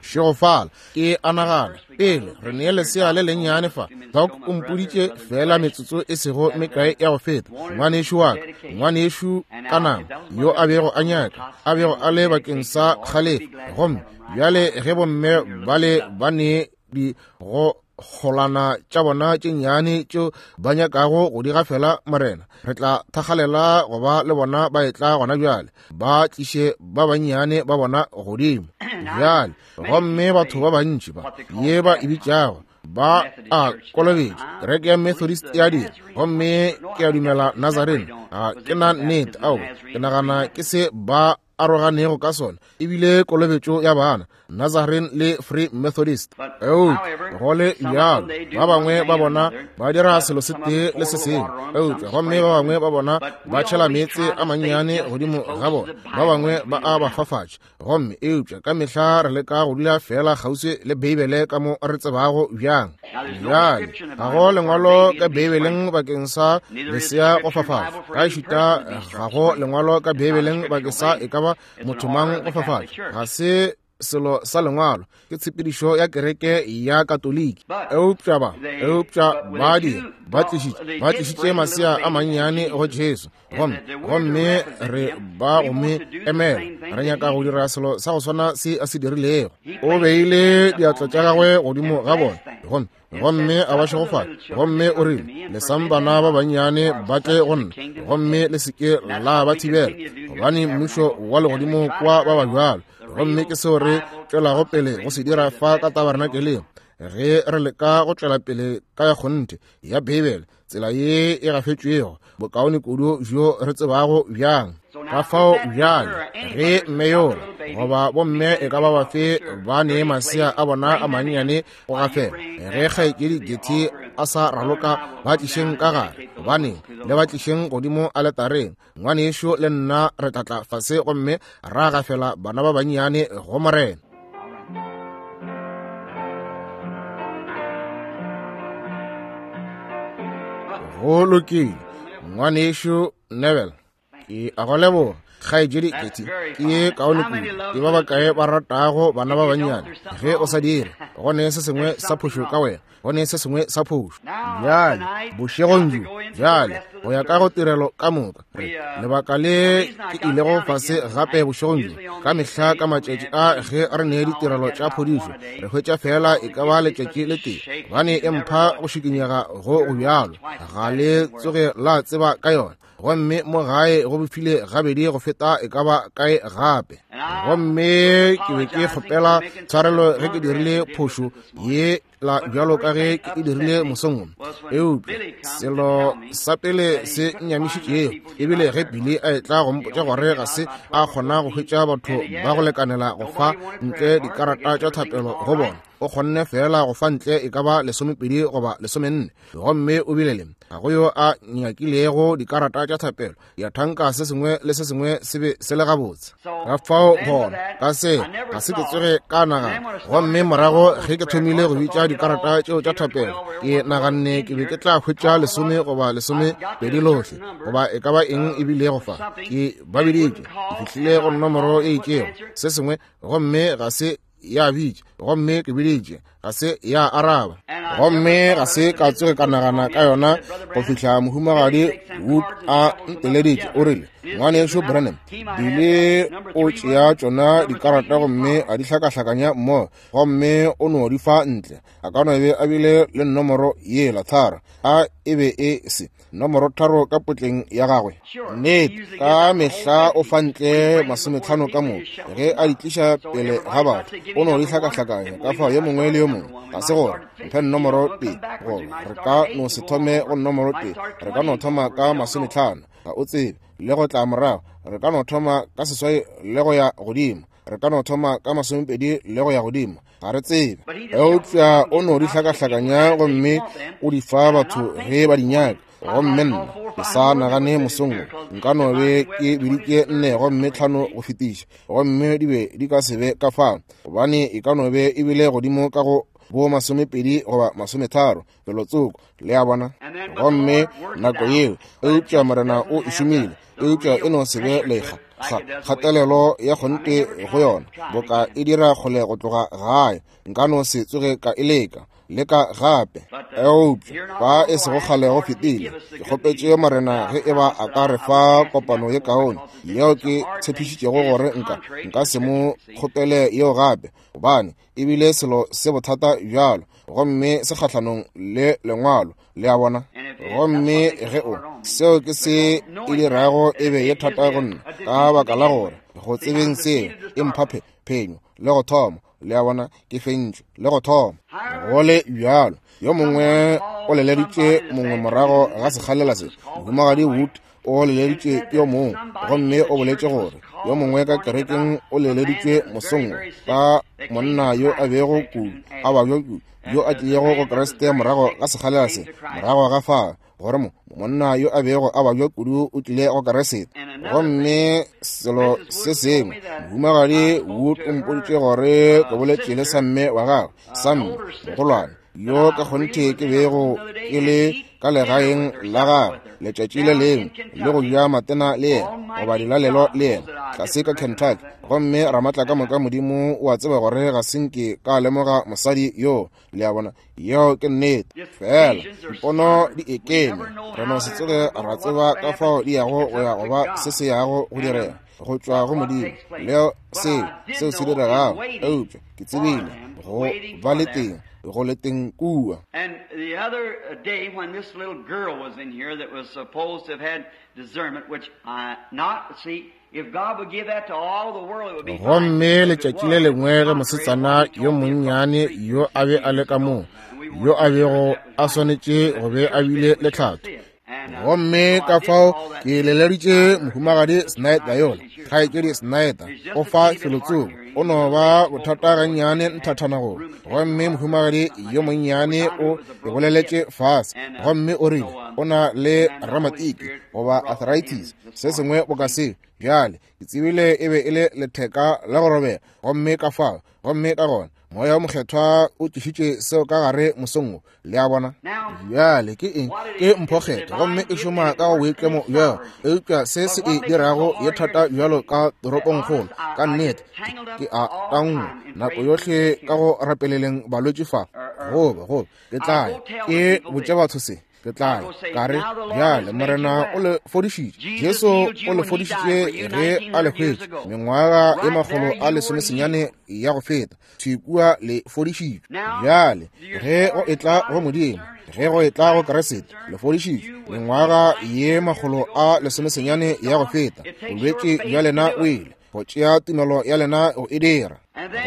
Šegofala. Ke a nagana, pele re nee lesea le lennyane fa, Doc o mpoditše feela metsotso e sego mekae ya go feta, ngwanešu wa ka, ngwanešu ka nama, yo a bego a nyaka, a bego a le bakeng sa kgalefo. Gomme bjale ge bomme bale ba ne di go kgolana tša bona tše nnyane tšeo ba nyakago go di gafela Morena, re tla thakgalela go ba le bona ba etla gona bjale, ba tliše ba bannyane ba bona godimo bjale. Gomme batho ba bantši ba ye ba e bitšago ba a kolobetša, kereke ya Methodist ya dira, gomme ke a dumela Nazarene, ga ke na nnete, ao, ke nagana ke se ba aroganego ka sona, ebile kolobetšo ya bana, Nazarene le Free Methodist. Eupša go le bjalo, ba bangwe ba bona ba dira selo se tee le se sengwe, eupša gomme ba bangwe ba bona ba tšhela meetse a mannyane godimo ga bona, ba bangwe ba a ba fafatša. Gomme eupša ka mehla re leka go dula feela kgauswi le Beibele ka mo re tsebago bjang. Bjale, ga go lengwalo ka Beibeleng bakeng sa lesea go fafatšwa, ka ešita ga go lengwalo ka Beibeleng bakeng sa e ka ba motho mang go fafatšwa. Ga se selo sa lengwalo, ke tshepedišo ya kereke ya Katoliki. Eupša ba, eupša ba dira, ba tlišitše, ba tlišitše masea a mannyane go Jesu, gomme, gomme re ba go mo emela. Re nyaka go dira selo sa go swana se a se dirilego. O beile diatla tša gagwe godimo ga bona, gomme, gomme a ba šegofatša, gomme o rile, Lesang bana ba bannyane ba tle go nna, gomme le se ke la ba thibela, gobane mmušo wa legodimo kwa ba ba bjalo. Gomme ke seo re tšwelago pele go se dira fa ka tabernakeleng, ge re leka go tšwela pele ka ya kgonthe ya Beibele, tsela ye e gafetšwego bokaone kudu bjo re tsebago bjang. Ka fao bjale ge mme yola goba bomme e ka ba bafe ba ne masea a bona a mannyane go gafela, ge kgaetšedi Getty a sa raloka, ba tlišeng ka gare, gobaneng, le ba tlišeng godimo aletareng. Ngwanešu le nna re tla tla fase gomme ra gafela bana ba bannyane go Morena. Go lokile, Ngwanešu Neville, ke a go leboga. Kgaetšedi Getty, ke ye kaone kudu. Ke ba bakae ba ratago bana ba bannyane? Ge o sa dire, go ne se sengwe sa phošo ka wena. Go ne se sengwe sa phošo. Bjale, bošegong bjo, bjale, go ya ka go tirelo ka moka, re, lebaka le ke ilego fase gape bošegong bjo, ka mehla ka matšatši a ge re ne ditirelo tša phodišo, re hwetša feela e ka ba letšatši le tee, gobane e mpha go šikinyega go go bjalo, ga le tsoge la tseba ka yona. Gomme mo gae go befile gabedi go feta e ka ba kae gape. Gomme ke be ke kgopela tshwarelo ge ke dirile phošo ye la bjalo ka ge ke e dirile mosong wo. Eupša selo sa pele se nnyamišitšego ebile ge Billy a etla go mpotša gore ga se a kgona go hwetša batho ba go lekanela go fa ntle dikarata tša thapelo go bona, o kgonne feela go fa ntle e ka ba 12 goba 14, gomme o bile le ga go yo a nyakilego dikarata tša thapelo. Ya thanka se sengwe le se sengwe se be se le gabotse. Ka fao gona ka se ga se ke tsoge ka nagana. Gomme morago ge ke thomile go bitša dikarata tšeo tša thapelo, ke naganne ke be ke tla hwetša 10 goba 12 lohle, goba e ka ba eng e bilego fa. Ke ba biditše, ke fihlile go nomoro e itšego, se sengwe, gomme ga se ya bitša, gomme ke biditše, ga se ya araba. Gomme ga se ka tsoge ka nagana ka yona go fihla Mohumagadi Wood a nteleditše, o rile, Ngwanešu Branham, Billy o tšea tšona dikarata gomme a di hlakahlakanya mmogo, gomme o no di fa ntle. A ka no be a bile le nomoro yela tharo, a e be e se nomoro 3 ka potleng ya gagwe? Nnete, ka mehla o fa ntle 50 ka moka ge a di tliša pele ga batho, o no di hlakahlakanya ka fao yo mongwe le yo mongwe. Ga se gore mphe nomoro 1, goba re ka no se thome go nomoro 1, re ka no thoma ka 50, ga o tsebe, le go tla morago, re ka no thoma ka 8 le go ya godimo, re ka no thoma ka 20 le go ya godimo, ga re tsebe. Eupša o no di hlakahlakanya gomme o di fa batho ge ba di nyaka. Gomme nna ke sa nagane mosong wo nka no be ke biditše 4 gomme 5 go fetiša, gomme di be di ka se be ka fao, gobane e ka no be e bile godimo ka go bo 20 goba 30 felotsoko, le a bona. Gomme nako yeo, eupša Morena o e šomile, eupša e no se be lekga. kgatelelo ya kgonthe go yona, boka e dira kgole go tloga gae. Nka no se tsoge ka e leka, leka gape. Eupša fa e sego kgale go fetile, ke kgopetše Morena ge e ba a ka re fa kopano ye kaone, yeo ke tshepišitšego gore nka se mo kgopele yeo gape, gobane e bile selo se bothata bjalo, gomme se kgahlanong le Lengwalo, le a bona. Gomme ge o, seo ke se e dirago e be ye thata go nna, ka baka la gore go tsebeng seo e mpha phenyo le go thoma, le a bona, ke fentšwe le go thoma. Go le bjalo, yo mongwe o leleditše mongwe morago ga sekgalela se, Mohumagadi Wood o leleditše yo mongwe, gomme o boletše gore yo mongwe ka kerekeng o leleditšwe mosong wo ka monna yo a bego kudu a babja kudu, yo a tlilego go Kriste morago ga sekgalela se, morago ga fa, gore monna yo a bego a babja kudu o tlile go Kriste. Gomme selo se sengwe, Mohumagadi Wood o mpoditše gore ke boletše le samme wa gagwe, samme mogolwane, yo ka kgonthe ke bego ke le ka legaeng la gagwe letšatši le lengwe le go ja matena le yena goba dilalelo le yena tlase ka Kentucky. Gomme Ramatla ka moka Modimo o a tseba gore ga se nke ka lemoga mosadi yo, le a bona, yeo ke nnete. Fela dipono di ekeme, re no se tsoge ra tseba ka fao di yago go ya goba se se yago go direga go tšwa go Modimo leo seo se diregago. Eupša ke tsebile go ba le teng, go le teng kua. And the other day when this little girl was in here that was supposed to have had discernment, which I not see, if God would give that to all the world, it would be fine. Gomme letšatši le lengwe ge mosetsana yo monnyane yo a be a le ka moo, yo a bego a swanetše go be a bile le tlhatho, gomme ka fao ke leleditše Mohumagadi Snyder yola, kgaetšedi Snyder, o fa felotsoko, o no ba bothata gannyane nthathana go. Gomme mohumagadi yo monnyane o e boleletše fase, gomme o rile o na le ramatiki goba arthritis, se sengwe boka seo. Bjale ke tsebile e be e le letheka la go robega, gomme ka fao, gomme ka gona Moya wo Mokgethwa o tlišitše seo ka gare mosong wo, le a bona. Bjale ke eng? Ke mphokgetho, gomme e šoma ka go boitlemo bjao. Eupša se se e dirago ye thata bjalo ka toropongkgolo, ka nnete ke a tangwa nako yohle ka go rapeleleng balwetši fa, goba ke tla ya ke botše batho se. Ke tla ya ka re, bjale Morena o le fodišitše, Jesu o le fodišitše ge a le hwetše mengwaga ye 119 ya go feta, thwi kua le fodišitšwe. Bjale ge go etla go Modimo, ge go etla go Kriste, le fodišitšwe mengwaga ye 119 ya go feta, bolwetši bja lena o ile go tšea tumelo ya lena go e dira.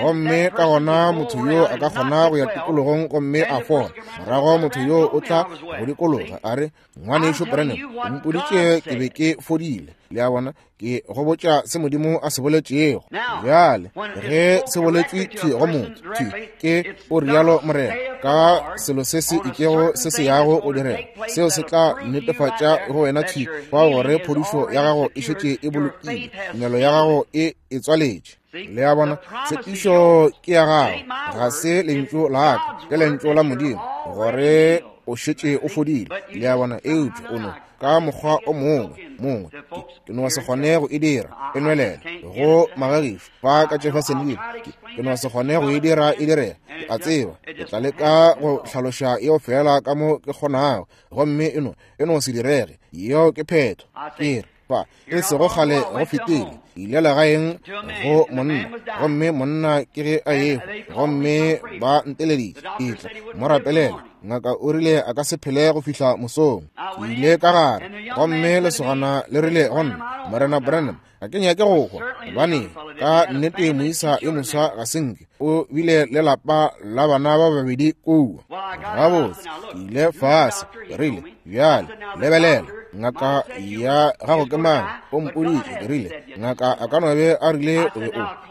Gomme ka gona motho yo a ka kgona go ya tikologong gomme a fola. Morago motho yo o tla go dikologa a re, Ngwanešu Branham, o mpoditše ke be ke fodile. Le a bona, ke go botša se Modimo a se boletšego. Bjale ge se boletšwe thwi go motho, thwi ke o rialo Morena, ka selo se se itšego se se yago go direga, seo se tla netefatša go wena thwi fa gore phodišo ya gago e šetše e bolokilwe, tumelo ya gago e e tswaletše. Le a bona, tshepišo ke ya gago, ga se lentšu la ka, ke lentšu la Modimo, gore o šetše o fodile. Le a bona, eupša o no ka mokgwa o mongwe, ke no se kgone go e dira e nwelele go magagišo fa ka Jeffersonville, ke no se kgone go e dira e direga. Ke a tseba ke tla leka go hlaloša yeo fela ka mo ke kgonago, gomme e no se direge. Yeo ke phetho. Ke re fa e sego kgale go fetile, ile legaeng go monna, gomme monna ke ge a ehwa, gomme ba nteleditše etla mo rapelela. Ngaka o rile a ka se phele go fihla mosong. Ke ile ka gare, gomme lesogana le rile go nna, Morena Branham, ga ke nyake go hwa, gobane ka nnete moisa yo moswa ga se nke o bile le lapa la bana ba babedi kua. Gabotse, ke ile fase, ke rile, bjale lebelela, ngaka ya gago ke mang? O mpoditše. Ke rile, ngaka a ka no be a rile o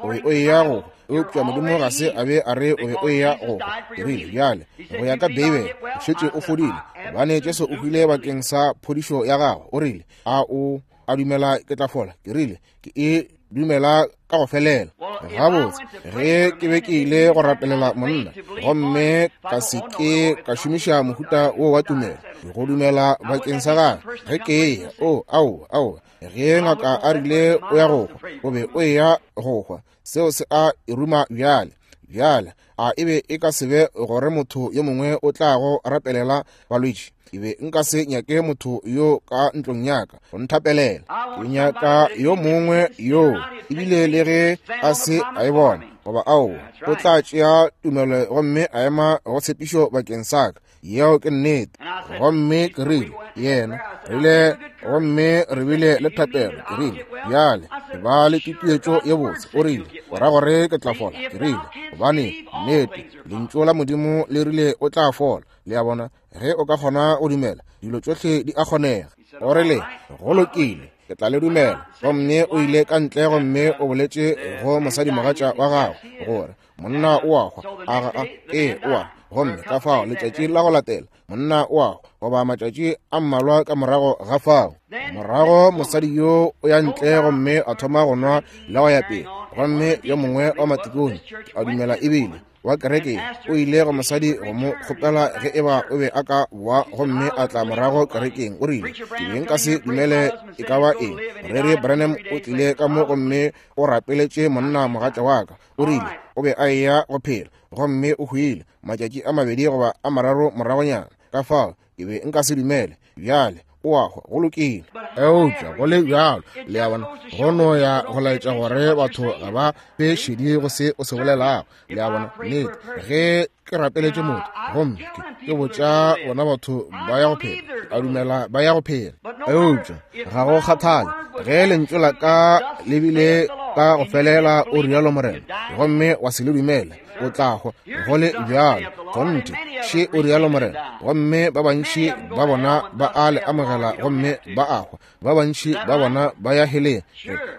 be o eya go hwa, eupša Modimo ga se a be a re o be o eya go hwa. Ke rile, bjale go ya ka Beibele o šetše o fodile, gobane Jesu o hwile bakeng sa phodišo ya gago. O rile, a o a dumela ke tla fola? Ke rile, ke e dumela ka go felela. Gabotse, ge ke be ke ile go rapelela monna gomme ka se ke ka šomiša mohuta wo wa tumelo go dumela bakeng sa gagwe, ge ke eya, o, aowa, aowa, ge ngaka a rile o ya go hwa, o be o eya go hwa, seo se a e ruma bjale. Bjale, a e be e ka se be gore motho yo mongwe o tla go rapelela balwetši? Ke be nka se nyake motho yo ka ntlong ya ka go nthapelela. Ke nyaka yo mongwe yo, ebile le ge a se a e bona, goba aowa, o tla tšea tumelo gomme a ema go tshepišo bakeng sa ka. Yeo ke nnete. Gomme ke rile, yena, rile, gomme re bile le thapelo. Ke rile, bjale, ke ba le tutuetšo ye botse. O rile, o ra gore ke tla fola? Ke rile, gobane, nnete, Lentšu la Modimo le rile o tla fola. Le a bona, ge o ka kgona go dumela, dilo tšohle di a kgonega. O rile, go lokile, ke tla le dumela. Gomme o ile ka ntle gomme o boletše go mosadimogatša wa gagwe gore monna o a hwa. A ga a? Ee, o a. Gomme ka fao letšatši la go latela monna o a hwa, goba matšatši a mmalwa ka morago ga fao. Morago mosadi yo o ya ntle gomme a thoma go nwa le go ya pele. Gomme yo mongwe wa matikone a dumela ebile wa kereke o ile go mosadi go mo kgopela ge eba o be a ka boa gomme a tla morago kerekeng. O rile, ke be nka se dumele e ka ba eng. Moreri Branham o tlile ka mo gomme o rapeletše monna mogatša wa ka. O rile o be a eya go phela, gomme o hwile matšatši a mabedi goba a mararo moragonyana. Ka fao ke be nka se dumele. Bjale o a hwa, go lokile. Eupša go le bjalo, le a bona, go no ya go laetša gore batho ga ba be šedi go se o se bolelago. Le a bona, nnete, ge ke rapeletše motho gomme ke botša bona batho ba ya go phela, a dumela ba ya go phela. Eupša ga go kgathale ge lentšu la ka le bile ka go felela, o rialo Morena, gomme wa se le dumele, o tla hwa go le bjalo. Kgonthe, še o rialo Morena. Gomme ba bantši ba bona ba a le amogela gomme ba a hwa, ba bantši ba bona ba ya heleng,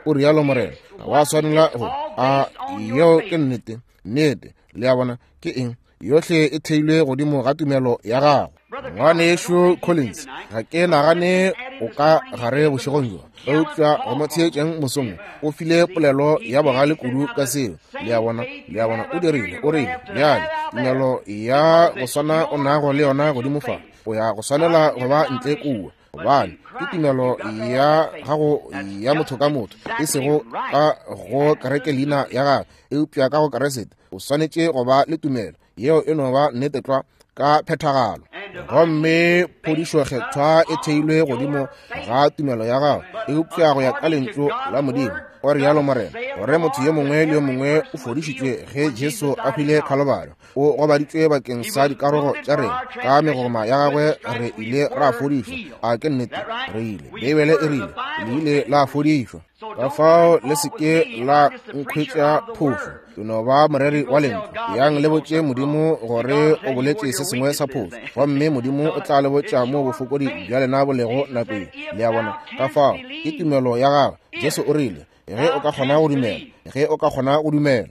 o rialo Morena. Ga wa swanela go a. Yeo ke nnete, nnete. Le a bona ke eng? Yohle e theilwe godimo ga tumelo ya gago. Ngwanešu Collins, ga ke nagane o ka gare bošegong bjo, eupša go mo theetšeng mosong o file polelo ya bogale kudu ka seo. Le a bona, le a bona, o dirile, o rile, bjale tumelo ya go swana o nago le yona godimo fa, o ya go swanela go ba ntle kua, gobane ke tumelo ya gago ya motho ka motho, e sego ka go kereke leina ya gago, eupša ka go Keresete. O swanetše go ba le tumelo yeo e no ba nnete tlwa ka phethagalo. Gomme phodišo kgethwa e theilwe godimo ga tumelo ya gago, eupša go ya ka lentšu la Modimo, o rialo Morena, gore motho yo mongwe le yo mongwe o fodišitšwe ge Jesu a hwile Khalobari. O gobaditšwe bakeng sa dikarogo tša rena, ka megoma ya gagwe re ile ra fodišwa. A ke nnete? Re ile, Beibele e rile, le ile la fodišwa. Ka fao le se ke la nkhwetša phošo, ke no ba moreri wa lentšu. Yang le botše Modimo gore o boletše se sengwe sa phošo, gomme Modimo o tla le botša moo bofokodi bja lena bo lego nako ye. Le a bona? Ka fao ke tumelo ya gagwe. Jesu o rile, ge o ka kgona go dumela, ge o ka kgona go dumela.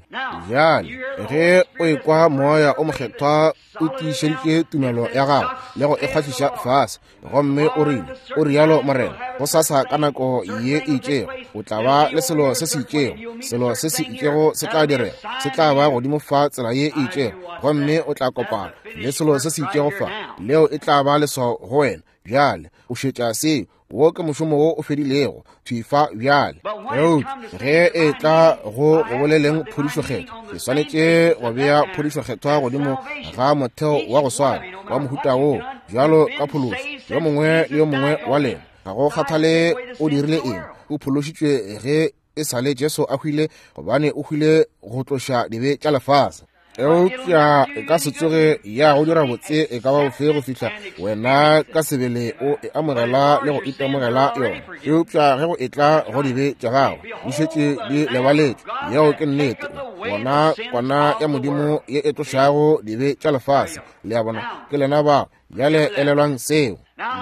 Bjale ge o ekwa Moya o Mokgethwa o tiišeditše tumelo ya gago le go e kgwahliša fase, gomme o rile, o rialo Morena, go sasa ka nako ye e itšego o tla ba le selo se se itšego, selo se se itšego se tla direga, se tla ba godimo fa tsela ye e itšego, gomme o tla kopana le selo se se itšego fa, leo e tla ba leswao go wena. Bjale o šetša seo. Wo ke mošomo wo o fedilego thwi fa bjale. Eupša ge e tla go go boleleng phodišokgethwa, ke swanetše go bea phodišokgethwa godimo ga motheo wa go swana wa mohuta wo, bjalo ka phološo. Yo mongwe le yo mongwe wa lena, ga go kgathale o dirile eng, o phološitšwe ge e sa le Jesu a hwile, gobane o hwile go tloša dibe tša lefase. Eupša e ka se tsoge ya go dira botse e ka ba bofe go fihla wena ka sebele o e amogela le go itemogela yona. Eupša ge go etla go dibe tša gago, di šetše di lebaletšwe. Yeo ke nnete. Bona kwana ya Modimo ye e tlošago dibe tša lefase. Le a bona? Ke lena bao. Bjale elelwang seo.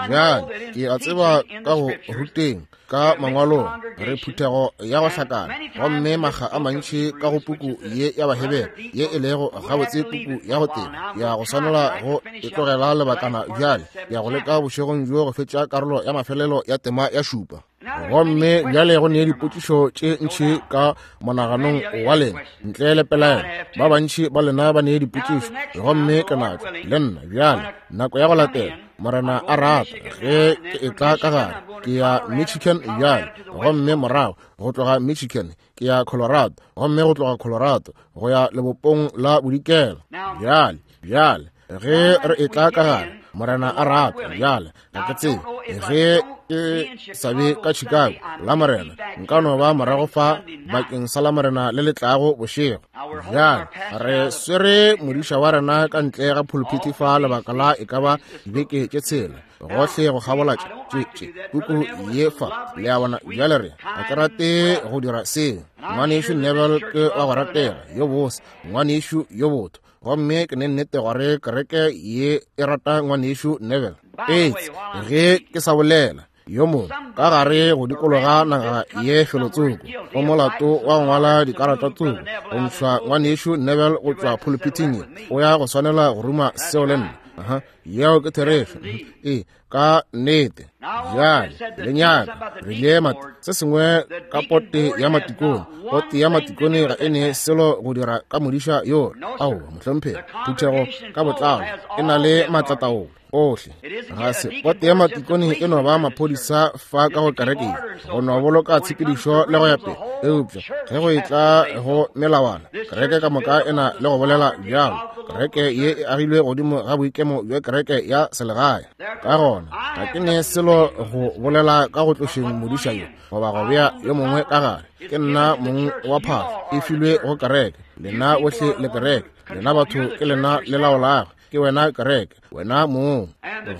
Bjale ke a tseba ka go ruteng ka mangwalong re phuthego ya go hlakana, gomme makga a mantši ka go puku ye ya Bahebere ye e lego gabotse puku ya go teba, ya go swanela go e tlogela lebakana bjale, ya go leka bošegong bjo go fetša karolo ya mafelelo ya tema ya šupa. Gomme bjale go ne dipotšišo tše ntši ka monaganong wa lena, ntle le pelaelo. Ba bantši ba lena ba ne dipotšišo, gomme ke natšo le nna. Bjale, nako ya go latela, Morena a rata, ge ke etla ka gare, ke ya Michigan bjale, gomme morago go tloga Michigan ke ya Colorado, gomme go tloga Colorado go ya lebopong la bodikela. Bjale, bjale ge re etla ka gare, Morena a rata, bjale ga ke tsebe ge ke sa be ka Chicago la Morena, nka no ba morago fa bakeng sa la Morena le le tlago bošego. Bjale re swere modiša wa rena ka ntle ga phuluphithi fa lebaka la e ka ba dibeke tše tshela, gohle go kgabola tše tše puku ye fa, le a bona. Bjale re ga ke rate go dira seo. Ngwanešu Neville ke wa go ratega, yo bose, ngwanešu yo botho, gomme ke ne nnete gore kereke ye e rata ngwanešu Neville. Etse ge ke sa bolela yo mongwe ka gare go dikologa naga ye felotsoko go molato wa go ngwala dikarata tsoko go ntšhwa ngwanešu Neville go tšwa phuluphithing ye, o ya go swanela go ruma seo le nna. Aha, yeo ke therešo. Ee, ka nnete. Bjale le nyaka re ile se sengwe ka pote ya matikone. Pote ya matikone ga e ne selo go dira ka modiša yola. Aowa, mohlomphegi. Phuthego ka botlalo e na le maatlataolo ohle. Ga se pote ya matikone, e no ba maphodisa fa ka go kerekeng go no boloka tshepedišo le go ya pele. Eupša ge go etla go melawana, kereke ka moka e na le go bolela bjalo. Kereke ye e agilwe godimo ga boikemo bja kereke ya selegae. Ka gona ga ke ne selo go bolela ka go tlošeng modiša yo goba go bea yo mongwe ka gare. Ke nna mong wa phahlo, e filwe go kereke. Lena bohle le kereke, lena batho ke lena le laolago. Ke wena kereke, wena mong.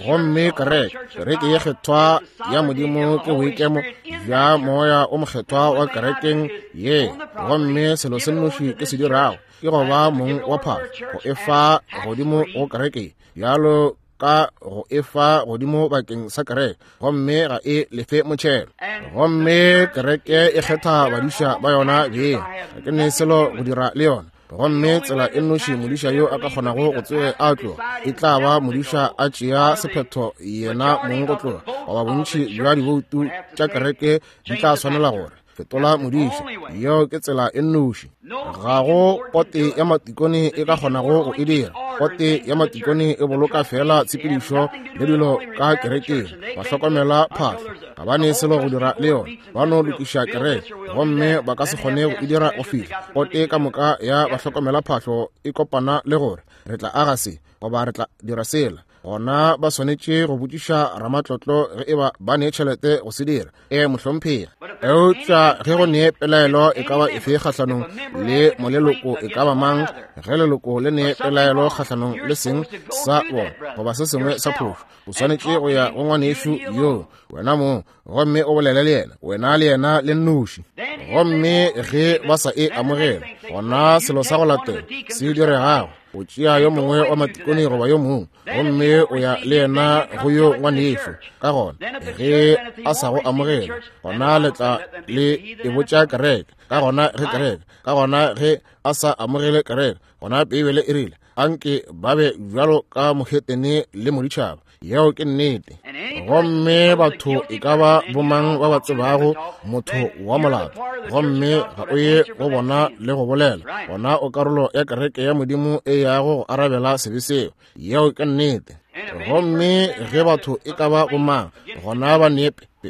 Gomme kereke, kereke ye kgethwa ya Modimo ke boikemo bja Moya o mokgethwa wa kerekeng ye. Gomme selo se nnoši ke se dirago ke go ba mong wa phahlo, go e fa godimo go kereke, bjalo ka go e fa godimo bakeng sa kereke, gomme ga e lefe motšhelo. Gomme kereke e kgetha badiša ba yona beng. Ga ke ne selo go dira le yona. Gomme tsela e nnoši modiša yo a ka kgonago go tsoge a tloga e tla ba modiša a tšea sephetho yena mong go tloga, goba bontši bja diboutu tša kereke di tla swanela gore fetola modiša. Yeo ke tsela e nnoši. Ga go pote ya matikone e ka kgonago go e dira. Pote ya matikone e boloka fela tshepedišo le dilo ka kerekeng, ba hlokomela phahlo, ga ba ne selo go dira le yona. Ba no lokiša kereke, gomme ba ka se kgone go e dira go fihla pote ka moka ya bahlokomela phahlo e kopana le gore re tla aga se goba re tla dira sela. Gona ba swanetše go botšiša ramatlotlo ge e ba ba ne tšhelete go se dira. Ee, mohlomphegi. Eupša ge go ne pelaelo e ka ba efe kgahlanong le moleloko e ka ba mang, ge leloko le ne pelaelo kgahlanong le seng sa bona goba se sengwe sa phošo, o swanetše go ya go ngwanešu yoo wena mong, gomme o bolele le yena, wena le yena le nnoši. Gomme ge ba sa e amogela, gona selo sa go latela se diregago, o tšea yo mongwe wa matikone goba yo mongwe, gomme o ya le yena go yo ngwanešu. Ka gona ge a sa go amogela, gona le tla le e botša kereke. Ka gona ge kereke, ka gona ge a sa amogele kereke, gona Beibele e rile, anke ba be bjalo ka mohetene le moditšhaba. Yeo ke nnete. Gomme batho e ka ba bomang ba ba tsebago motho wa molato, gomme ga o ye go bona le go bolela, gona o karolo ya kereke ya Modimo e yago go arabela sebe seo. Yeo ke nnete. Gomme ge batho e ka ba bomang, gona ba ne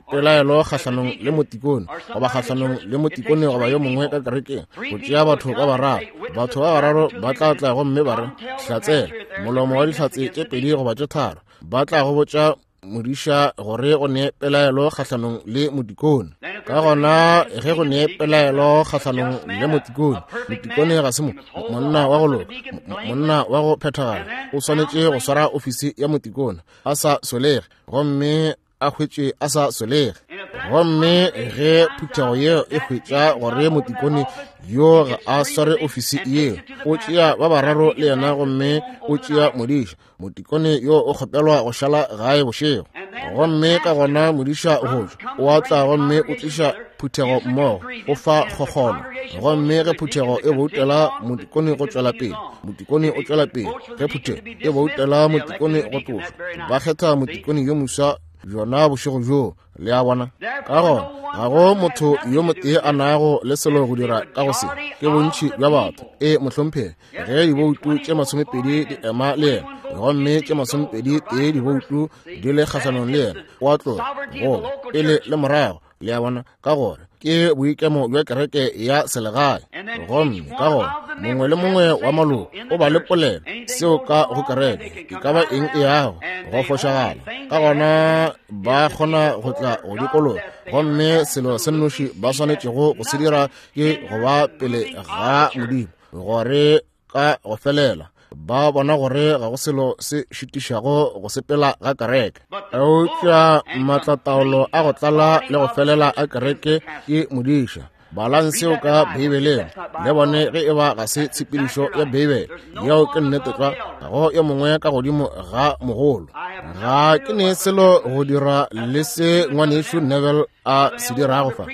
pelaelo kgahlanong le motikone goba kgahlanong le motikone goba yo mongwe ka kerekeng, go tšea batho ba bararo. Batho ba bararo ba tla tla gomme ba re, Hlatsela, molomo wa dihlatse tše pedi goba tše tharo. Ba tla go botša modiša gore go ne pelaelo kgahlanong le motikone. Ka gona ge go ne pelaelo kgahlanong le motikone, motikone ga se monna wa go loka, monna wa go phethagala, o swanetše go swara ofisi ya motikone a sa solege, gomme a hwetše a sa solege. Gomme ge phuthego yeo e hwetša gore motikone yo ga a sware ofisi yeo, o tšea ba bararo le yena gomme o tšea modiša. Motikone yo o kgopelwa go šala gae bošego. Gomme ka gona modiša go tšwa, o a tla gomme o tliša phuthego mmogo, o fa kgokgono. Gomme ge phuthego e boutela motikone go tšwela pele, motikone o tšwela pele. Ge phuthego e boutela motikone go tlošwa, ba kgetha motikone yo moswa. bjona bošego bjoo. Le a bona? Ka gona ga go motho yo motee a nago le selo go dira ka go se, ke bontši bja batho. E, mohlomphegi, ge diboutu tše 20 di ema le yena, gomme tše 21 diboutu di le kgahlanong le yena, o a tloga, goba pele le morago. Le a bona? Ka gore ke boikemo bja kereke ya selegae. Gomme ka gona mongwe le mongwe wa maloko o ba le polelo seo ka go kereke, e ka ba eng e yago go fošagala, ka gona ba kgona go tla go dikologa, gomme selo se nnoši ba swanetšego go se dira ke go ba pele ga Modimo, gore ka go felela ba bona gore ga go selo se šitišago go sepela ga kereke. Eupša maatlataolo a go tlala le go felela a kereke ke modiša. Balang seo ka Beibeleng le bone ge e ba ga se tshepedišo ya Beibele. Yeo ke nnete tlwa. Ga go yo mongwe ka godimo ga mogolo. Ga ke ne selo go dira le se ngwanešu Neville a se dirago fa,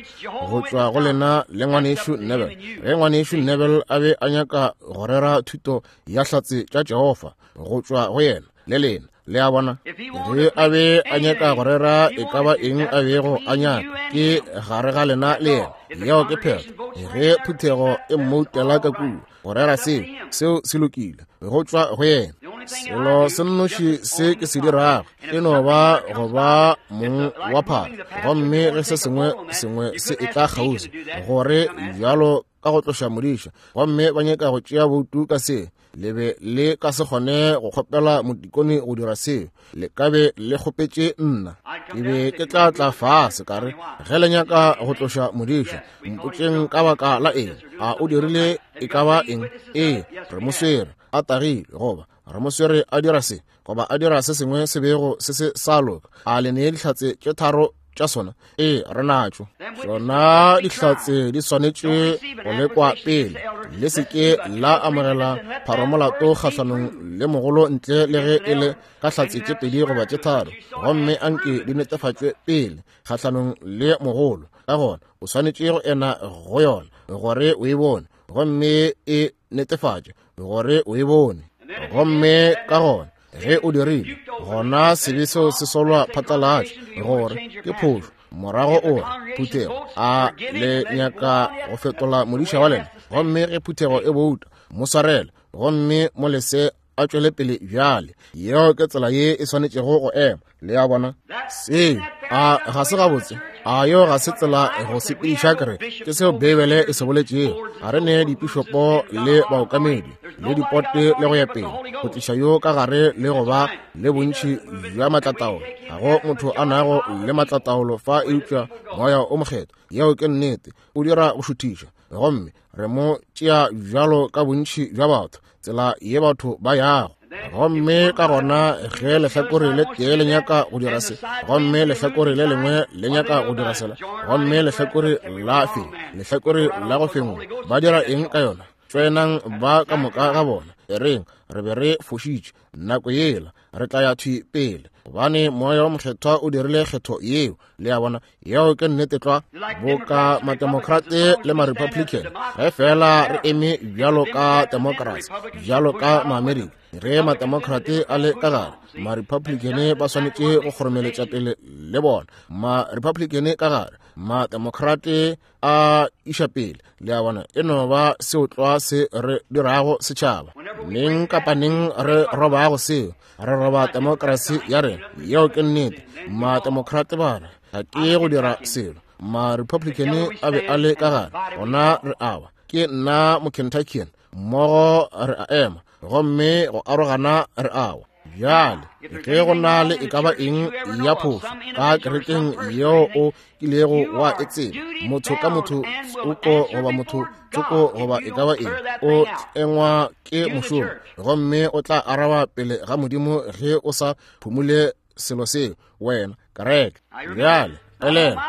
go tšwa go lena le ngwanešu Neville. Ge ngwanešu Neville a be a nyaka go rera thuto ya Hlatse tša Jehofa, go tšwa go yena le lena. Le a bona? Ge a be a nyaka go rera e ka ba eng a bego a nyaka, ke gare ga lena le yena. Yeo ke phetho. Ge phuthego e mmoutela ka kua go rera seo, seo se lokile, go tšwa go yena. Selo se nnoši se ke se dirago e no ba go ba mong wa phara, gomme ge se sengwe sengwe se e tla kgauswi gore bjalo ka go tloša modiša, gomme ba nyaka go tšea boutu ka se, le be le ka se kgone go kgopela modikone go dira seo, le ka be le kgopetše nna. Ke be ke tla tla fase ka re, ge le nyaka go tloša modiša, mpotšeng ka baka la eng. A o dirile e ka ba eng? Ee, re mo swere a tagile, goba re mo swere a dira se, goba a dira se sengwe se bego se se sa loka. A le nee dihlatse tše tharo tša sona? Ee, re natšo. Tšona dihlatse di swanetše go lekwa pele. Le se ke la amogela pharomolato kgahlanong le mogolo ntle le ge e le ka hlatse tše pedi goba tše tharo, gomme anke di netefatšwe pele kgahlanong le mogolo. Ka gona o swanetše go ena go yona gore o e bone, gomme e netefatše gore o e bone. Gomme ka gona ge o dirile, gona sebe seo se solwa phatlalatša gore ke phošo. Morago o re, phuthego, a le nyaka go fetola modiša wa lena? Gomme ge phuthego e bouta, mo swarele gomme mo lese a tšwele pele bjale. Yeo ke tsela ye e swanetšego go ema. Le a bona? Seo a ga se gabotse? A yeo ga se tsela go sepediša kereke? Ke seo Beibele e se boletšego. Ga re ne dipišopo le baokamedi le dipote le go ya pele go tliša yo ka gare le go ba le bontši bja maatlataolo. Ga go motho a nago le maatlataolo fa eupša Moya o Mokgethwa. Yeo ke nnete. O dira go šuthiša, gomme re mo tšea bjalo ka bontši bja batho, tsela ye batho ba yago. Gomme ka gona ge lehlakore le tee le nyaka go dira se, gomme lehlakore le lengwe le nyaka go dira sela, gomme lehlakore la feng, lehlakore la go fengwa, ba dira eng ka yona? Tšoenang ba ka moka ga bona, e reng re be re fošitše nako yela, re tla ya thwi pele, gobane Moya wa Mokgethwa o dirile kgetho yeo. Le a bona? Yeo ke nnete tlwa. Boka Mademokrate le Marepublican, ge fela re eme bjalo ka demokrasi, bjalo ka Maamerika, ge Mademokrate a le ka gare, Marepublican ba swanetše go kgoromeletša pele le bona. Marepublican ka gare, Mademokrate a iša pele. Le a bona? E no ba seo tlwa se re dirago setšhaba. Neng kapa neng re robago seo, re roba demokrasi ya rena. Yeo ke nnete. Mademokrate ba re, ga ke go dira selo. Marepublican a be a le ka gare, gona re awa. Ke nna Mokentuckian, mmogo re a ema, gomme go arogana re awa. Bjale ge go na le e ka ba eng ya phošo ka kerekeng yeo o kilego wa e tseba, motho ka motho tsoko goba motho tsoko goba e ka ba eng, o tlengwa ke mošomo, gomme o tla araba pele ga Modimo ge o sa phumule selo seo, wena kereke. Bjale elela,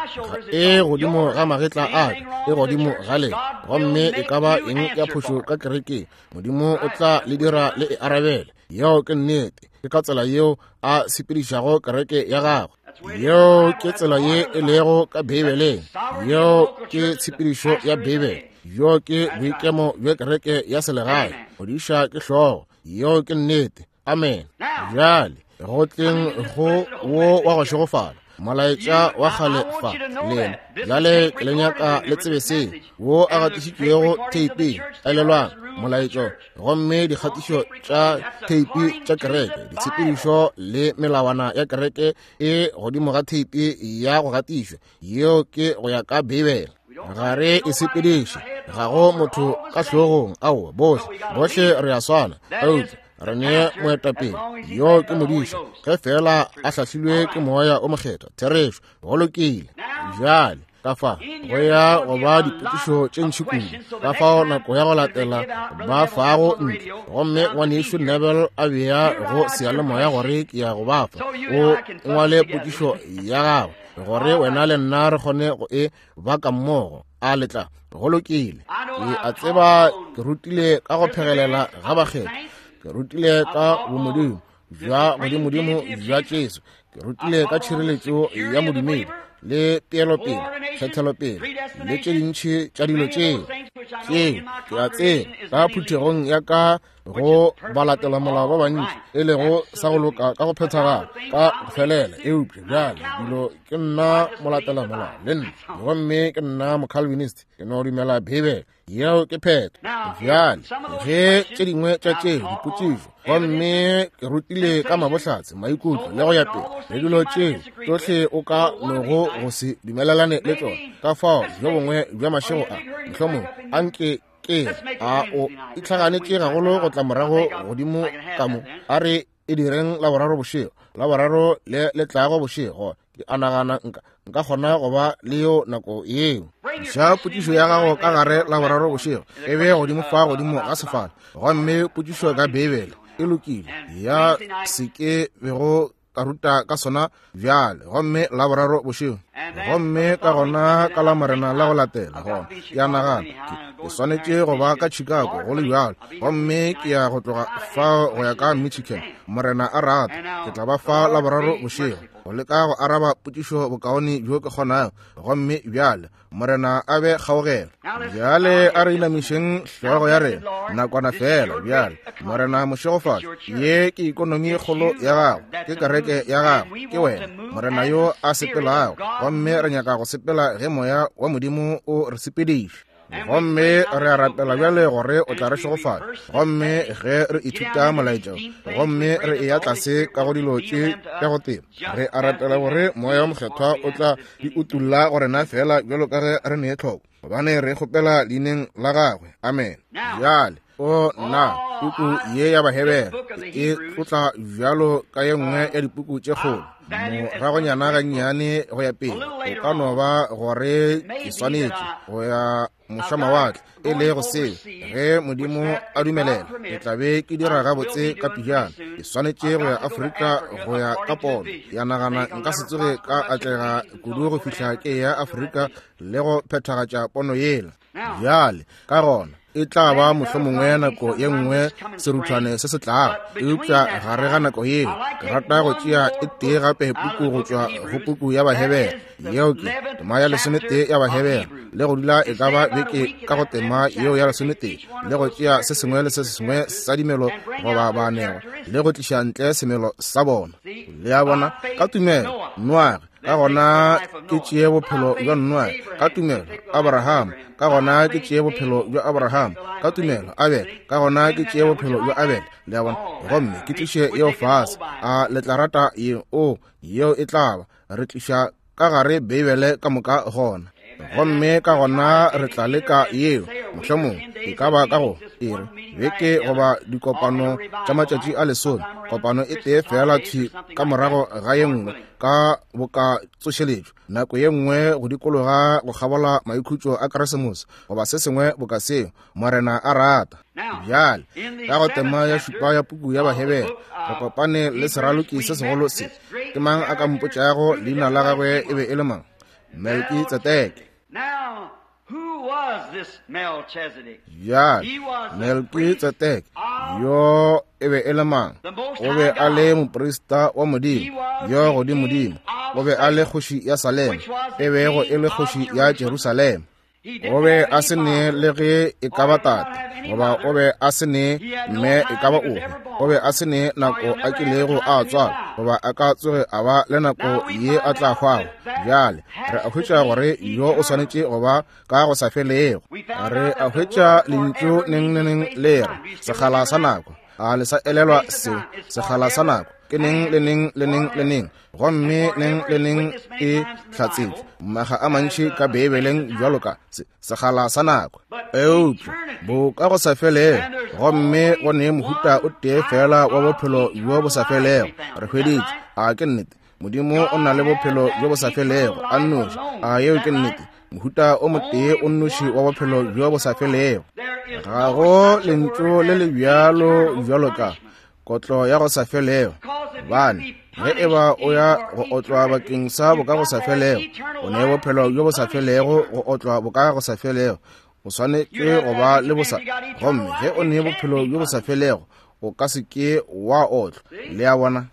e godimo ga magetla a ka, e godimo ga lena, gomme e ka ba eng ya phošo ka kerekeng, Modimo o tla le dira le e arabele. Yeo ke nnete. Ke ka tsela yeo a sepedišago kereke ya gagwe. Yeo ke tsela ye e lego ka Beibeleng. Yeo ke tshepedišo ya Beibele. Yo ke boikemo bja kereke ya selegae. Modiša ke hlogo. Yeo ke nnete. Amen. Bjale. Go tleng go wo wa go šegofala molaetša wa kgale fa lena bjale ke le nyaka le tsebe seo wo a gatišitšwego theiping. Elelwang molaetšo gomme dikgatišo tša theipi tša kereke, ditshepedišo le melawana ya kereke e godimo ga theipi ya go gatišwa. Yeo ke go ya ka Beibele. Ga re e sepediše, ga go motho ka hlogong. Aowa, bohle bohle re a swana, eupša re ne moetapele, yo ke modiša, ge fela a hlahlilwe ke Moya o Mokgethwa. Therešo, go lokile. Bjale ka fa go ya go ba dipotšišo tše ntši kudu, ka fao nako ya go latela ba fago ntle, gomme ngwanešu Neville a bea go seyalemoya gore ke ya go ba fa. O ngwale potšišo ya gago gore wena le nna re kgone go e baka mmogo. A letla, go lokile. Ke a tseba ke rutile ka go phegelela ga bakgethwa, ke rutile ka bomodimo bja godimodimo bja Jesu, ke rutile ka tšhireletšo ya modumedi le peelopele, kgethelopele le tše dintši tša dilo tšeo. Tšeo ke a tseba ka phuthegong ya ka go balatela molao ba bantši, e lego sa go loka ka go phethagala ka go felela. Eupša bjale dilo ke nna molatela molao le nna, gomme ke nna mocalvinist, ke no dumela Beibele. Yeo ke phetho. Bjale ge tše dingwe tša tše dipotšišo, gomme ke rutile ka mabohlatse, maikutlo le go ya pele, le dilo tše tsohle o ka nogo go se dumelelane le tšona, ka fao bjo bongwe bja mašego a mohlomongwe a nke ke a o itlhaganetše gagolo go tla morago godimo ka mo. A re e direng Laboraro bošego, Laboraro le le tlago bošego. Ke a nagana nka nka kgona go ba le yo nako yeo. Tliša potšišo ya gago ka gare Laboraro bošego, e be godimo fa godimo ga sefala, gomme potšišo ka Beibele e lokile ya se ke bego ka ruta ka sona bjale, gomme Laboraro bošego, gomme ka gona ka Lamorena la go latela. Gona ke a nagana ke swanetše go ba ka Chicago go le bjalo, gomme ke ya go tloga fao go ya ka Michigan, Morena a rata. Ke tla ba fa Laboraro bošego go leka go araba potšišo bokaone bjo ke kgonago. Gomme bjale Morena a be kgaogelo. Bjale a re inamišeng hlogo ya rena nakwana fela. Bjale Morena mošegofatšo, ye ke ikonomi e kgolo ya gago, ke kereke ya gago, ke wena Morena yo a sepelago, gomme re nyaka go sepela ge Moya wa Modimo o re sepediša. Gomme re a rapela bjale gore o tla re šegofatša, gomme ge re ithuta molaetša gomme re eya tlase ka go dilo tše tša go teba, re a rapela gore Moya wa Mokgethwa o tla di utulla go rena fela bjalo ka ge re ne tlhoko, gobane re kgopela leineng la gagwe. Amen. Bjale o nna puku ye ya Bahebere e tlotla bjalo ka ye nngwe ya dipuku tše kgolo. Moragonyana gannyane go ya pele, o ka no ba gore ke swanetše go ya mošwamawatle, e le go seo ge Modimo a dumelela ke tla be ke dira gabotse ka pejana. Ke swanetše go ya Afrika go ya ka pono ya nagana nka se tsoge ka atlega kudu go fihla ke ya Afrika le go phethagatša pono yela. Bjale ka gona e tla ba mohlomongwe nako ye nngwe seruthwane se se tlago, eupša gare ga nako yeo ke rata go tšea e tee gape puku go tšwa go puku ya Bahebere, yeo ke tema ya 11 ya Bahebere, le go dula e ka ba beke ka go tema yeo ya 11, le go tšea se sengwe le se sengwe sa dimelo goba baanegwa le go tliša ntle semelo sa bona. Le a bona, ka tumelo Noage, ka gona ke tšee bophelo bja Noage, ka tumelo Abraham, ka gona ke tšee bophelo bja Abraham, ka tumelo Abel, ka gona ke tšee bophelo bja Abel. Le a bona, gomme ke tliše yeo fase. A le tla rata yeo? O, yeo e tla ba. Re tliša ka gare Beibele ka moka gona, gomme ka gona re tla leka yeo mohlomongwe e ka ba ka go e re beke goba dikopano tša matšatši a lesome, kopano e tee fela thwi ka morago ga ye nngwe ka boka tsošeletšo, nako ye nngwe go dikologa go kgabola maikhutšo a Keresemose goba se sengwe boka seo, Morena a rata. Bjale ka go tema ya šupa ya puku ya Bahebere re kopane le seraloki se segolo se. Ke mang a ka mpotšago leina la gagwe e be e le mang? Melkitsedeke. Bjale Melkitsedeke yo e be e le mang? O be a le moprista wa Modimo yo godimodimo. O be a le kgoši ya Salema, e bego e le kgoši ya Jerusalema. O be a se ne le ge e ka ba tate, goba o be a se ne mme e ka ba ofe. O be a se ne nako a kilego a tswalwa, goba a ka tsoge a ba le nako ye a tla hwago. Bjale re a hwetša gore yo o swanetše go ba ka go sa felego. Re a hwetša lentšu neng le neng le re sekgala sa nako. A le sa elelwa se? Sekgala sa nako ke neng le neng le neng le neng, gomme neng le neng e hlatsetšwe maga a mantši ka Beibeleng bjalo ka se, sekgala sa nako. Eupša bo ka go sa felego, gomme go ne mohuta o tee fela wa bophelo bjo bo sa felego. Re hweditše, a ke nnete? Modimo o na le bophelo bjo bo sa felego a nnoši. A yeo ke nnete? Mohuta o motee o nnoši wa bophelo bjo bo sa felego. Ga go lentšu le le bjalo bjalo ka kotlo ya go sa felego, gobane ge e ba o ya go otlwa bakeng sa boka go sa felego, o ne bophelo bjo bo sa felego go otlwa boka go sa felego, o swanetše go ba le bosa. Gomme ge o ne bophelo bjo bo sa felego, o ka se ke wa otlwa. Le a bona?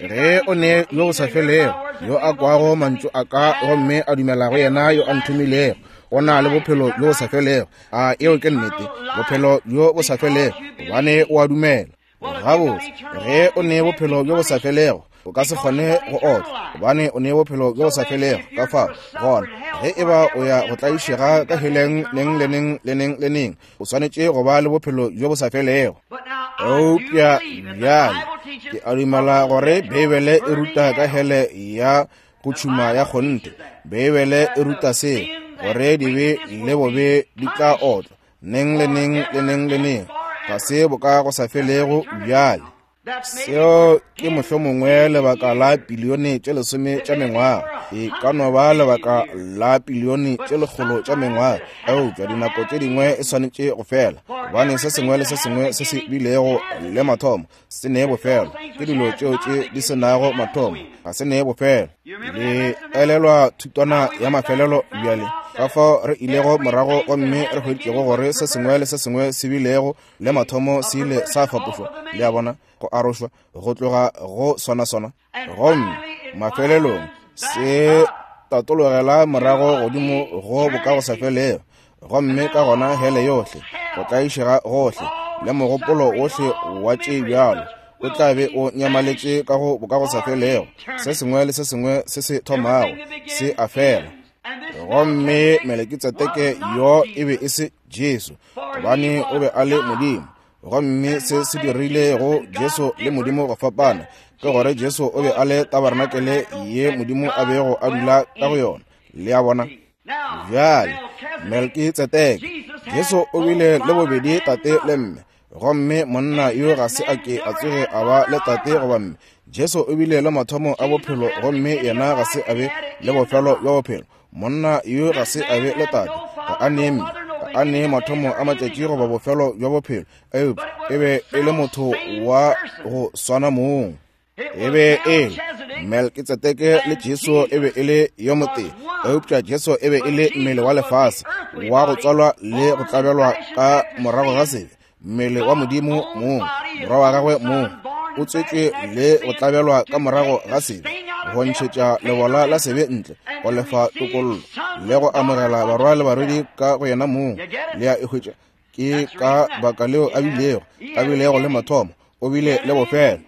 Ge o ne yo bo sa felego, yo a kwago mantšu a ka gomme a dumela go yena yo a nthomilego, o na le bophelo bjo bo sa felego. A eo ke nnete? Bophelo bjo bo sa felego, gobane o a dumela. Gabotse, ge o ne bophelo bjo bo sa felego, o ka se kgone go otlwa, gobane o ne bophelo bjo bo sa felego. Ka fao gona, ge e ba o ya go tlaišega ka heleng neng le neng le neng le neng, o swanetše go ba le bophelo bjo bo sa felego. Eupša bjale ke a dumela gore Beibele e ruta ka hele ya go tšhuma ya kgonthe. Beibele e ruta se, gore dibe le bobe di tla otlwa neng le neng le neng le neng, ga se boka go sa felego. Bjale seo ke mohlomongwe lebaka la pilione tše 10 tša mengwaga, e ka no ba lebaka la pilione tše 100 tša mengwaga, eupša dinako tše dingwe e swanetše go fela, gobane se sengwe le se sengwe se se bilego le mathomo se ne bofelo. Ke dilo tšeo tše di se nago mathomo, ga se ne bofelo. Le elelwa thutwana ya mafelelo bjale, ka fao re ilego morago gomme re hweditšego gore se sengwe le se sengwe se bilego le mathomo se ile sa fapošwa, le a bona, go arošwa go tloga go swana-swana, gomme mafelelong se tatologela morago godimo go bokagosafelego, gomme ka gona hele yohle, go tlaišega gohle le mogopolo wohle wa tše bjalo o tla be o nyamaletše ka go bokagosafelego. Se sengwe le se sengwe se se thomago se a fela. Gomme Melekitsedeke yo e be e se Jesu, gobane o be a le Modimo. Gomme se se dirilego Jesu le Modimo go fapana ke gore Jesu o be a le tabarenakele ye Modimo a bego a dula ka go yona. Le a bona? Bjale, Melkitsedeke, Jesu o bile le bobedi tate le mme, gomme monna yo ga se a ke a tsoge a ba le tate goba mme. Jesu o bile le mathomo a bophelo, gomme yena ga se a be le bofelo bja bophelo. Monna yo ga se a be le tate, ga a ne mme, ga a ne mathomo a matšatši goba bofelo bja bophelo, eupša e be e le motho wa go swana mong. E be e le Melkitsedeke le Jesu e be e le yo motee, eupša Jesu e be e le mmele wa lefase wa go tswalwa le go tlabelwa ka morago ga sebe, mmele wa Modimo mong, morwa wa gagwe mong, o tswetšwe le go tlabelwa ka morago ga sebe, go ntšhetša lebola la sebe ntle, go lefa tokollo le go amogela barwa le barwedi ka go yena mong. Le a e hwetša? Ke ka baka leo a bilego le mathomo, o bile le bofelo.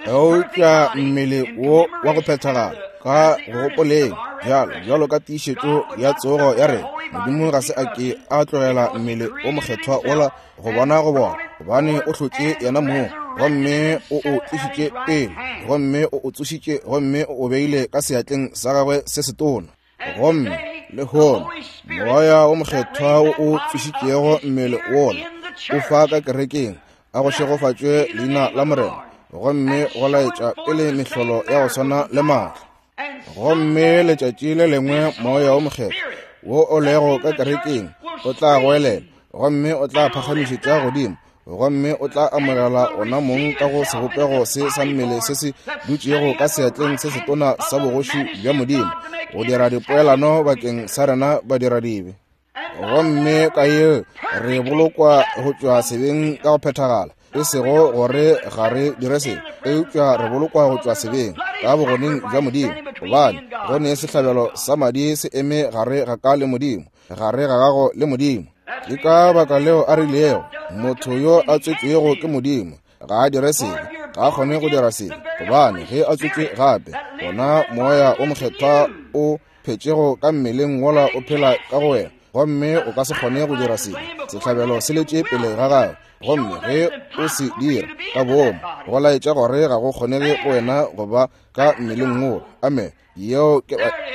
Eupša mmele wo wa go phethagala ka go gopoleng bjalo bjalo ka tiišetšo ya tsogo ya rena, Modimo ga se a ke a tlogela mmele o mokgethwa wola go bona go bona, gobane o hlotše yena mong, gomme o o tlišitše pele, gomme o o tsošitše, gomme o o beile ka seatleng sa gagwe se setona. Gomme lehono Moya wo Mokgethwa wo o tsošitšego mmele wola o fa ka kerekeng, a go šegofatšwe leina la Morena, gomme go laetša pele mehlolo ya go swana le maatla. Gomme letšatši le lengwe Moya wo Mokgethwa wo o lego ka kerekeng o tla goelela, gomme o tla phagamišetša godimo, gomme o tla amogela ona mong ka go sebopego se sa mmele se se dutšego ka seatleng se setona sa bogoši bja Modimo, go dira dipoelano bakeng sa rena badiradibe. Gomme ka ye re bolokwa go tšwa sebeng ka go phethagala, e sego gore ga re dire sebe, eupša re bolokwa go tšwa sebeng ka bogoneng bja Modimo, gobane go ne sehlabelo sa madi se eme gare ga ka le Modimo, gare ga gago le Modimo. Ke ka baka leo a rilego, motho yo a tswetšwego ke Modimo Ga a dire sebe, ga a kgone go dira sebe, gobane ge a tswetšwe gape, gona Moya o Mokgethwa o phetšego ka mmeleng wola o phela ka go wena, gomme o ka se kgone go dira sebe. Sehlabelo se letše pele ga gago, gomme ge o se dira ka boomo, go laetša gore ga go kgonege go wena go ba ka mmeleng wo. Amen. Yeo ke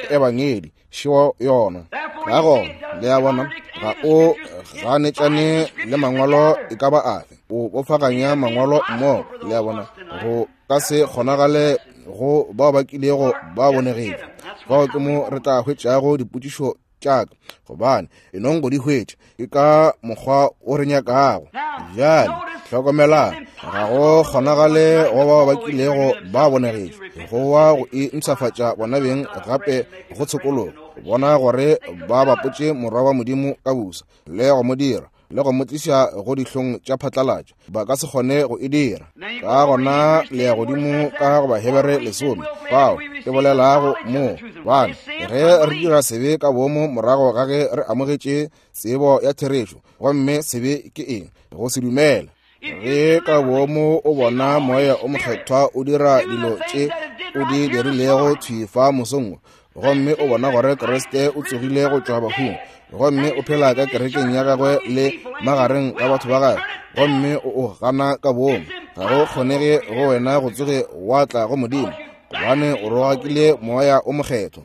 ebangedi, šeo yona. Ka gona, le a bona, ga o ganetšane le mangwalo e ka ba afe, o bofaganya mangwalo mmogo. Le a bona, go ka se kgonagale go bao ba kilego ba bonegetšwe. Fao ke mo re tla hwetšago dipotšišo tša ka, gobane e nong go di hwetša ke ka mokgwa o re nyakago. Bjale hlokomelang, ga go kgonagale go bao ba kilego ba bonegetšwe go wa go e mpshafatša bona beng gape go tshokologo, bona gore ba bapotše Morwa wa Modimo ka busa le go mo dira le go mo tliša go dihlong tša phatlalatša. Ba ka se kgone go e dira. Ka gona le ya godimo ka go Bahebere 10, fao ke bolelago mo, bane ge re dira sebe ka boomo morago ga ge re amogetše tsebo ya therešo, gomme sebe ke eng? Go se dumele. Ge ka boomo o bona Moya o Mokgethwa o dira dilo tše o di dirilego thwi fa mosong wo, gomme o bona gore Kriste o tsogile go tšwa bahung, gomme o phela ka kerekeng ya gagwe le magareng ga batho ba gagwe, gomme o o gana ka boomo, ga go kgonege go wena go tsoge wa tla go Modimo, gobane o rogakile Moya o Mokgethwa.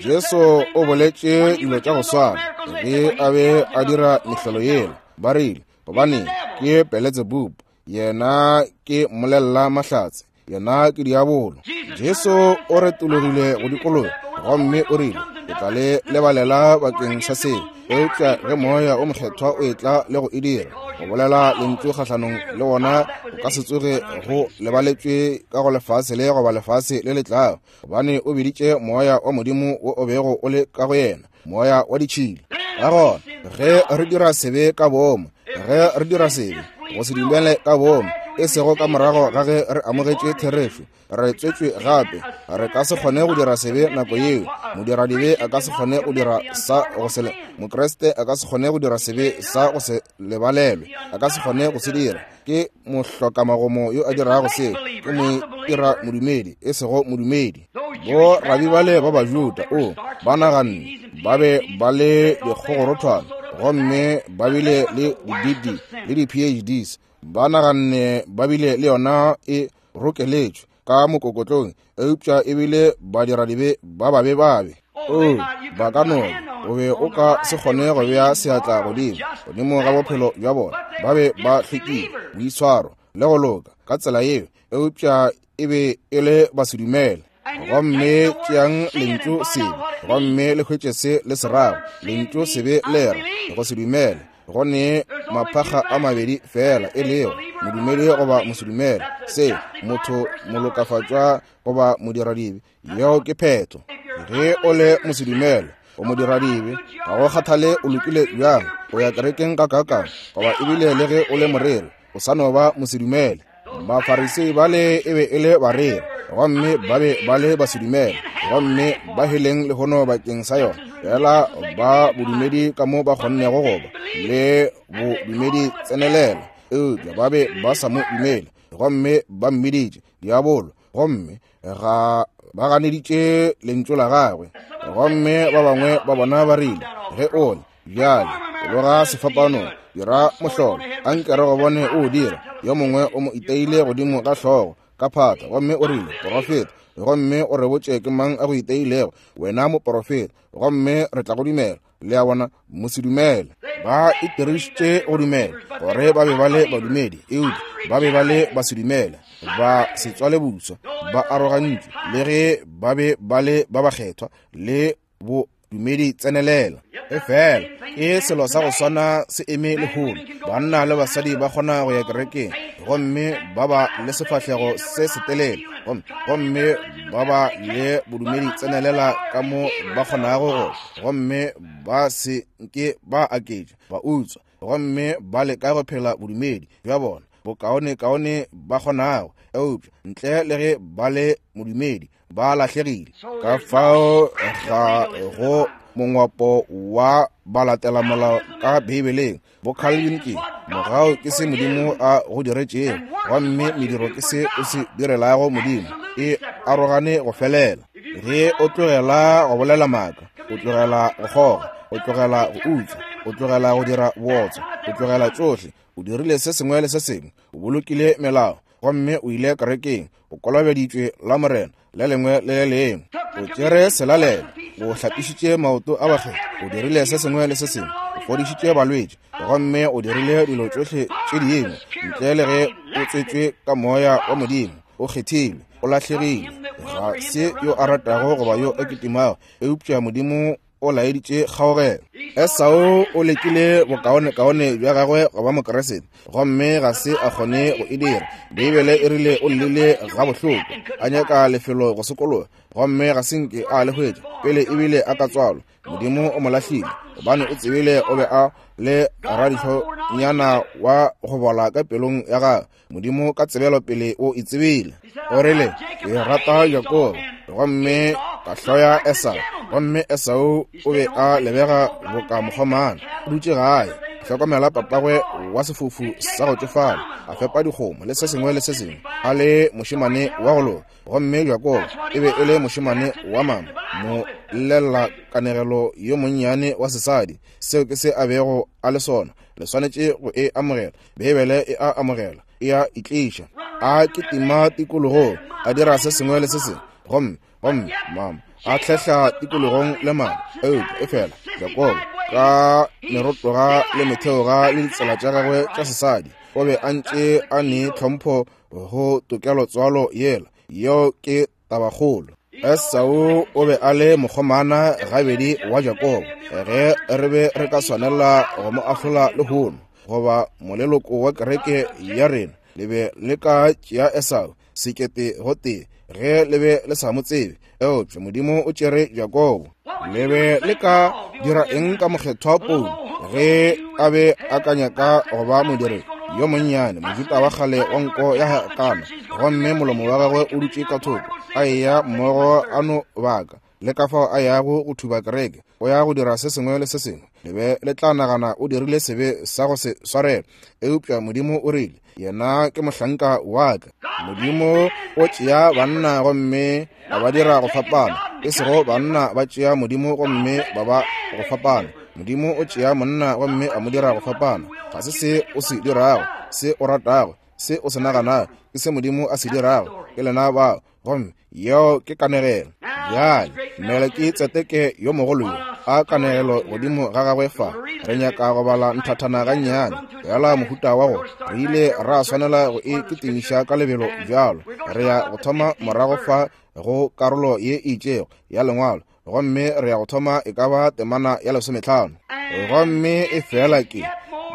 Jesu o boletše dilo tša go swana ge a be a dira mehlolo yela. Ba rile, gobane ke Beletsebubu, yena ke mmolelela mahlatse, yena ke diabolo. Jesu o retologile go dikologa gomme o rile, ke tla le lebalela bakeng sa seo, eupša ge Moya o Mokgethwa o etla le go e dira, go bolela lentšu kgahlanong le wona o ka se tsoge go lebaletšwe ka go lefase le goba lefase le le tlago, gobane o biditše Moya wa Modimo wo o bego o le ka go yena moya wa ditšhila. Ka gona ge re dira sebe ka boomo, ge re dira sebe go se dumele ka boomo, e sego ka morago ga ge re amogetše therešo, re tswetšwe gape, re ka se kgone go dira sebe nako yeo. Modiradibe a ka se kgone go dira sa go se, Mokriste a ka se kgone go dira sebe sa go se lebalelwe, a ka se kgone go se dira. Ke mohlokamagomo yo a dirago seo, ke mo ira modumedi, e sego modumedi. Bo rabi bale ba Bajuda, o ba naganne ba be ba le dikgogorothwana, gomme ba bile le di-D le di-PhDs, ba naganne ba bile le yona e rokeletšwe ka mokokotlong, eupša e bile badiradibe ba babe babe. O, ba ka no, o be o ka se kgone go bea seatla godimo godimo ga bophelo bja bona. Ba be ba hlwekile, boitshwaro le go loka ka tsela yeo, eupša e be e le basedumele. Gomme tšeang lentšu sebe gomme le hwetše se le se rago. Lentšu sebe le ra go se dumele. Go ne maphakga a mabedi feela, e lego modumedi goba mosedumele, se motho molokafatšwa goba modiradibe. Yeo ke phetho. Ge o le mosedumele, o modiradibe, ga go kgathale o lokile bjang, o ya kerekeng ka kakang, goba ebile le ge o le moreri, o sa no ba mosedumele. Bafarisei bale e be e le bareri, gomme ba be ba le basedumele, gomme ba heleng lehono bakeng sa yona, fela ba bodumedi ka mo ba kgonnego go ba le bodumedi tsenelela, eupša ba be ba sa mo dumele, gomme ba mmiditše diabolo, gomme ga ba ganeditše lentšu la gagwe. Gomme ba bangwe ba bona ba rile, ge o le bjale tloga sefapanong, dira mohlolo, anke re go bone o dira. Yo mongwe o mo iteile godimo ga hlogo ka phata, gomme o rile, porofeta, gomme o re botše ke mang a go iteilego, wena moporofeta, gomme re tla go dumela. Le a bona, mosedumele. Ba itirišitše go dumela gore ba be ba le badumedi, eupša ba be ba le basedumele, ba se tswale buswa, ba arogantšwe, le ge ba be ba le ba bakgethwa le bodumedi tsenelela. Efela ke selo sa go swana se eme lehono. Banna le basadi ba kgona go ya kerekeng gomme ba ba le sefahlego se setelele, gomme ba ba le bodumedi tsenelela ka mo ba kgonago go, gomme ba se nke ba aketša, ba utswa, gomme ba leka go phela bodumedi bja bona bokaonekaone ba kgonago, eupša ntle le ge ba le modumedi ba lahlegile. Ka fao ga go mongwapo wa balatelamolao ka Beibeleng. Bocalvin ke mogau ke se Modimo a go diretšego, gomme mediro ke se o se direlago Modimo. E arogane go felela. Ge o tlogela go bolela maaka, o tlogela go kgoga, o tlogela go utswa, o tlogela go dira bootswa, o tlogela tšohle, o dirile se sengwe le se sengwe, o bolokile melao, gomme o ile kerekeng, o kolobeditšwe la Morena le lengwe le le lengwe, o tšere selalelo, o hlapišitše maoto a bakgethwa, o dirile se sengwe le se sengwe, o fodišitše balwetši, gomme o dirile dilo tšohle tše dingwe, ntle le ge o tswetšwe ka Moya wa Modimo, o kgethilwe, o lahlegile. Ga se yo a ratago goba yo a kitimago, eupša Modimo o laeditše kgaogelo. Esau o lekile bokaonekaone bja gagwe go ba Mokriste, gomme ga se a kgone go e dira. Beibele e rile o llile gabohloko, a nyaka lefelo go sokologa, gomme ga se nke a le hwetša pele ebile a ka tswalwa. Modimo o mo lahlile, gobane o tsebile o be a le radihlonyana wa go bola ka pelong ya gagwe. Modimo ka tsebelo pele o e tsebile. O rile, ke rata Jakobo, gomme ka hloya Esau. Gomme Esau o be a lebega boka mokgomana, o dutše gae, a hlokomela papagwe wa sefofu sa go tšofala, a fepa dikgomo le se sengwe le se sengwe, a le mošemane wa go loka. Gomme Jakobo e be e le mošemane wa mama, mo llela kanegelo yo monnyane wa sesadi. Seo ke se a bego a le sona. Le swanetše go e amogela. Beibele e a amogela, e a itliša. A kitima tikologong, a dira se sengwe le se sengwe, gomme, gomme mama a hlehla tikologong le mama. Eupša efela Jakobo ka merotoga le metheoga le ditsela tša gagwe tša sesadi, o be a ntše a ne tlhompho go tokelo tswalo yela. Yeo ke tabakgolo. Esau o be a le mokgomana gabedi wa Jakobo. Ge re be re ka swanela go mo ahlola lehono, goba moleloko wa kereke ya rena, le be le ka tšea Esau sekete gotee ge le be le sa mo tsebe. Eupša Modimo o tšere Jakobo. Le be le ka dira eng ka mokgethwa Paulo ge a be a ka nyaka go ba modiri yo monnyane, Mojuda wa kgale wa nko ya hakana, gomme molomo wa gagwe o dutše ka thoko, a eya mmogo a no baka le ka fao a yago go thuba kereke, o ya go dira se sengwe le se sengwe, le be le tla nagana o dirile sebe sa go se swarelwe. Eupša Modimo o rile, Yena ke mohlanka wa ka. Modimo o tšea banna gomme a ba dira go fapana, e sego banna ba tšea Modimo gomme ba ba go fapana. Modimo o tšea monna gomme a mo dira go fapana. Ga se se o se dirago, se o ratago, se o se naganago, ke se Modimo a se dirago. Ke lena bao. Gomme yeo ke kanegelo. Bjale Melekitsedeke yo mogolo yo a kanegelo godimo ga gagwe fa. Re nyaka go bala nthathana gannyane, feela mohuta wa go re ile ra swanela go e kitimiša ka lebelo bjalo. Re ya go thoma morago fa go karolo ye e itšego ya Lengwalo, gomme re ya go thoma e ka ba temana ya 15. Gomme e fela ke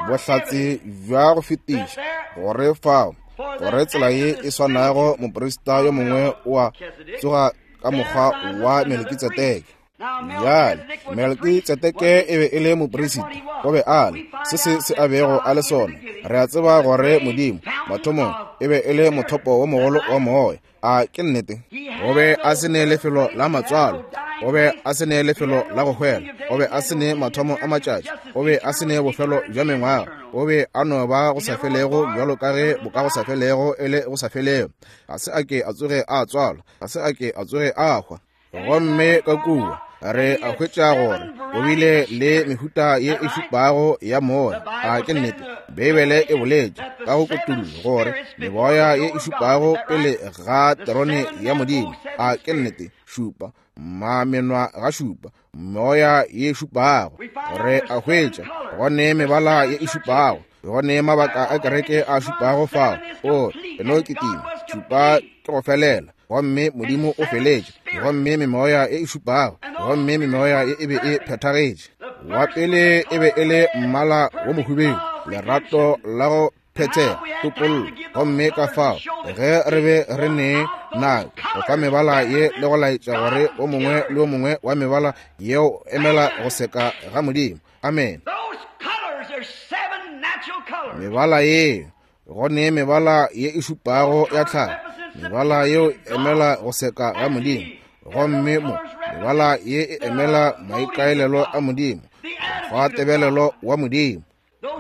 bohlatse bja go fetiša gore fao, gore tsela ye e swanago moprista yo mongwe o a tsoga ka mokgwa wa Melkitsedeke. Bjale, Melkitsedeke e be e le moprista, o be a le se se se a bego a le sona. Re a tseba gore Modimo mathomong e be e le mothopo wo mogolo wa moya. A ke nnete? O be a se ne lefelo la matswalo, o be a se ne lefelo la go hwela, o be a se ne mathomo a matšatši, o be a se ne bofelo bja mengwaga, o be a no ba go sa felego bjalo ka ge boka go sa felego e le go sa felego. Ga se a ke a tsoge a tswalwa, ga se a ke a tsoge a hwa. Gomme ka kua re a hwetša gore o bile le mehuta ye e šupago ya moya. A ke nnete? Beibele e boletše ka go kutullo gore meboya ye e šupago pele ga terone ya Modimo. A ke nnete? Šupa, mamenwa ga šupa, moya ye e šupago. Re a hwetša go ne mebala ye e šupago, go ne mabaka a kereke a šupago fao. O e no kitima, šupa ke go felela, gomme Modimo o feletše, gomme memoya e e šupago, gomme memoya ye e be e phethagetše. Wa pele e be e le mmala wo mohubedu, lerato la go phethega, topollo. Gomme ka fao ge re be re ne nako go fa mebala ye le go laetša gore o mongwe le o mongwe wa mebala yeo emela go seka ga Modimo. Amen. Mebala ye, go ne mebala ye e šupago ya tlhago. Mebala yeo emela go seka ga Modimo. Gomme mo mebala ye e emela maikaelelo a Modimo, mokgwa tebelelo wa Modimo.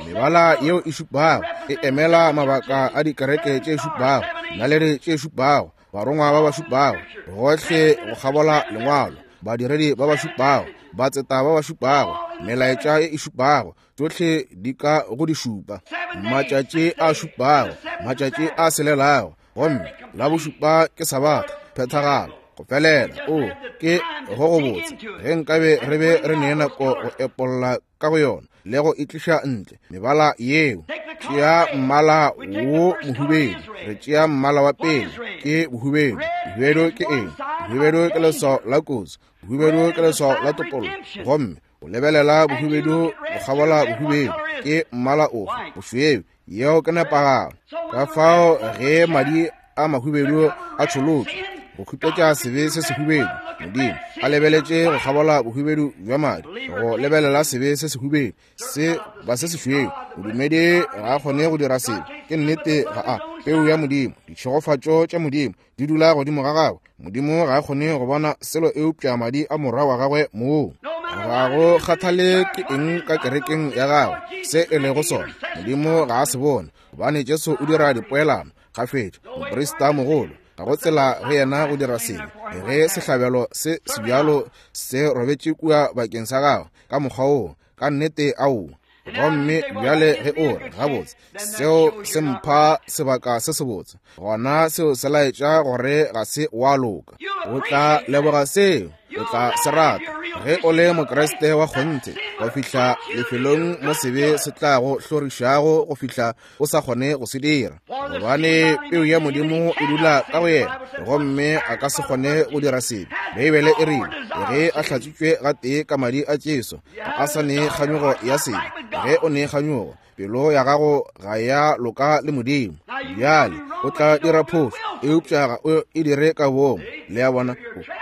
Mebala yeo e šupago e emela mabaka a dikereke tše šupago, naledi tše šupago, barongwa ba ba šupago, gohle go kgabola lengwalo, badiredi ba ba šupago, batseta ba ba šupago, melaetša ye e šupago, tšohle di ka go di šupa. Matšatši a šupago, matšatši a selelago, gomme la bošupa ke Sabatha, phethagalo, go felela. O ke go go botse ge nkabe re be re ne nako go epolla ka go yona le go itliša ntle mebala yeo. Tšea mmala wo mohubedu, re tšea mmala wa pele ke bohubedu. Bohubedu ke eng? Bohubedu ke leswao la kotsi, bohubedu ke leswao la topollo. Gomme o lebelela bohubedu go kgabola bohubedu ke mmala ofe? Bošweu. Yeo ke nepagalo. Ka fao ge madi a mahubedu a tšholotšwe go khupetša sebe se sehubedu, Modimo a lebeletše go kgabola bohubedu bja madi go lebelela sebe se sehubedu se ba se sešweu. Modumedi ga a kgone go dira sebe. Ke nnete, ga a peu ya Modimo, ditšhegofatšo tša Modimo di dula godimo ga gagwe. Modimo ga a kgone go bona selo eupša madi a morwa wa gagwe moo. Ga go kgathale ke eng ka kerekeng ya gagwe se e lego sona, Modimo ga a se bone, gobane Jesu o dira dipoelano gafetša. Moprista mogolo ga go tsela go yena go dira sebe ge sehlabelo se sebjalo se robetše kua bakeng sa gagwe ka mokgwa woo. Ka nnete, aowa. Gomme bjale ge o re, gabotse, seo se mpha sebaka se sebotse, gona seo se laetša gore ga se wa loka. O tla leboga seo, o tla se rata ge o le Mokriste wa kgonthe, go fihla lefelong mo sebe se tla go hlorišago go fihla o sa kgone go se dira, gobane peu ya Modimo e dula ka go yena, gomme a ka se kgone go dira sebe. Beibele e rile ge a hlatswitšwe gatee ka madi a Jesu, ga a sa ne kganyogo ya sebe. Ge o ne kganyogo, pelo ya gago ga ya loka le Modimo. Bjale o tla dira phošo, eupša ga o e dire ka boomo. Le a bona,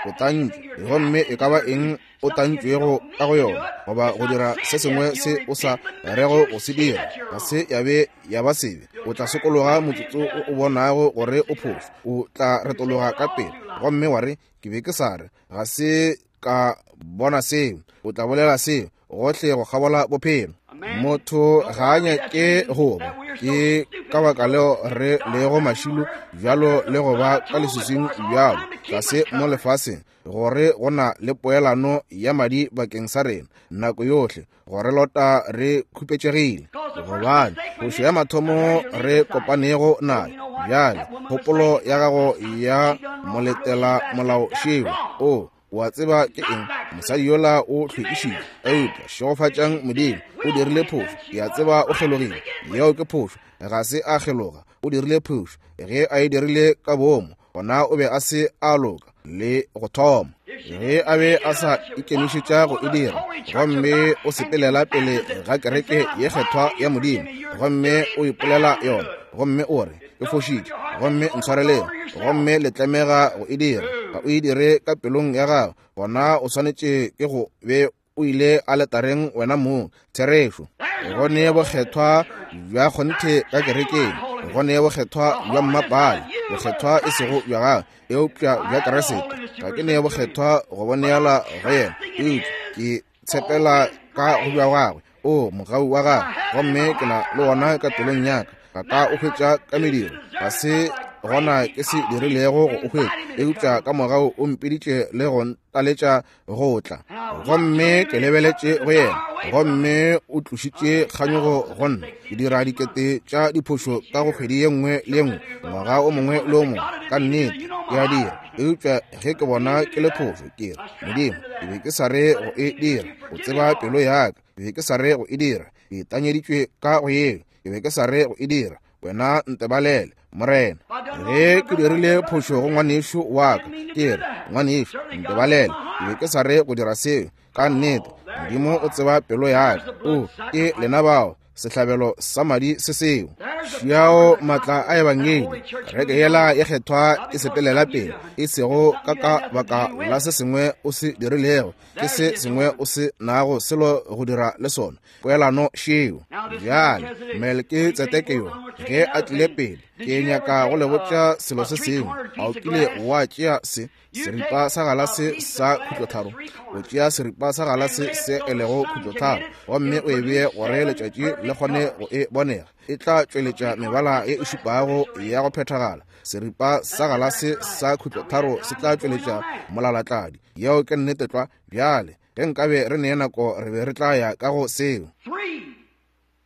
o tantšwe, gomme e ka ba eng o tantšwego ka go yona, goba go dira se sengwe se o sa rego go se dira, ga se ya be ya ba sebe. O tla sokologa motsotso o o bonago gore o phošo. O tla retologa ka pele gomme wa re, ke be ke sa re, ga se ka bona seo. O tla bolela seo gohle go kgabola bophelo. Motho ga a nyake go ba. Ke ka baka leo re lego mašilo bjalo le go ba ka leswiswing bjalo tlase mo lefaseng, gore go na le poelano ya madi bakeng sa rena nako yohle, gore lota re khupetšegile, gobane phošo ya mathomo re kopanego nayo. Bjale kgopolo ya gago ya moletela molao šeo, o o a tseba ke eng, mosadi yola o hlwekišitše, eupša šegofatšang Modimo, o dirile phošo. Ke a tseba o kgelogile, yeo ke phošo. Ga se a kgeloga, o dirile phošo. Ge a e dirile ka boomo, gona o be a se a loka le go thoma. Ge a be a sa ikemišetša go e dira, gomme o sepelela pele ga kereke ye kgethwa ya Modimo, gomme o ipolela yona, gomme o re, ke fošitše, gomme ntshwareleng, gomme le tlemega go e dira, ga o e dire ka pelong ya gago, gona o swanetše ke go be o ile aletareng wena mong. Therešo. Go ne bokgethwa bja kgonthe ka kerekeng, go ne bokgethwa bja mmapale, bokgethwa e sego bja gagwe, eupša bja Kriste. Ga ke ne bokgethwa go bo neela go yena, eupša ke tshepela ka go bja gagwe, o mogau wa gagwe, gomme ke na le wona ka pelong ya ka. Ga ka o hwetša ka mediro, ga se gona ke se dirilego go o hwetša, eupša ka mogau o mpiditše le go ntaletša go tla, gomme ke lebeletše go yena, gomme o tlošitše kganyogo go nna. Ke dira dikete tša diphošo ka go kgwedi ye nngwe le ye nngwe, ngwaga o mongwe le o mongwe, ka nnete ke a dira, eupša ge ke bona ke le phošo, ke re, Modimo, ke be ke sa re go e dira, o tseba pelo ya ka, ke be ke sa re go e dira, ke tanyeditšwe ka go yeo, ke be ke sa re go e dira, wena ntebalele, Morena. Ge ke dirile phošo go ngwanešu wa ka, ke re, ngwanešu, ntebalele, ke be ke sa re go dira seo, ka nnete Modimo o tseba pelo ya ka. O, ke lena bao. Sehlabelo sa madi se seo. Šiao maatla a Ebangedi. Kereke yela ye kgethwa e sepelela pele, e sego ka ka baka la se sengwe o se dirilego, ke se sengwe o se nago selo go dira le sona. Poelano šeo. Bjale, Melkitsedeke yo, ge a tlile pele, ke nyaka go le botša selo se sengwe. A o kile wa tšea se, seripa sa galase sa khutlotharo? O tšea seripa sa galase se e lego khutlotharo, gomme o e bee gore letšatši le kgone go e bonega. E tla tšweletša mebala ye e šupago ya go phethagala. Seripa sa galase sa khutlotharo se tla tšweletša molalatladi. Yeo ke nnete tlwa. Bjale, ge nkabe re ne nako, re be re tla ya ka go seo.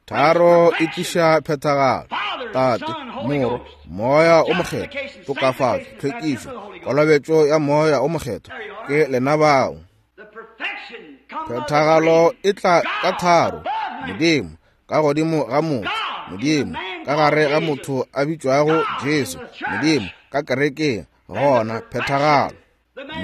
Tharo e tliša phethagalo. Tate, Morwa, Moya o Mokgethwa, tokafatšo, tlhwekišo, kolobetšo ya Moya o Mokgethwa, ke lena bao. Phethagalo e tla ka tharo, Modimo ka godimo ga motho, Modimo ka gare ga motho a bitšwago Jesu, Modimo ka kerekeng, gona phethagalo.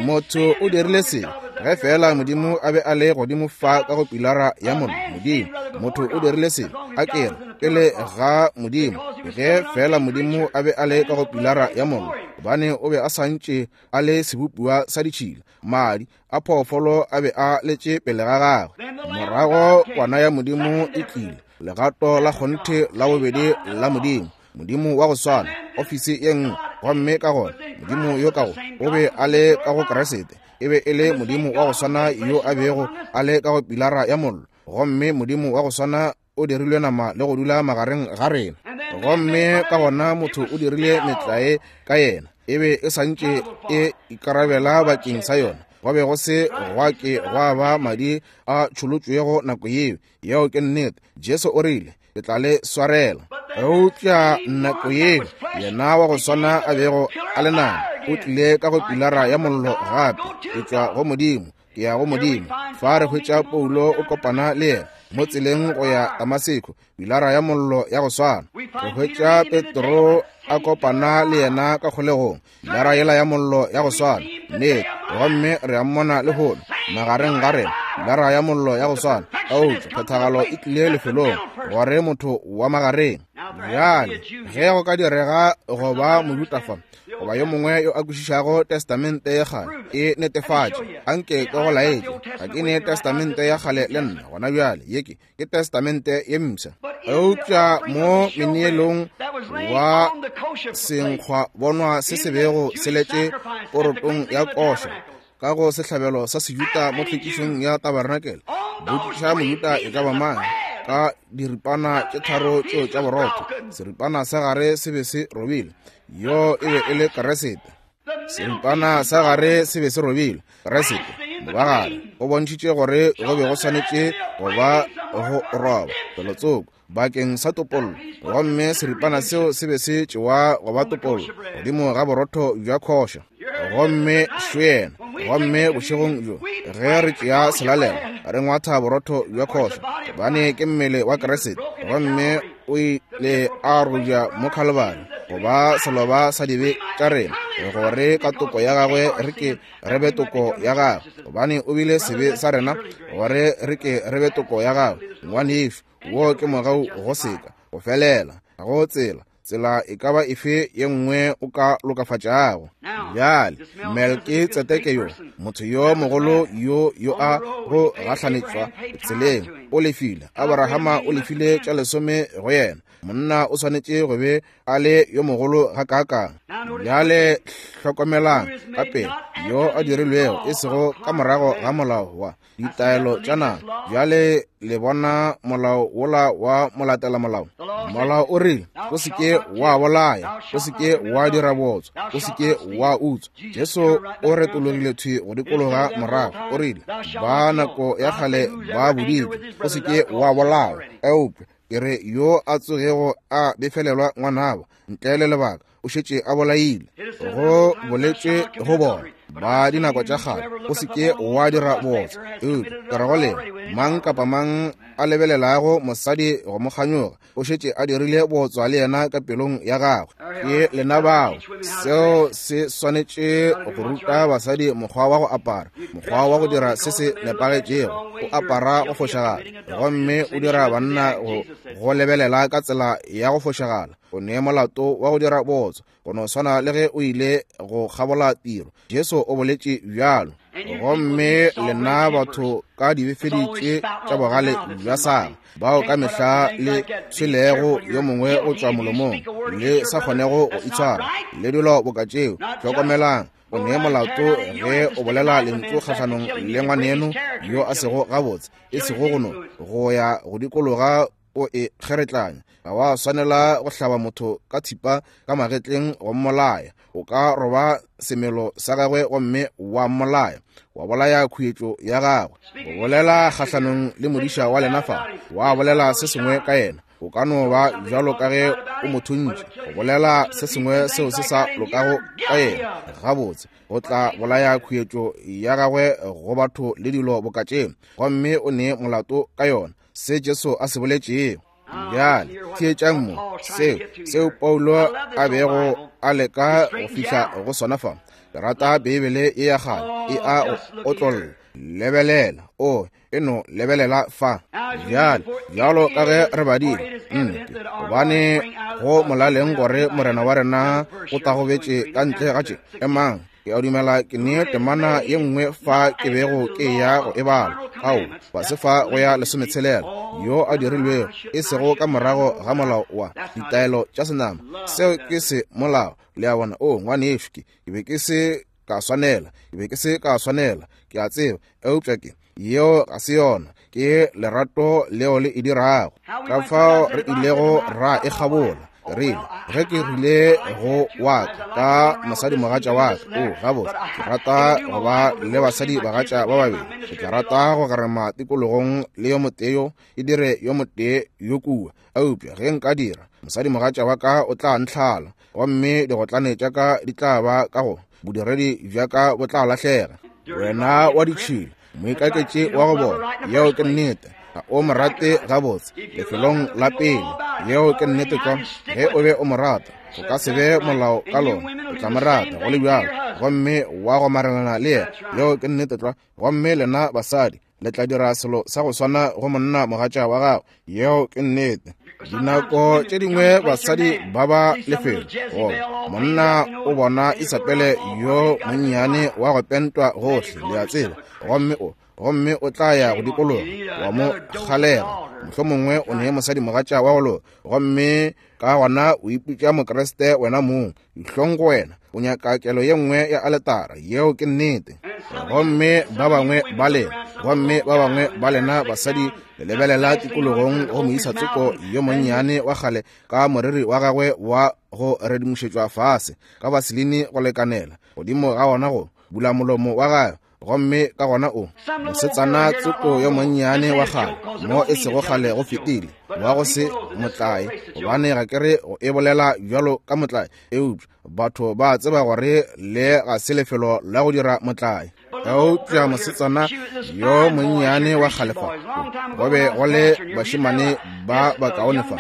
Motho o dirile se ge feela Modimo a be a le godimo fa ka go pilara ya mollo. Modimo, motho o dirile se a kere pele ga Modimo, ge feela Modimo a be a le ka go pilara ya mollo, gobane o be a santše a le sebopiwa sa ditšhila, madi a phoofolo a be a letše pele ga gagwe. Morago kwana ya Modimo e tlile, legato la kgonthe la bobedi la Modimo, Modimo wa go swana, ofisi ye nngwe. Gomme ka gona Modimo yo ka go o be a le ka go Kriste, e be e le Modimo wa go swana yo a bego a le ka go pilara ya mollo. Gomme Modimo wa go swana o dirilwe nama le go dula magareng ga rena. Gomme ka gona motho o dirile metlae ka yena, e be e santše e ikarabela bakeng sa yona. Go be go se gwa ke gwa ba madi a tšholotšwego nako yeo. Yeo ke nnete. Jesu o rile, Ke tla le swarela. Eupša nako yeo yena wa go swana a bego a le nama o tlile ka go pilara ya mollo gape, ke tšwa go Modimo, ke ya go Modimo. Fa re hwetša Paulo o kopana le yena mo tseleng go ya Damaseko, pilara ya mollo ya go swana. Re hwetša Petro a kopana le yena ka kgolegong, Pilara yela ya mollo ya go swana, nnete. Gomme re a mmona lehono magareng ga rena, pilara ya mollo ya go swana. Eupša phethagalo e tlile lefelong gore motho wa magareng. Bjale, ge go ka direga go ba Mojuda fa, goba yo mongwe yo a kwešišago Testamente ya Kgale, e netefatše. Anke ke go laetše, ga ke ne Testamente ya Kgale le nna gona bjale. Ye ke, ke Testamente ye Mpsha. Eupša mo meneelong wa senkgwa bonwa se se bego se letše porotong ya koša ka go sehlabelo sa Sejuta mo tlhwekišong ya tabarenakele, botšiša Mojuta e ka ba mang ka diripana tše tharo tšeo tša borotho, seripana sa gare se be se robile. Yo e be e le Keresete. Seripana sa gare se be se robile. Keresete, mobagare, o bontšhitše gore go be go swanetše go ba go roba felotsoko bakeng sa topollo, gomme seripana seo se be se tšewa go ba topollo godimo ga borotho bja khoša. Gomme šo yena. Gomme bošegong bjo ge re tšea selalelo, re ngwatha borotho bja khoša, gobane ke mmele wa Keresete, gomme o ile a robja mo Khalibari go ba seloba sa dibe tša rena, gore ka toko ya gagwe re ke re be toko ya gagwe, gobane o bile sebe sa rena, gore re ke re be toko ya gagwe. Ngwanešu, wo ke mogau go seka go felela. Ga go tsela, tsela e ka ba efe ye nngwe o ka lokafatšago. Bjale, Melkitsedeke yo, motho yo mogolo yo yo a go gahlanetšwa tseleng, o lefile. Abrahama o lefile tša lesome go yena. Monna o swanetše go be a le yo mogolo gakaakang. Bjale hlokomelang ka pele, yo a dirilwego e sego ka morago ga molao wa ditaelo tša naga. Bjale le bona molao wola wa molatela molao. Molao o rile, o se ke wa bolaya, o se ke wa dira bootswa, o se ke wa utswa. Jesu o retologile thwi go dikologa morago, o rile, ba nako ya kgale ba boditšwe, o se ke wa bolaya, eupša ke re yo a tsogego a befelelwa ngwanabo ntle le lebaka o šetše a bolaile. Go boletšwe go bona ba dinako tša kgale, o se ke wa dira bootswa, eupša ke re go lena, mang kapa mang a lebelelago mosadi go mo kganyoga, o šetše a dirile bootswa le yena ka pelong ya gagwe. Ke lena bao. Seo se swanetše go ruta basadi mokgwa wa go apara, mokgwa wa go dira se se nepagetšego. O apara go fošagala, gomme o dira banna go lebelela ka tsela ya go fošagala. O ne molato wa go dira bootswa, go no swana le ge o ile go kgabola tiro. Jesu o boletše bjalo. Gomme lena batho ka dibefedi tše tša bogale bja sala, bao ka mehla le tshwelego yo mongwe go tšwa molomong, le sa kgonego go itshwara, le dilo boka tšeo, hlokomelang, o ne molato ge o bolela lentšu kgahlanong le ngwaneno yo a sego gabotse, e sego go no go ya go dikologa o e kgeretlanya. Ga wa swanela go hlaba motho ka thipa ka magetleng go mmolaya. O ka roba semelo sa gagwe gomme wa mmolaya, wa bolaya khuetšo ya gagwe. Go bolela kgahlanong le modiša wa lena fa, wa bolela se sengwe ka yena, o ka no ba bjalo ka ge o mo thuntše. Go bolela se sengwe seo se sa lokago ka yena, gabotse, go tla bolaya khuetšo ya gagwe go batho le dilo boka tše, gomme o ne molato ka yona. Se Jesu a se boletšego. Bjale theetšang mo, seo, seo Paulo a bego a leka go fihla go sona fa. Ke rata Beibele ye ya kgale, e a go otlolla. Lebelela, o e no lebelela fa. Bjale, bjalo ka ge re badile, nnete, gobane go molaleng gore Morena wa rena o tagobetše ka ntle ga tše. Emang, Ke a dumela ke ne temana ye nngwe fa ke bego ke ya go e bala. Ao, fase fa go ya lesometshela, yo a dirilwego e sego ka morago ga molao wa ditaelo tša senama. Seo ke se molao. Le a bona? O, ngwanešu, ke, ke be ke se ka swanela. Ke be ke se ka swanela. Ke a tseba. Eupša ke, yeo ga se yona. Ke lerato leo le e dirago. Ka fao re ilego ra e kgabola. Ke rile, ge ke rile go wa ka, ka mosadimogatša wa ka, o, gabotse, ke rata go ba le basadibagatša ba babedi. Ke tla rata go gerema tikologong le yo motee yo, ke dire yo motee yo kua. Eupša ge nka dira, mosadimogatša wa ka o tla ntlhala, gomme digotlane tša ka di tla ba ka go, bodiredi bja ka bo tla lahlega. Wena wa ditšhila, moikaketši wa go bola, yeo ke nnete. Ga o mo rate gabotse lefelong la pele, yeo ke nnete tlwa. Ge o be o mo rata, go ka se be molao ka lona, o tla mo rata go le bjalo, gomme wa gomarelana le yena, yeo ke nnete tlwa. Gomme lena basadi le tla dira selo sa go swana go monna mogatša wa gago, yeo ke nnete. Dinako tše dingwe basadi ba ba lefelo goba monna o bona Isabele yo monnyane wa go pentwa gohle, le a tseba, gomme o, gomme o tla ya go dikologa wa mo kgalega, mohlomongwe o ne mosadi mogatša wa go loka, gomme ka gona o ipitša Mokriste wena mong. Dihlong go wena, o nyaka kelo ye nngwe ya aletara, yeo ke nnete. Gomme ba bangwe ba lena, gomme ba bangwe ba lena basadi le lebelela tikologong go moisa tsoko yo monnyane wa kgale ka moriri wa gagwe wa go redimošetšwa fase ka vaseline go lekanela godimo ga ona go bula molomo wa gagwe, gomme ka gona o mosetsana tsoko yo monnyane wa kgale mo e sego kgale go fetile wa go se motlae, gobane ga ke re go e bolela bjalo ka motlae, eupša batho ba tseba gore le ga se lefelo la go dira motlae. Eupša mosetsana yo monnyane wa kgale fa, go be go le bašemane ba bakaone fa,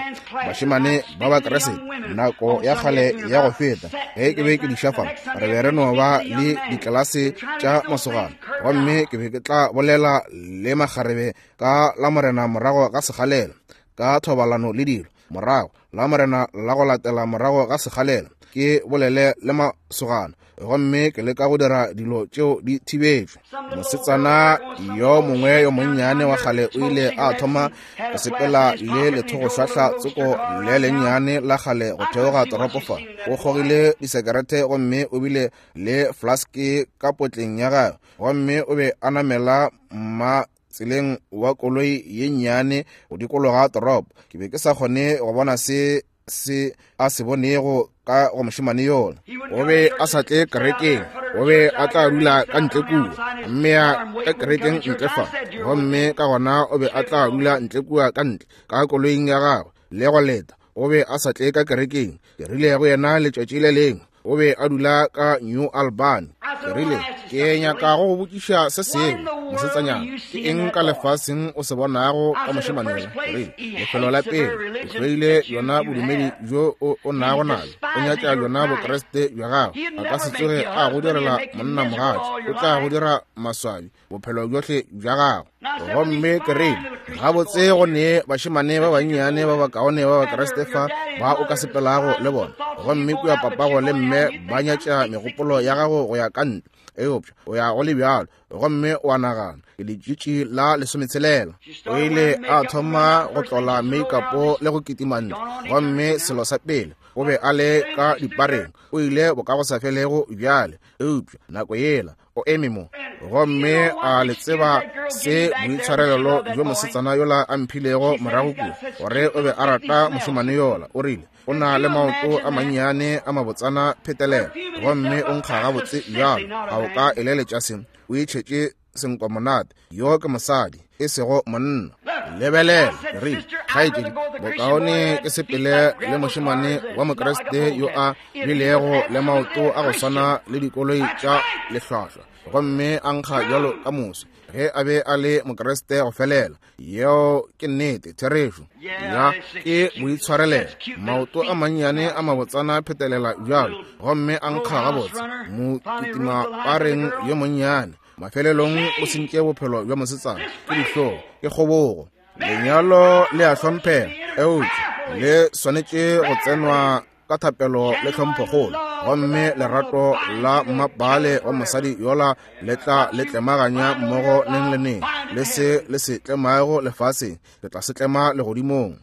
bašemane ba Bakriste nako ya kgale ya go feta, ge ke be ke diša fa, re be re no ba le ditlelase tša masogana, gomme ke be ke tla bolela le makgarebe ka la Morena morago ga sekgalela, ka thobalano le dilo, morago la Morena la go latela morago ga sekgalela, ke bolele le masogana, gomme ke leka go dira dilo tšeo di thibetšwe. Mosetsana yo mongwe yo monnyane wa kgale o ile a thoma go sepela le lethogošwahla tsoko le lennyane la kgale go theoga toropo fa. O kgogile disekerete gomme o bile le flaske ka potleng ya gagwe, gomme o be a namela mma tseleng wa koloi ye nnyane go dikologa toropo. Ke be ke sa kgone go bona se se a se bonego ka go mošemane yola. O be a sa tle kerekeng, o be a tla dula ka ntle kua, mme ya ka kerekeng ntle fa, gomme ka gona o be a tla dula ntle kua ka ntle ka koloing ya gagwe le go leta. O be a sa tle ka kerekeng. Ke rile go yena letšatši le lengwe, o be a dula ka New Albany. Ke rile, Ke nyaka go go botšiša se sengwe, mosetsanyana. Ke eng ka lefaseng o se bonago ka mošemane yola? Ke rile, Lefelo la pele, o hloile bjona bodumedi bjo o, o nago nabjo. O nyatša bjona Bokriste bja gago. A ka se tsoge a go direla monnamogatša. O tla go dira maswabi bophelo bjohle bja gago. Gomme ke rile, Gabotse, go ne bašemane ba bannyane ba bakaone ba Bakriste fa ba o ka sepelago le bona. Gomme kua papago le mme ba nyatša megopolo ya gago go ya ka ntle, eupša o ya go le bjalo, gomme o a nagana, Ke letšitši la lesometshela. O ile a thoma go tlola meikapo le go kitima ntle, gomme selo sa pele, o be a le ka dipareng, o ile bokagosafelego bjale. Eupša nako yela o eme mo, gomme a le tseba se boitshwarelelo bjo mosetsana yola a mphilego morago kua, gore o be a rata mošemane yola. O rile, O na le maoto a mannyane a mabotsana phetelela, gomme o nkga gabotse bjalo. A o ka eleletša se? O itšhetše senkwamonate. Yo ke mosadi, e sego monna. Lebelela, ke rile, kgaetšedi, bokaone ke sepele le mošemane wa Mokriste yo a bilego le maoto a go swana le dikoloi tša lehlwahlwa, gomme a nkga bjalo ka moswi, ge a be a le Mokriste go felela. Yeo ke nnete, therešo. Ya, ke boitshwarelelo. Maoto a mannyane a mabotsana phetelela bjalo, gomme a nkga gabotse, mokitimapareng yo monnyane. Mafelelong o sentše bophelo bja mosetsana. Ke dihlong, ke kgobogo. Lenyalo le a hlomphega, eupša le swanetše go tsenwa ka thapelo le tlhomphokgolo, gomme lerato la mmapaale wa mosadi yola le tla le tlemaganya mmogo neng le neng. Le se le se tlemago lefaseng, le tla se tlema legodimong.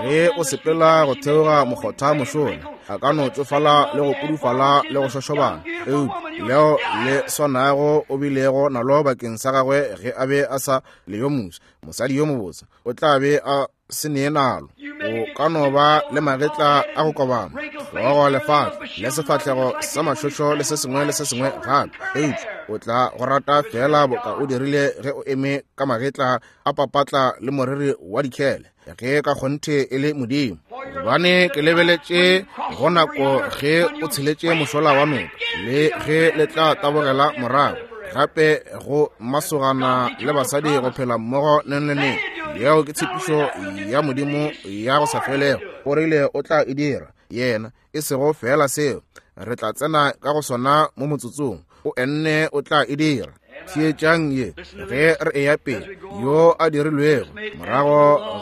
Ge o sepela go theoga mokgotha mošola, a ka no tšofala le go pudufala le go šošobana, eupša leo le swanago o bilego nalo bakeng sa gagwe ge a be a sa le yo moswa, mosadi yo mobotse, o tla be a se nee nalo. O ka no ba le magetla a go kobama, hlogo lefatla le sefahlego sa mašošo le se sengwe le se sengwe gape, eupša o tla go rata feela boka o dirile ge o eme ka magetla a papatla le moriri wa dikhele, ge ka kgonthe e le Modimo. Gobane ke lebeletše go nako ge o tsheletše mošola wa noka, le ge le tla tabogela morago gape go masogana le basadi go phela mmogo neng le neng. Yeo ke tshepišo ya Modimo ya go sa felego. O rile o tla e dira, yena, e sego feela seo. Re tla tsena ka go sona mo motsotsong. O enne o tla e dira. Theetšang ye ge re eya pele. Yo a dirilwego morago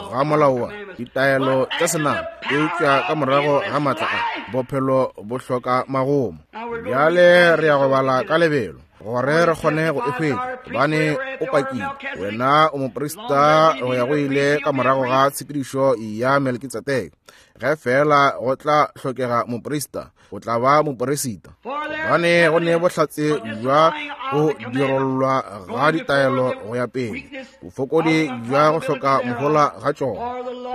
ga molao wa ditaelo tša senama, eupša ka morago ga maatla a bophelo bo hloka magomo. Bjale re ya go bala ka lebelo gore re kgone go e hwetša, gobane o pakile wena o moprista go ya go ile ka morago ga tshepedišo ya Melkitsedeke. Ge feela go tla hlokega moprista, o tla ba moperisita, gobane go ne bohlatse bja go dirollwa ga ditaelo go ya pele, bofokodi bja go hloka mohola ga tšona,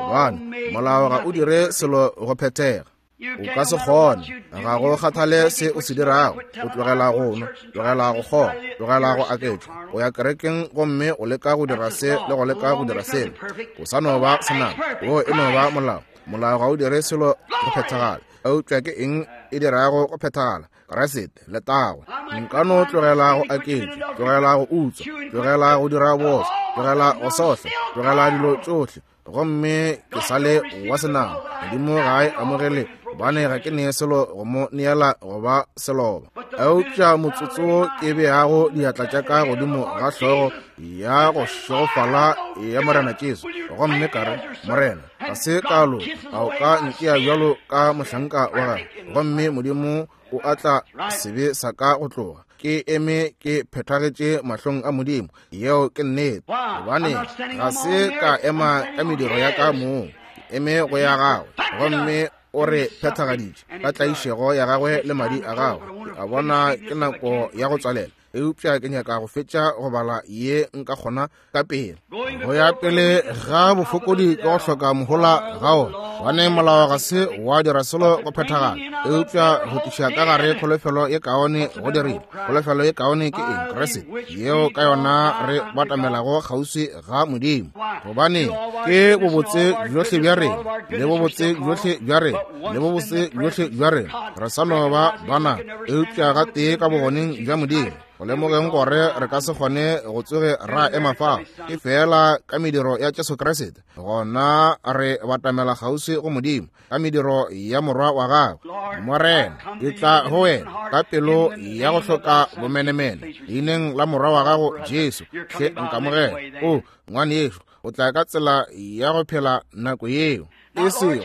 gobane molao ga o dire selo go phethega. O ka se kgone, ga go kgathale se o se dirago, o tlogela go nwa, tlogela go kgoga, tlogela go aketša, o ya kerekeng gomme o leka go dira se le go leka go dira sela, o sa no ba senama. Wo e no ba molao. Molao ga o dire selo go phethagala. Eupša ke eng e dirago go phethagala? Kriste, letago. Nka no tlogela go aketša, tlogela go utswa, tlogela go dira bootswa, tlogela go sohla, tlogela dilo tšohle, gomme ke sa le wa senama. Modimo ga a e amogele, gobane ga ke nee selo go mo neela go ba seloba. Eupša motsotso wo ke beago diatla tša ka godimo ga hlogo ya go šegofala ya Morena Jesu, gomme ka re, Morena, ga se ka loka, a o ka ntšea bjalo ka mohlanka wa gago? Gomme Modimo o atla sebe sa ka go tloga. Ke eme ke phethagetše mahlong a Modimo. Yeo ke nnete. Gobane ga se ka ema ka mediro ya ka mong, ke eme go ya gagwe. Gomme o re phethagaditše ka tlaišego ya gagwe le madi a gagwe. Ke a bona ke nako ya go tswalela, eupša ke nyaka go fetša go bala ye nka kgona ka pele. Go ya pele ga bofokodi ke go hloka mohola ga ona, Gobane molao ga se wa dira selo go phethagala, eupša go tliša ka gare kholofelo ye kaone go dirile. Kholofelo ye kaone ke eng? Kriste, yeo ka yona re batamelago kgauswi ga Modimo. Gobane ke bobotse bjohle bja rena, le bobotse bjohle bja rena, le bobotse bjohle bja rena, re sa no ba bana, eupša gatee ka bogoneng bja Modimo, go lemogeng gore re ka se kgone go tsoge ra ema fao, ke feela ka mediro ya Jesu Kriste, gona re batamela kgauswi go Modimo ka mediro ya Morwa wa gagwe. Morena, ke tla go wena ka pelo ya go hloka bomenemene, leineng la Morwa wa gago Jesu, hle nkamogele. O ngwanešu, o tla ka tsela ya go phela nako yeo. E sego,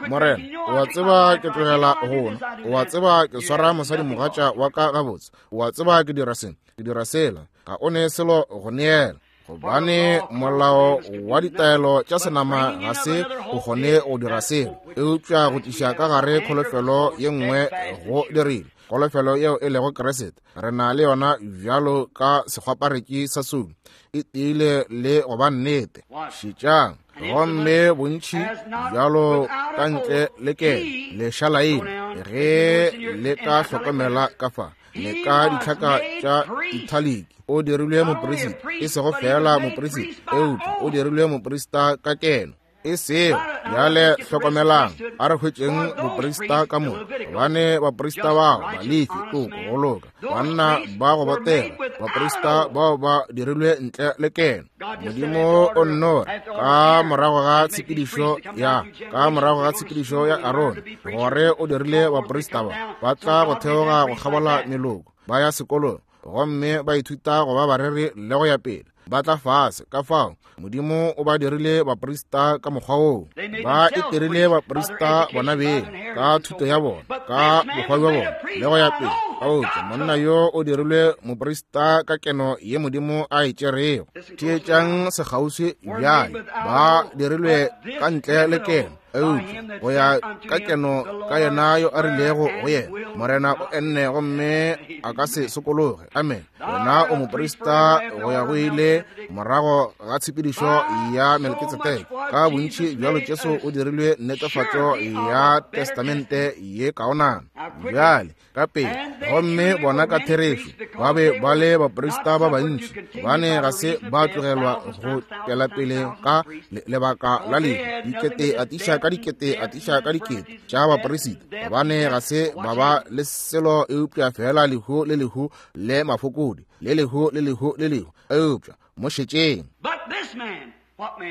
Morena, o a tseba ke tlogela go nwa, o a tseba ke swara mosadimogatša wa ka gabotse, o a tseba ke dira se, ke dira sela, ga o ne selo go neela. Gobane molao wa ditaelo tša senama ga se o kgone go dira selo, eupša go tliša ka gare kholofelo ye nngwe go dirile, kholofelo yeo e lego Kriste. Re na le yona bjalo ka sekgwaparetši sa soulo, e tiile le go ba nnete. Šetšang, gomme bontši bjalo ka ntle le kelo lešalaine, ge le ka hlokomela ka fa le ka ditlhaka tša italic, o dirilwe moperisita, e sego feela moperisita, eupša o dirilwe moperisita ka keno. E sego bjale, hlokomelang, a re hwetšeng boprista ka moka, gobane baprista bao Balefi, toko, go loka, banna ba go botega, baprista bao ba dirilwe ntle le keno. Modimo o nno re, ka morago ga tshepedišo ya, ka morago ga tshepedišo ya Arone, gore o dirile baprista ba, ba tla go theoga go kgabola meloko, ba ya sekolong, gomme ba ithuta go ba bareri le go ya pele, ba tla fase. Ka fao Modimo o ba dirile baprista ka mokgwa woo. Ba itirile baprista bona beng ka thuto ya bona, ka bokgwa bja bona le go ya pele. Eupša monna yo o dirilwe moprista ka keno ye Modimo a e tšerego. Theetšang sekgauswi bjale. Ba dirilwe ka ntle le keno, eupša go ya ka keno ka yena yo a rilego go yena, Morena o enne gomme a ka se sokologe. Amen. Wena o moprista go ya go ile morago ga tshepedišo ya Melkitsedeke. Ka bontši bjalo Jesu o dirilwe netefatšo ya testamente ye kaonana. Bjale ka pele, gomme bona ka therešo ba be ba le baprista ba bantši, gobane ga se ba tlogelwa go tšwela pele ka lebaka la lehu, dikete atiša ka dikete atiša ka dikete tša baperisita, gobane ga se ba ba le selo eupša feela lehu le lehu le mafokodi, le lehu le lehu le lehu, eupša mo šetšeng.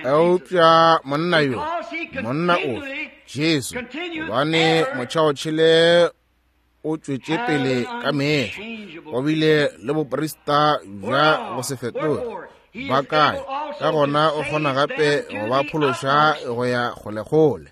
Eupša monna yo, monna ofe? Jesu, gobane motšhaotšhele o tšwetše pele ka mehla, go bile le boprista bja go se fetoge ba kae, ka gona o kgona gape go ba phološa go ya kgolekgole.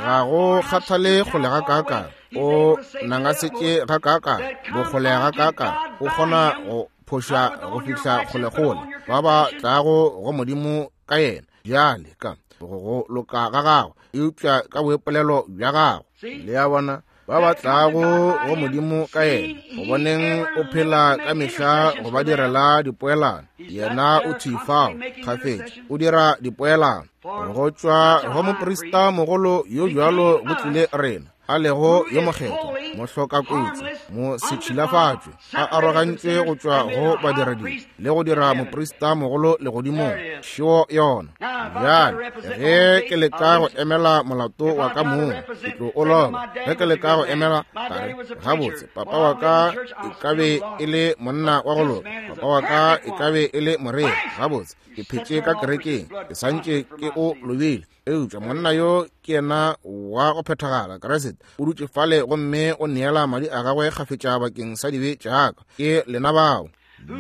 Ga go kgathale kgole ga kaakang, o nangasetše ga kaakang, bokgole ga kaakang, o kgona go phoša go fihla kgolekgole ba ba tlago go Modimo ka yena. Bjale ka go loka ga gagwe, eupša ka boipolelo bja gagwe. Le a bona, ba ba tlago go Modimo ka yena, go boneng o phela ka mehla go ba direla dipoelano. Yena o thwi fao kgafetša, o dira dipoelano. Go tšwa go moprista mogolo yo bjalo go tlile rena, a lego yo mokgethwa, mohlokakotsi, mosetšhilafatšwe, a arogantšwe go tšwa go badiradibe, le go dira moprista mogolo legodimong. Šeo yona. Bjale, ge ke leka go emela molato wa ka mong, ke tlo o loba. Ge ke leka go emela, ka re, gabotse, papa wa ka e ka be e le monna wa go loka, papa wa ka e ka be e le moreri, gabotse, ke phetše ka kerekeng, ke santše ke o lobile. Eupša monna yo ke yena wa go phethagala, Kriste, o dutše fale gomme o neela madi a gagwe kgafetša bakeng sa dibe tša ka. Ke lena bao.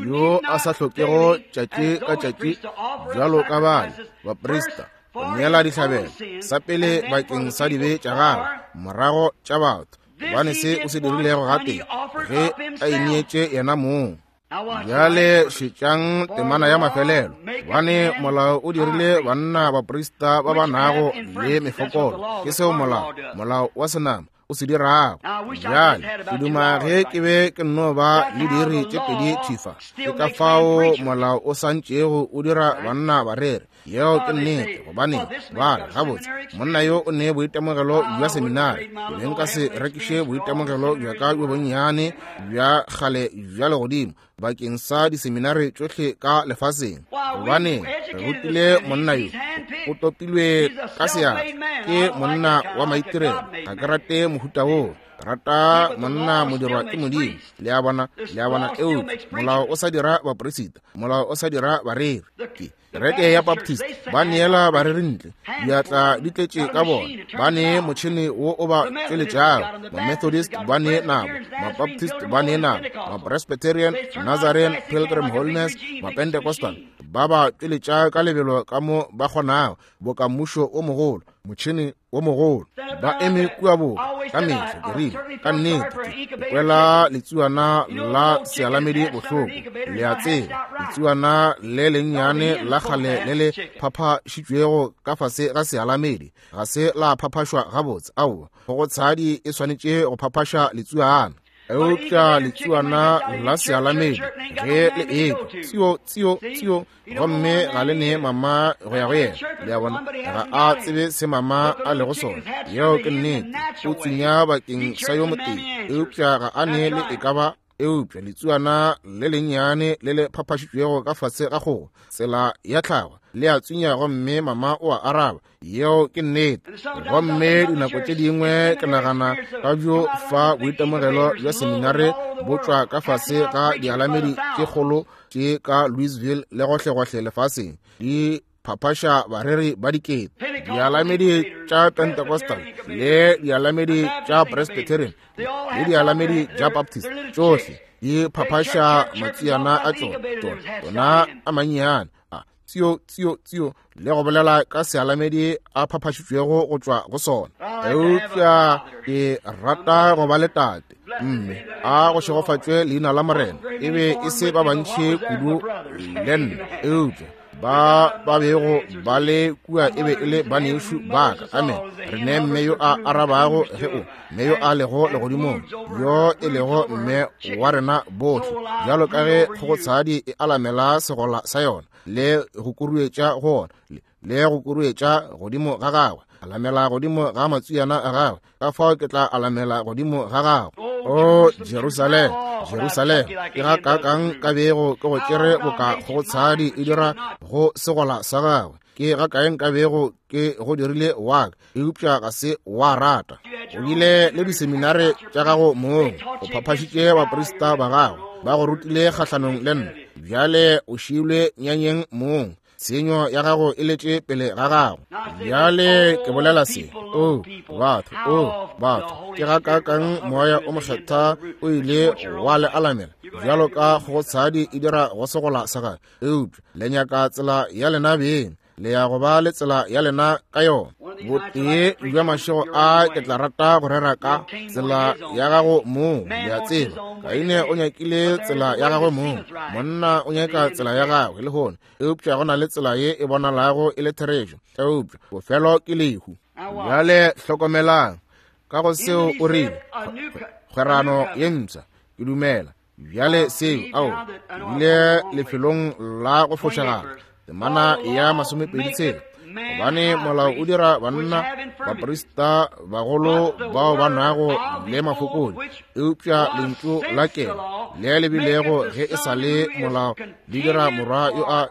Yo a sa hlokego tšatši ka tšatši bjalo ka bale baprista go neela dihlabelo, sa pele bakeng sa dibe tša gagwe, morago tša batho, gobane se o se dirilego gatee ge a ineetše yena mong. Bjale šetšang temana ya mafelelo, gobane molao o dirile banna baprista ba ba nago le mefokolo. Ke seo molao, molao wa senama. o se dirago. Bjale ke duma ge ke be ke nno ba le diiri tše pedi thifa. Ke ka fao molao o santšego o dira banna barere. Yeo ke nnete, gobane ba re gabotse monna yo o ne boitemogelo bja seminari. Ke be nka se rekiše boitemogelo bja ka bjo bonnyane bja kgale bja legodimo bakeng sa diseminari tšohle ka lefaseng, gobane re rutile monna yo o topilwe ka seatla ke monna wa maitirelo. Ga ke rate mohuta woo, rata monna modirwa ke Modimo. Le a bona, le a bona. Eupša molao o sa dira baporesita, molao o sa dira bareri. Ke kereke ya Baptist ba neela bareri ntle, diatla di tletše ka bona, ba ne motšhene wo o ba tšweletšago. Ma-Methodist ba ne nabo, ma-Baptist ba ne nabo, ma-Presbyterian, Nazarene, Pilgrim Holiness, ma-Pentecostal ba ba tšweletša ka lebelo ka mo ba kgonago, boka mmušo o mogolo, motšhene wo mogolo. Ba eme kua boka ka mehla. Ke rile, ka nnete ke kwela letsuana la sealamedi bohloko. Le a tseba, letsuana le lennyane la kgale le le phaphašitšwego ka fase ga sealamedi ga se la phaphašwa gabotse. Aowa, kgogotshadi e swanetše go phaphaša letsuana. Eupša letsuana la sealamedi ge le ekwa tsio tsio tsio, gomme ga le ne mama go ya go yena. Le a bona, ga a tsebe se mama a lego sona. Yeo ke nnete. O tsunya bakeng sa yo motee, eupša ga a ne le e ka ba. Eupša letsuana le lennyane le le phaphašitšwego ka fase ga kgogo, tsela ya tlhago, le a tsunya gomme mama o a araba. Yeo ke nnete. Gomme dinako tše dingwe ke nagana ka bjo fa boitemogelo bja seminare bo tšwa ka fase ga dialamedi tše kgolo tše ka Louisville le gohlegohle lefaseng, di phaphaša bareri ba dikete. Dialamedi tša Pentecostal le dialamedi tša Presbyterian le dialamedi tša Baptist, tšohle di phaphaša matsiana a tšona, tšona a mannyane a tsio tsio tsio, le go bolela ka sealamedi a phaphašitšwego go tšwa go sona. Eupša ke rata go ba le tate, mme a go šegofatšwe leina la Morena. E be e se ba bantši kudu le nna, eupša ba ba bego ba le kua e be e le banešu ba ka. Amen. Re ne mme yo a arabago ge o mme yo a lego legodimong, yo e lego mme wa rena bohle, bjalo ka ge kgogotshadi e alamela segola sa yona le go kuruetša go ona le go kuruetša godimo ga gagwe, alamela godimo ga matswiana a gagwe, ka fao ke tla alamela godimo ga gagwe. O Jerusalema, Jerusalema, ke ga kakang ka bego ke go tšere boka kgogotshadi e dira go segola sa gagwe, ke ga kae nka bego ke go dirile wa ka, eupša ga se wa rata. O bile le diseminare tša gago mong, o phaphašitše baprista ba gago, ba go rutile kgahlanong le nna. Bjale o šiilwe nyanyeng mong, tshenyo ya gago e letše pele ga gago. Bjale ke bolela se, o batho, o batho, ke ga kakang moya o mokgethwa o ile wa le alamela bjalo ka kgogotshadi e dira go segola sa gagwe, eupša le nyaka tsela ya lena beng, le ya go ba le tsela ya lena ka yona. Botee bja mašego a ke tla rata go rera ka tsela ya gago mong. Le a tseba, Kaine o nyakile tsela ya gagwe mong, monna o nyaka tsela ya gagwe lehono, eupša go na le tsela ye e bonalago e le therešo, eupša bofelo ke lehu. Bjale hlokomelang ka go seo o rile, kgwerano ye mpsha, ke dumela bjale seo, ao, bile lefelong la go fošagala, temana ya 26, gobane molao o dira banna baprista bagolo bao ba nago le mafokodi, eupša lentšu la kelo le le bilego ge e sa le molao le dira morwa yo a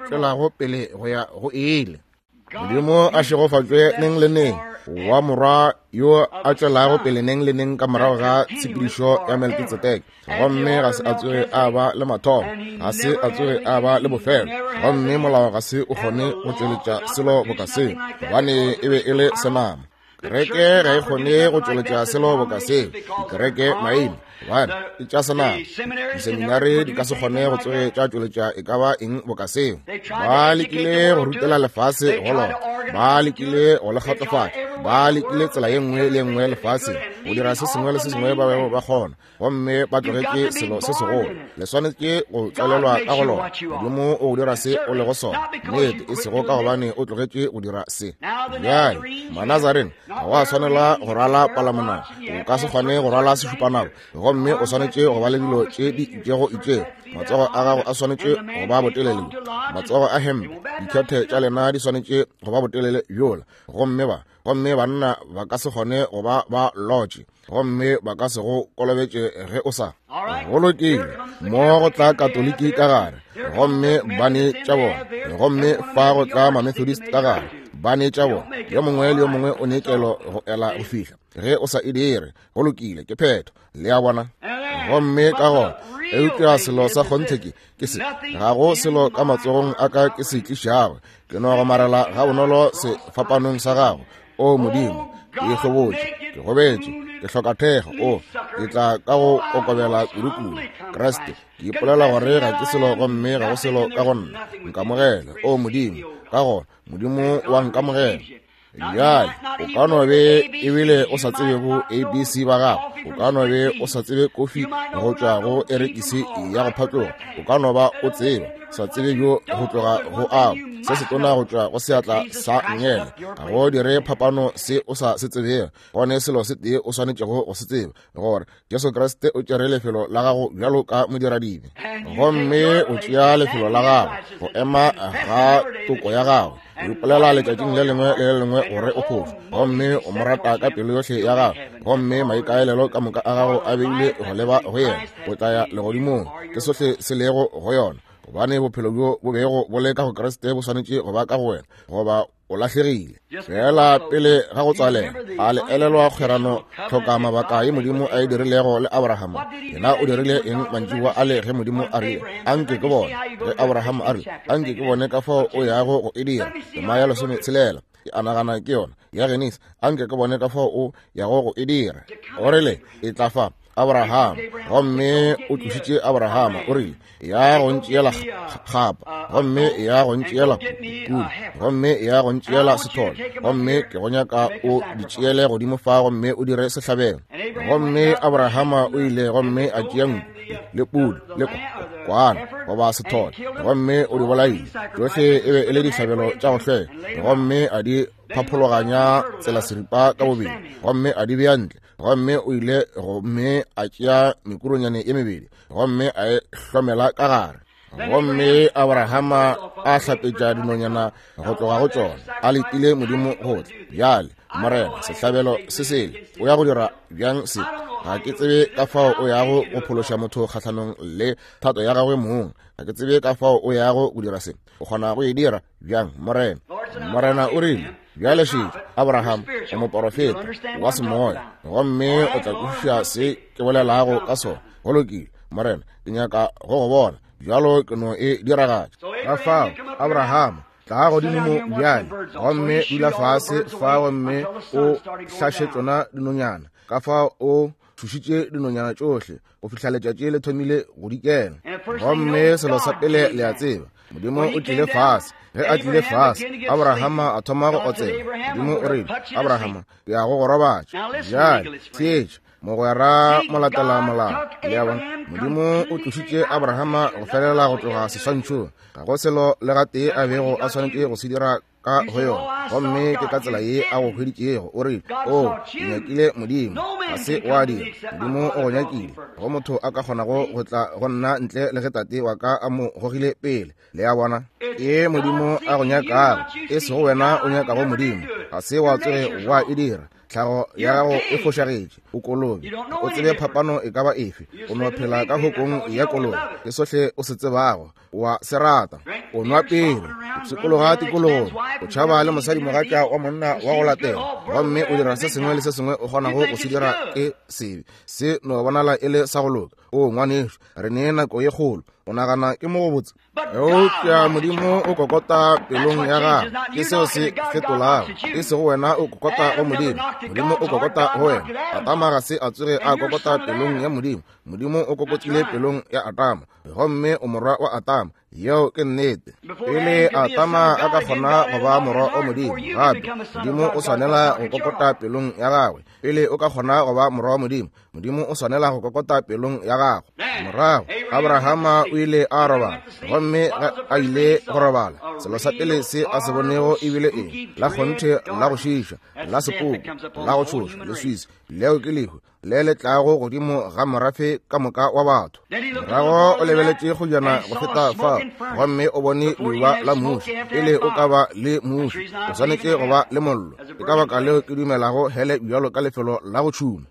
tšwelago pele go ya go ile. Modimo a šegofatšwe neng le neng wa morwa yo a tšwelago pele neng le neng ka morago ga tshepedišo ya Melkitsedeke, gomme ga se a tsoge a ba le mathomo, ga se a tsoge a ba le bofelo, gomme molao ga se o kgone go tšweletša selo boka seo, gobane e be e le senama. Kereke ga e kgone go tšweletša selo boka seo, dikereke maina, gobane ke tša senama. Diseminare di ka se kgone go tsoge tša tšweletša e ka ba eng boka seo. Ba lekile go rutela lefase go lona, ba lekile go le kgotsofatša, ba lekile tsela ye nngwe le ye nngwe lefaseng. go dira se sengwe le se sengwe ba bego ba kgona, gomme ba tlogetše selo se segolo. Le swanetše go tswalelwa ka go lona. Modimo o go dira se o lego sona, nnete, e sego ka gobane o tlogetše go dira se. Bjale, Manazarene, ga wa swanela go rwala palamonwana, o ka se kgone go rwala sešupanako, gomme o swanetše go ba le dilo tše di itšego itšego. Matsogo a gago a swanetše go ba botelele, matsogo a hempe, dikhethe tša lena di swanetše go ba botelele bjola, gomme ba gomme banna ba ka se kgone go ba ba lotše, gomme ba ka se go kolobetše ge o sa. Go lokile, mo go tla Katoliki ka gare, gomme ba ne tša bona, gomme fa go tla Mamethodist ka gare, ba ne tša bona. Yo mongwe le yo mongwe o ne kelo go ela go fihla. Ge o sa e dire, go lokile, ke phetho. Le a bona? Gomme ka gona, eupša selo sa kgonthe ke, ke se, ga go selo ka matsogong a ka ke se tlišago. Ke no gomarela ga bonolo sefapanong sa gago. O Modimo, ke ikgobotše, ke gobetše, ke hloka thekgo. O, ke tla ka go kokobela kudu-kudu. Kriste, ke ipolela gore ga ke selo gomme ga go selo ka go nna. Nkamogele, o Modimo. Ka gona, Modimo wa nkamogela. Bjale, o ka no be ebile o sa tsebe bo ABC ba gago, o ka no be o sa tsebe kofi go tšwa go erekisi ya go phatloga, o ka no ba o tseba sa tsebe bjo go tloga go ao se setona go tšwa go seatla sa nngele. Ga go dire phapano se o sa se tsebego, gone selo se tee o swanetšego go se tseba, gore Jesu Kriste o tšere lefelo la gago bjalo ka modiradibe, gomme o tšea lefelo la gago go ema ga toko ya gago. O ipolela letšatšing le lengwe le le lengwe gore o phošo, gomme o mo rata ka pelo yohle ya gago, gomme maikaelelo ka moka a gago a beile go leba go yena. O tla ya legodimong, ke sohle se lego go yona, gobane bophelo bjo bo bego bo le ka go Kriste bo swanetše go ba ka go wena, goba o lahlegile. Fela pele ga go tswalela, a le elelwa kgwerano tlhoka mabaka ye Modimo a e dirilego le Abrahama? Yena o dirile eng mantšiboa a le ge Modimo a rile, anke ke bone? Ge Abraham a rile, anke ke bone ka fao o yago go e dira, tema ya 16, ke a nagana ke yona, ya Genesi, anke ke bone ka fao o yago go e dira. O rile, e tla fa Abraham, gomme o tlošitše Abrahama, o rile, ya go ntšeela kgapa, gomme ya go ntšeela kudu, gomme ya go ntšeela sethole, gomme ke go nyaka o di tšeele godimo fa gomme o dire sehlabelo. Gomme Abrahama o ile gomme a tšea nku le pudu le kwana goba sethole, gomme o di bolaile tšohle, e be e le dihlabelo tša go hlweka, gomme a di phaphologanya tsela seripa ka bobedi, gomme a di bea ntle. Gomme o ile gomme a tšea mekuronyane e mebedi gomme a e hlomela ka gare. Gomme Abrahama a hlapetša dinonyana go tloga go tšona, a letile Modimo go tla. Bjale, Morena, sehlabelo se sele, o ya go dira bjang se? Ga ke tsebe ka fao o yago go phološa motho kgahlanong le thato ya gagwe mong. Ga ke tsebe ka fao o yago go dira se. O kgona go e dira bjang, Morena? Morena o rile, Bjale šetša, Abraham, o moporofeta wa semoya, gomme o tla kwešiša se ke bolelago ka sona. Go lokile, Morena, ke nyaka go go bona bjalo, ke no e diragatša. Ka fao, Abraham, tla godimo mo bjale, gomme dula fase fa gomme o hlaše tšona dinonyana. Ka fao o thušitše dinonyana tšohle go fihla letšatši le thomile go dikela. Gomme selo sa pele le a tseba, Modimo o tlile fase. Ge a tlile fase, Abrahama a thoma go otsela. Modimo o rile, Abrahama, ke ya go go robatša. Bjale, theetša, mogwera molatela molao. Le a bona? Modimo o tlošitše Abrahama go felela go tloga seswantšhong. Ga go selo le gatee a bego a swanetše go se dira ka go yona, gomme ke ka tsela ye a go hweditšego. O rile, O nyakile Modimo, ga se wa dira. Modimo o go nyakile. Go motho a ka kgonago go tla go nna ntle le ge Tate wa ka a mo gogile pele. Le a bona? Ke Modimo a go nyakago, e sego wena o nyakago Modimo. Ga se wa tsoge wa e dira. Tlhago ya gago e fošagetše, o kolobe, o tsebe phapano e ka ba efe. O no phela ka hokong ya kolobe, ke sohle o se tsebago. Wa se rata, o nwa pele, o pshikologa tikologong, o tšhaba le mosadimogatša wa monna wa go latela, gomme o dira se sengwe le se sengwe o kgonago go se dira ke sebe. Se no bonala e le sa go loka. O ngwanešu, re ne nako ye kgolo. O nagana ke mo go botse? Eupša Modimo o kokota pelong ya gago. Ke seo se fetolago. E sego wena o kokota go Modimo, Modimo o kokota go wena. Adama ga se a tsoge a kokota pelong ya Modimo. Modimo o kokotile pelong ya Adama, gomme o morwa wa Adama. Yeo ke nnete. Pele Adama a ka kgona go ba morwa wa Modimo, gape Modimo o swanela go kokota pelong ya gagwe. Pele o ka kgona go ba morwa wa Modimo, Modimo o swanela go kokota pelong ya gago. Morago Abrahama o ile a robala, gomme a ile go robala, selo sa pele se a se bonego e bile eng? La kgonthe la go šiiša, la sepoko, la go tšhoša, leswiswi. Leo ke lehu le le tlago godimo ga morafe ka moka wa batho. Morago o lebeletše kgojana go feta fao, gomme o bone leuba la muši. Pele o ka ba le muši, o swanetše go ba le mollo. Ke ka baka leo ke dumelago hele bjalo ka lefelo la go tšhuma.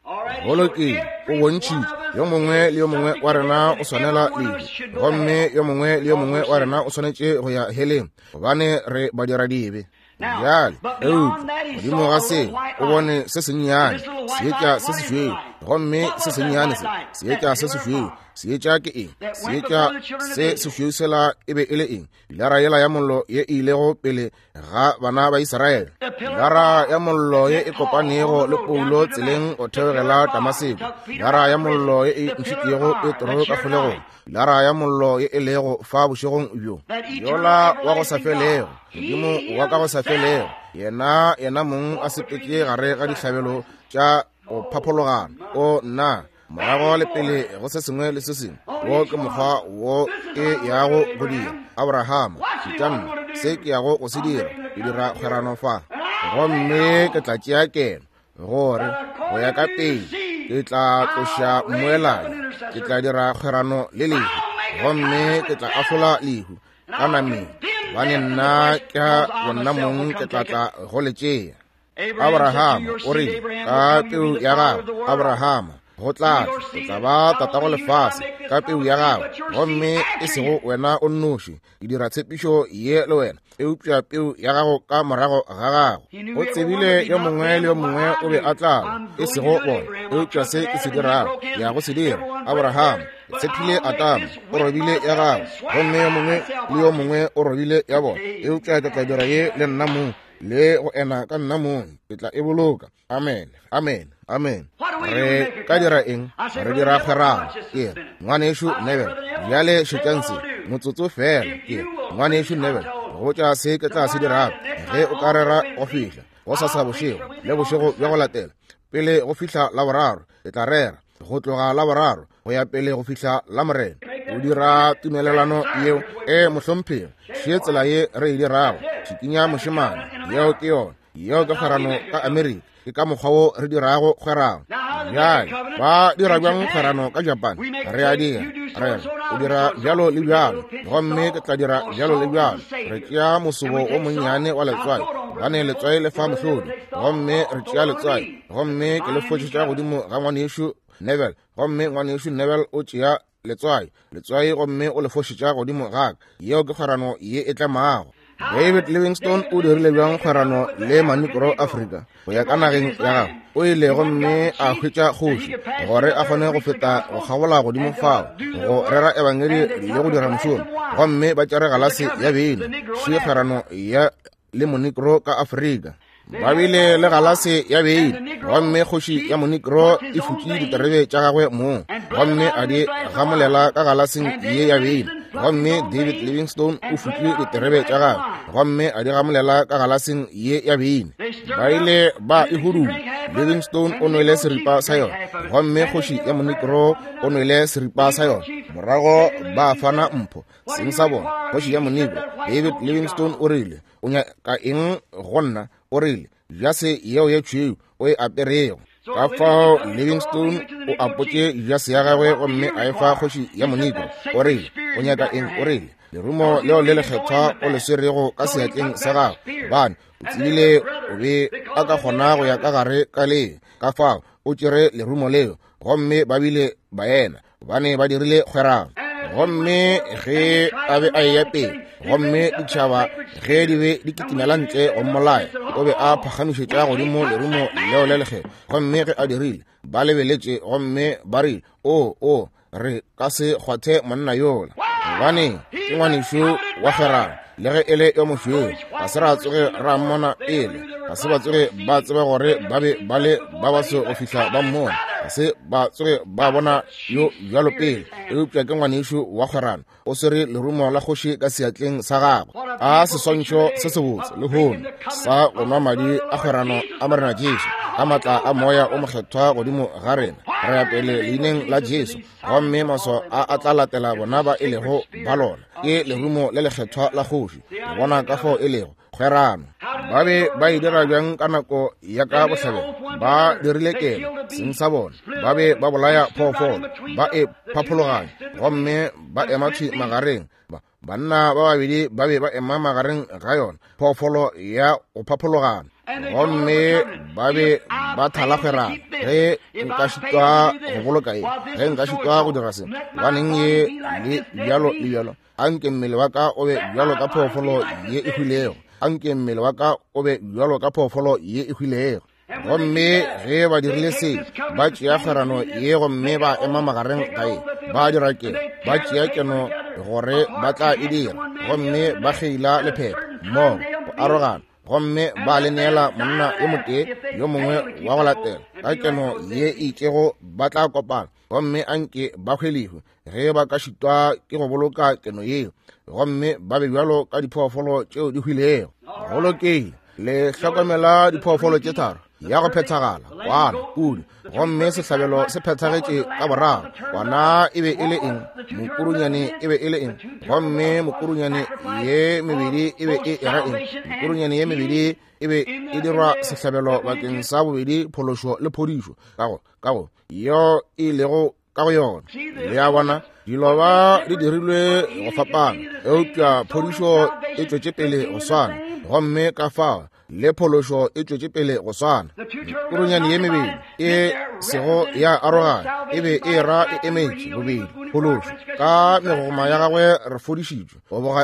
Go lokile, o bontšhitše yo mongwe le yo mongwe wa rena o swanela lehu, gomme yo mongwe le yo mongwe wa rena o swanetše go ya heleng, gobane re badiradibe. Bjale, eupša godimo ga se o bone se sennyane seetša se sešweu, gomme se sennyane se seetša se sešweu. Seetša ke eng? Seetša se sešweu sela e be e le eng? Pilara yela ya mollo ye e ilego pele ga bana ba Israele, pilara ya mollo ye e kopanego le Paulo tseleng go theogela Damaseko, pilara ya mollo ye e ntšhitšego Petro ka kgolegong, pilara ya mollo ye e lego fa bošegong bjo, yola wa go sa felego, Modimo wa ka go sa felego, yena yena mong a sepetše gare ga dihlabelo tša go phaphologana. O nna, morago le pele go se sengwe le se sengwe. Wo ke mokgwa wo ke yago go dira. Abrahama, šetša se ke yago go se dira. Ke dira kgwerano fa, gomme ke tla tšea keno, gore go ya ka pele ke tla tloša mmoelane, ke tla dira kgwerano le lehu, gomme ke tla ahlola lehu ka nameng, gobane nna ka bonna mong ke tla tla go le tšea. Abrahama o rile, ka peu ya gago, Abrahama, go tla o tla ba tatago lefase ka peu ya gago, gomme e sego wena o nnoši. Ke dira tshepišo ye le wena, eupša peu ya gago ka morago ga gago. O tsebile yo mongwe le yo mongwe o be a tla, e sego bona, eupša se ke se dirago, ke ya go se dira. Abrahama, ke tshephile Adama, o robile ya gago, gomme yo mongwe le yo mongwe o robile ya bona, eupša ke tla dira ye le nna mong, le go ena ka nna mong, ke tla e boloka. Amen, amen, amen. Re ka dira eng? Re dira kgwerano. Ke re, Ngwanešu Neville, bjale šetšang se motsotso fela. Ke re, Ngwanešu Neville, go botša se ke tla se dirago ge o ka rera go fihla gosasa bošego le bošego bja go latela, pele go fihla Laboraro, ke tla rera go tloga Laboraro go ya pele go fihla Lamorena. O dira tumelelano yeo? E, mohlomphegi, še tsela ye re e dirago. Šikinya mošemane, yeo ke yona. Yeo ke kgwerano ka Amerika. Ke ka mokgwa wo re dirago kgwerano. Bjale, ba dira bjang kgwerano ka Japan? Re a dira. Re re, o dira bjalo le bjalo, gomme ke tla dira bjalo le bjalo. Re tšea mosobo o monnyane wa letswai, gobane letswai le fa mohlodi. Gomme re tšea letswai, gomme ke le fošetša godimo ga ngwanešu Neville, gomme ngwanešu Neville o tšea letswai, letswai gomme o le fošetša godimo ga ka. Yeo ke kgwerano ye e tlemago. David Livingstone o dirile bjang kgwerano le Manigro Afrika go ya ka nageng ya gagwe? O ile gomme a hwetša kgoši gore a kgone go feta go kgabola godimo fao go rera ebangedi le go dira mošomo, gomme ba tšere galase ya beine. Še kgwerano ya le Monigro ka Afrika. Ba bile le galase ya beine, gomme kgoši ya Monigro e futše diterebe tša gagwe mong, gomme a di gamolela ka galaseng ye ya beine. Gomme David Livingstone o futše diterebe tša gagwe, gomme a di gamolela ka galaseng ye ya beine. Ba ile ba e hudula. Livingstone o nwele seripa sa yona, gomme kgoši ya Monigro o nwele seripa sa yona. Morago ba fana mpho seng sa bona. Kgoši ya Monigro David Livingstone o rile, o nyaka eng go nna? O rile, jase yeo ye tšhweu o e aperego. Ka fao Livingstone o apotše jase ya gagwe gomme a e fa kgoši ya Monigro. O rile, o nyaka eng? O rile, lerumo leo le lekgethwa o le swerego ka seatleng sa gago, gobane o tsebile o be a ka kgona go ya ka gare ka le. Ka fao o tšere lerumo leo, gomme ba bile baena, gobane ba dirile kgwerano. Gomme ge a be a eya pele, gomme ditšhaba ge di be di kitimela ntle go mmolaya, o be a phagamišetša godimo lerumo leo le lekgethwa. Gomme ge a dirile, ba lebeletše gomme ba rile, O, o, re ka se kgwathe monna yola, gobane ke ngwanešu wa kgwerano, le ge e le yo mošweu. Ga se ra tsoge ra mmona pele, ga se ba tsoge ba tseba gore ba be ba le ba baso go fihla ba mmona. Ga se ba tsoge ba bona yo bjalo pele, eupša ke ngwanešu wa kgwerano, o swere lerumo la kgoši ka seatleng sa gagwe. A seswantšho se sebotse lehono sa go nwa madi a kgwerano a Morena Jesu, ka maatla a Moya o Mokgethwa godimo ga rena. Re ya pele leineng la Jesu, gomme maswao a a tla latela bona ba e lego ba lona. Ke lerumo le lekgethwa la kgoši. Le bona ka fao e lego kgwerano. Ba be ba e dira bjang ka nako ya ka bohlabela? Ba dirile kelo seng sa bona. Ba be ba bolaya phoofolo, ba e phaphologanya, gomme ba ema thwi magareng. Banna ba babedi ba be ba ema magareng ga yona phoofolo ya go phaphologana, gomme ba be ba thala kgwerano. Ge nka šitwa go boloka ye, ge nka šitwa go dira se, gobaneng ye le bjalo le bjalo, anke mmele wa ka o be bjalo ka phoofolo ye e hwilego, anke mmele wa ka o be bjalo ka phoofolo ye e hwilego. Gomme ge ba dirile se, ba tšea kgwerano ye gomme ba ema magareng ga ye, ba dira keno, ba tšea keno gore ba tla e dira, gomme ba kgeila lephephe mmogo go arogana, gomme ba le neela monna yo motee yo mongwe wa go latela ka keno ye e itšego, ba tla kopana gomme anke ba hwelihwe ge ba ka šitwa ke go boloka keno yeo, gomme ba be bjalo ka diphoofolo tšeo di hwilego. Go lokile, le hlokomela diphoofolo tše tharo, ya go phethagala, kwana, pudi, gomme sehlabelo se phethagetše ka boraro. Kwana e be e le eng? Mokurunyane e be e le eng? Gomme mokurunyane ye mebedi e be e era eng? Mokurunyane ye mebedi e be e dirwa sehlabelo bakeng sa bobedi phološo le phodišo ka go yo e lego ka go yona. Le a bona, dilo ba di dirilwe go fapana, eupša phodišo e tšwetše pele go swana, gomme ka fao le phološo e tšwetše pele go swana. Kurunyane ye mebedi e sego ya arogana e be e ra e emetše bobedi phološo. Ka megogoma ya gagwe re fodišitšwe,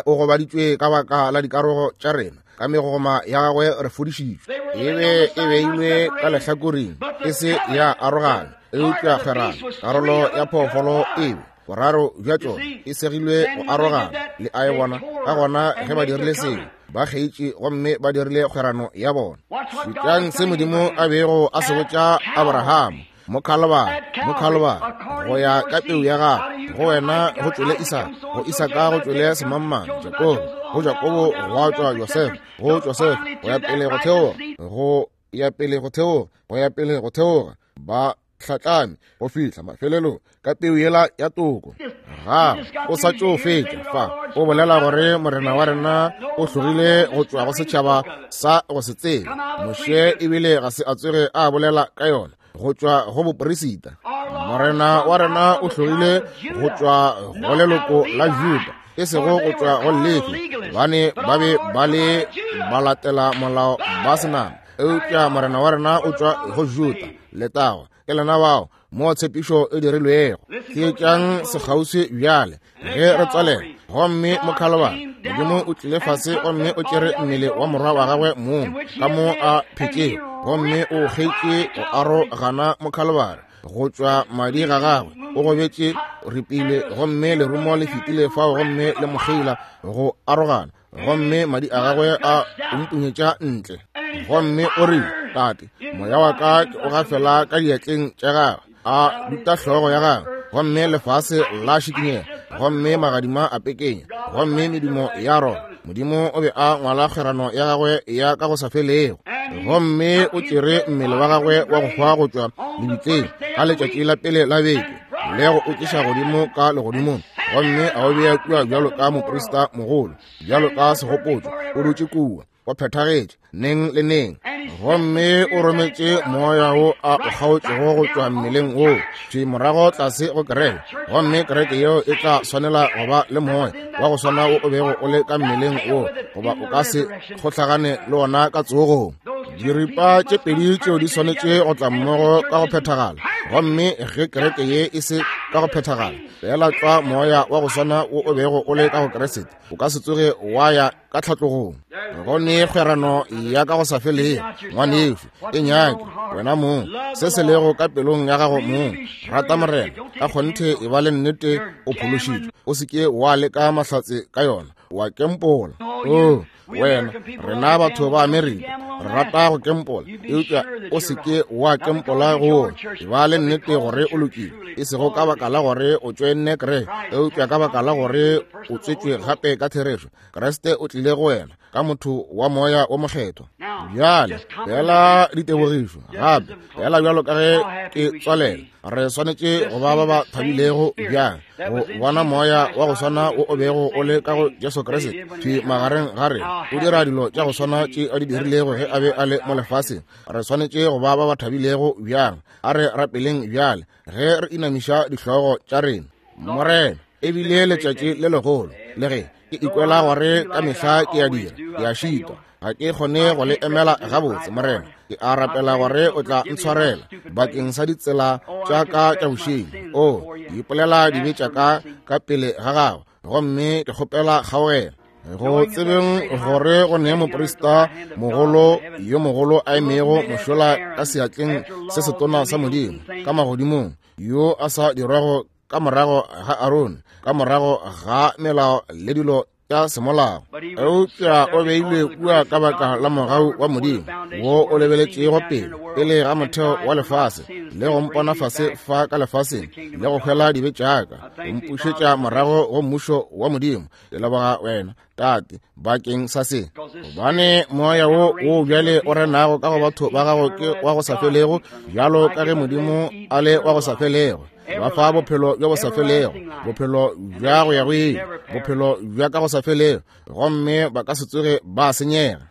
o gobaditšwe ka baka la dikarogo tša rena, ka megogoma ya gagwe re fodišitšwe. E be e beilwe ka lehlakoring, e se ya arogana, eupša kgwerano, karolo ya phoofolo e be boraro bja tšona e segilwe go arogana. Le a e bona? Ka gona ge ba dirile seo, ba kgeitše gomme ba dirile kgwerano ya bona. Šetšang se Modimo a bego a se botša Abraham mo Kalvari, mo Kalvari, go ya ka peu ya gago, go wena go tšwele Isaka, go Isaka go tšwele semangmang, Jakobo, go Jakobo gwa tšwa Josefa, go Josefa go ya pele go theoga, go ya pele go theoga, go ya pele go theoga, ba hlatlame go fihla mafelelong ka peu yela ya toko. Ga o sa tšo fetša fa o bolela gore Morena wa rena o hlogile go tšwa go setšhaba sa go se tsebe. Moshe ebile ga se a tsoge a bolela ka yona go tšwa go boperisita. Morena wa rena o hlogile go tšwa go leloko la Juda, e sego go tšwa go Lefi, gobane ba be ba le ba latela molao ba senama, eupša Morena wa rena o tšwa go Juda. Letago ke lena bao mo tshepišo e dirilwego. Theetšang sekgauswi bjale ge re tswalela. Gomme mo Kalvari, Modimo o tlile fase gomme o tšere mmele wa morwa wa gagwe mong ka mo a phetšego, gomme o kgeitše go arogana mo Kalvari go tšwa madi ga gagwe. O gobetše, ripile, gomme lerumo le fetile fao gomme le mo kgeila go arogana, gomme madi a gagwe a mpunyetša ntle. Gomme o rile, Tate, moya wa ka ke o gafela ka diatleng tša gagwe. A duta hlogo ya gagwe, gomme lefase la šikinyega, gomme magadima a pekenya, gomme medumo ya rona. Modimo o be a ngwala kgwerano ya gagwe ya ka go sa felego, gomme o tšere mmele wa gagwe wa go hwa go tšwa lebitleng ka letšatši la pele la beke, le go o tliša godimo ka legodimong, gomme a o bea kua bjalo ka moprista mogolo, bjalo ka segopotšo. O dutše kua, o phethagetše neng le neng, gomme o rometše moya wo a o kgaotšego go tšwa mmeleng woo thwi morago tlase go kereke, gomme kereke yeo e tla swanela go ba le moya wa go swana wo o bego o le ka mmeleng woo, goba o ka se kgohlagane le wona ka tsogong. Diripa tše pedi tšeo di swanetše go tla mmogo ka go phethagala, gomme ge kereke ye e se ka go phethagala, fela tlwa moya wa go swana wo o bego o le ka go Keresete o ka se tsoge wa ya ka tlhatlogong. Go ne kgwerano ya ka go sa felego, ngwanešu, e nyake wena mong se se lego ka pelong ya gago mong. Rata Morena ka kgonthe, e ba le nnete o phološitšwe, o se ke wa leka mahlatse ka yona. O a kempola. Oo, wena, rena batho ba Amerika re rata go kempola, eupša o se ke wa kempola go wona. E ba le nnete gore o lokile, e sego ka baka la gore o tšoenne kereke, eupša ka baka la gore o tswetšwe gape ka therešo. Kriste o tlile go wena ka motho wa Moya wo Mokgethwa. Bjale fela ditebogišo gape, fela bjalo ka ge ke tswalela, re swanetše go ba ba ba thabilego bjang go bona Moya wa go swana wo o bego o le ka go Jesu Kriste thwi magareng ga rena, o dira dilo tša go swana tše a di dirilego ge a be a le mo lefaseng. Re swanetše go ba ba ba thabilego bjang. A re rapeleng bjale ge re inamiša dihlogo tša rena. Morena, e bile letšatši le legolo, le ge ke ikwela gore ka mehla ke a dira, ke a šitwa, ga ke kgone go le emela gabotse. Morena, ke a rapela gore o tla ntshwarela bakeng sa ditsela tša ka tša bošeng. O, ke ipolela dibe tša ka ka pele ga gago, gomme ke kgopela kgaogelo. Go tsebeng gore go ne moprista mogolo yo mogolo a emego mošola ka seatleng se setona sa Modimo ka magodimong, yo a sa dirwago ka morago ga Arone, ka morago ga melao le dilo tša semolao, eupša o beilwe kua ka baka la mogau wa Modimo wo o lebeletšego pele pele ga motheo wa lefase, le go mpona fase fa ka lefaseng, le go hwela dibe tša ka, go mpušetša morago go mmušo wa Modimo. Ke leboga wena, Tate, bakeng sa se, gobane moya wo wo bjale o renago ka go batho ba gago ke wa go sa felego, bjalo ka ge Modimo a le wa go sa felego. Ba fa bophelo bjo bo sa felego, bophelo bja go ya go ile, bophelo bja ka go sa felego, gomme ba ka se tsoge ba senyega.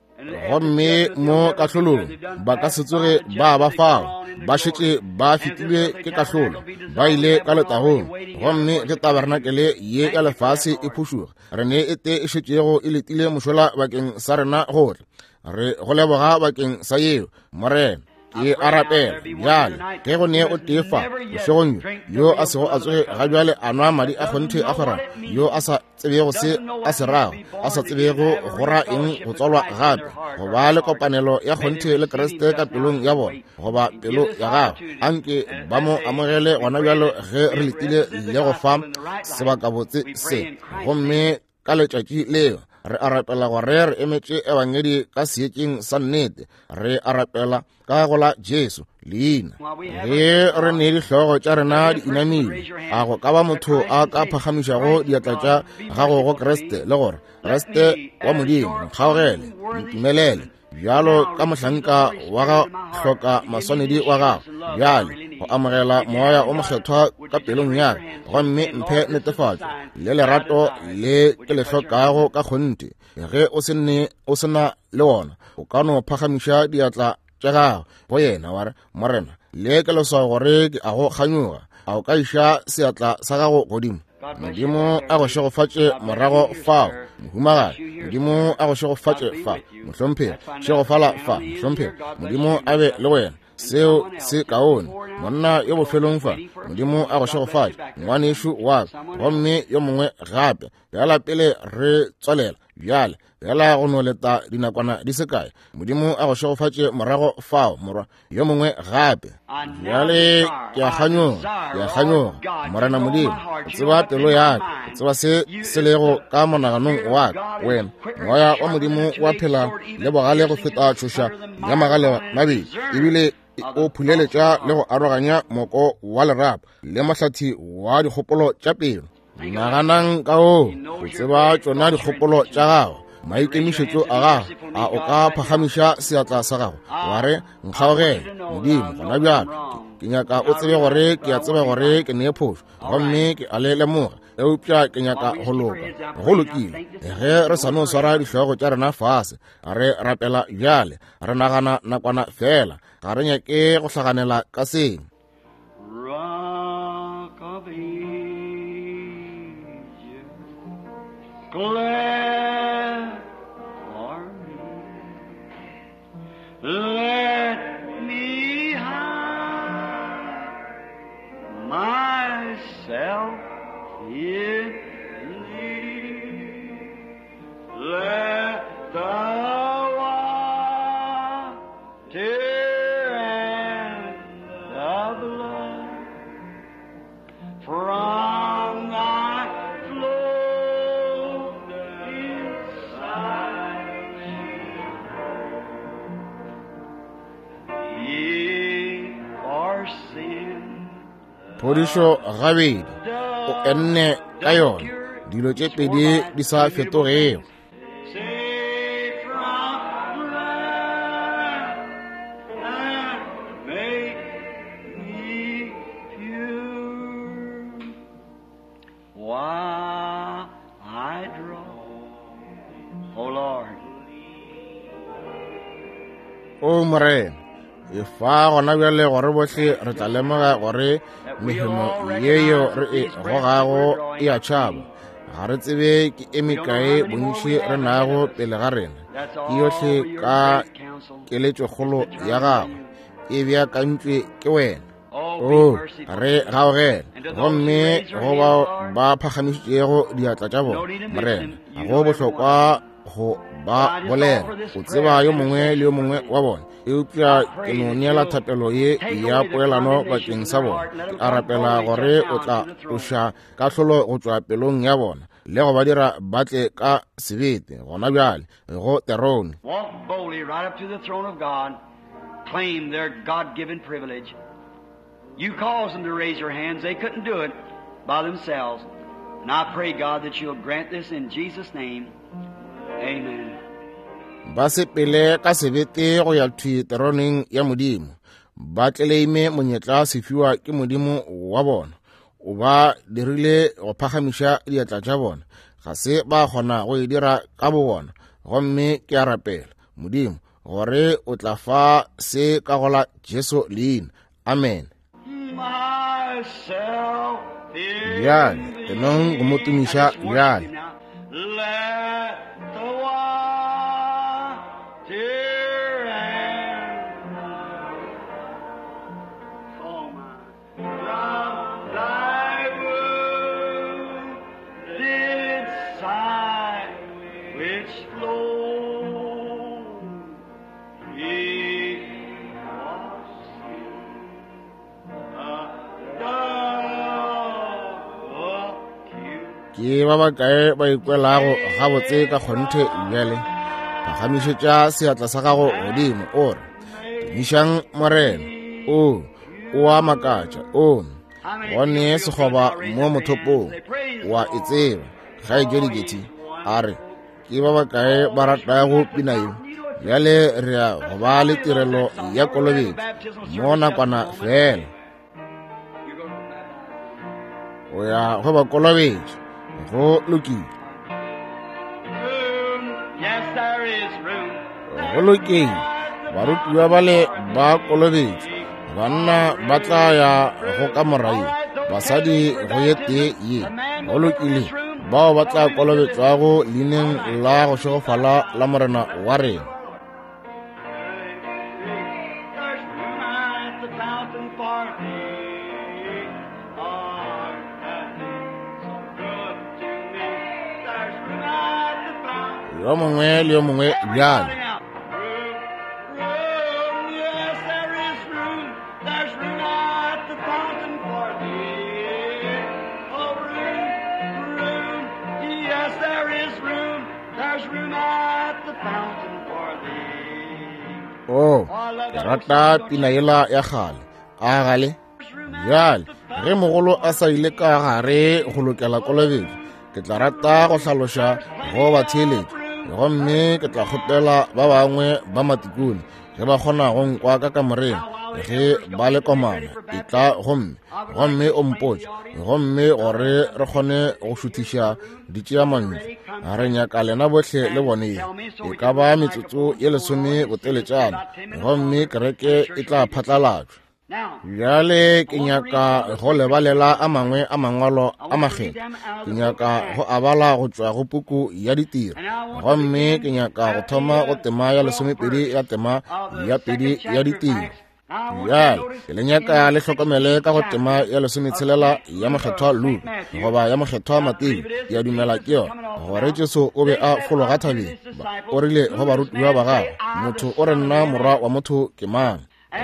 Gomme mo kahlolong ba ka se tsoge ba ba fao, ba šetše ba fetilwe ke kahlolo, ba ile ka letagong. Gomme ge tabernakelé ye ya lefase e phušoga, re ne e tee e šetšego e letile mošola bakeng sa rena gohle. Re go leboga bakeng sa yeo, Morena. Ke a rapela bjale ge go ne o tee fa bošegong bjo yo a sego a tsoge ga bjale a nwa madi a kgonthe a kgwerano, yo a sa tsebego se a se rago, a sa tsebego go ra eng go tswalwa gape, go ba le kopanelo ya kgonthe le Kriste ka pelong ya bona goba pelo ya gagwe, anke ba mo amogele gona bjalo ge re letile le go fa sebakabotse se. Gomme ka letšatši leo re a rapela gore re emetše ebangedi ka seetšeng sa nnete. Re a rapela ka go la Jesu leina. Ge re ne dihlogo tša rena di inamile, a go ka ba motho a ka phagamišago diatla tša gago go Kriste le gore, Kriste wa Modimo, nkgaogele, ntumelele bjalo ka mohlanka wa ga hloka maswanedi wa gago bjale go amogela Moya o Mokgethwa ka pelong ya ka, gomme mphe netefatšo le lerato le ke le hlokago ka kgonthe. Ge o se ne o se na le wona, o ka no phagamiša diatla tša gago go yena wa re, Morena, le ke leswao gore ke a go kganyoga. A o ka iša seatla sa gago godimo? Modimo a go šegofatše morago fao, mohumagadi. Modimo a go šegofatše fa, mohlomphegi. Šegofala fa, mohlomphegi. Modimo a be le wena. Seo se kaone. Monna yo bofelong fa, Modimo a go šegofatše, ngwanešu wa ka. Gomme yo mongwe gape. Bjala pele re tswalela bjale, bjala go no leta dinakwana di se kae. Modimo a go šegofatše morago fao, morwa. Yo mongwe gape. Bjale ke a kganyoga, ke a kganyoga, Morena Modimo, o tseba pelo ya ka, o tseba se se lego ka monaganong wa ka. Wena Moya wa Modimo wa phela le bogale go feta tšhoša ya magale mabedi, ebile o phuleletša le go aroganya moko wa lerapo le mohlathi wa dikgopolo tša pelo. Naganang ka o, o tseba tšona dikgopolo tša gago, maikemišetšo a gago. A o ka phagamiša seatla sa gago wa re, nkgaogele Modimo gona bjalo, ke nyaka o tsebe gore ke a tseba gore ke ne phošo, gomme ke a le lemoga, eupša ke nyaka go loka. Go lokile. Ge re sa no swara dihlogo tša rena fase re rapela bjale, re nagana nakwana fela, ga re nyake go hlaganela ka seng. Rock of Ages, glad for me. Let me hide myself in thee. Let the water and the blood from thy flowing Phodišo gabedi, o enne ka yona, dilo tše pedi di sa fetogego. O Morena, e fa gona bjale gore bohle re tla lemoga gore mehemo yeyo re e gogago e a tšhaba. Ga re tsebe ke e mekae bontši re nago pele ga rena. Ke yohle ka keletšokgolo ya gago e beakantšwe ke wena. O re gaogele, gomme go bao ba phagamišitšego diatla tša bona, Morena, ga go bohlokwa go ba bolela, o tseba yo mongwe le yo mongwe wa bona, eupša ke no neela thapelo ye ya poelano bakeng sa bona. Ke a rapela gore o tla tloša kahlolo go tšwa pelong ya bona le go ba dira ba tle ka sebete gona bjale go terone. Walk boldly right up to the throne of God, claim their God-given privilege. You caused them to raise their hands. They couldn't do it by themselves. And I pray, God, that you'll grant this in Jesus' name. Amen. Ba sepele ka sebete go ya thwi teroneng ya Modimo, ba tleleime monyetla sefiwa ke Modimo wa bona. O ba dirile go phagamiša diatla tša bona, ga se ba kgona go e dira ka bobona. Gomme ke a rapela, Modimo, gore o tla fa se ka go la Jesu leina. Amen. Bjale enong go mo tumiša bjale. Ke ba bakae ba ikwelago gabotse ka kgonthe bjale? Phagamišetša seatla sa gago godimo o re, tumišang Morena. O, o a makatša. O, gone sekgoba mo mothopong, wa e tseba. Kgaetšedi Getty a re, ke ba bakae ba ratago pina ye? Bjale re ya go ba le tirelo ya kolobetšo mo nakwana fela. O ya go ba kolobetša. Go lokile. Go lokile. Barutiwa bale ba kolobetšwa. Banna ba tla ya go kamora ye, basadi go ye tee ye. Go lokile. Bao ba tla kolobetšwago leineng la go šegofala la Morena wa rena. Yo mongwe le yo mongwe bjale. Oh, ke rata pina yela ya kgale. A gale? Bjale, ge mogolo a sa ile ka gare go lokela kolobetšo, ke tla rata go hlaloša go ba theeletša, gomme ke tla kgopela ba bangwe ba matikone ge ba kgona go nkwa ka kamoreng ge ba le komana, e tla gomme gomme o mpotše, gomme gore re kgone go šuthiša ditšeamantšu. Re nyaka lena bohle le bone ye e ka ba metsotso ye lesome boteletšana, gomme kereke e tla phatlalatšwa. Bjale ke nyaka go lebalela a mangwe a mangwalo a makgethwa. Ke nyaka go a bala go tšwa go puku ya ditiro, gomme ke nyaka go thoma go tema ya 12 ya tema ya 2 ya ditiro. Bjale ke le nyaka le hlokomele ka go tema ya 16 ya mokgethwa Luka goba ya mokgethwa Mateo, ke a dumela ke yona, gore Jesu o be a fologa thabeng. O rile go barutiwa ba gagwe, motho o re nna morwa wa motho ke mang?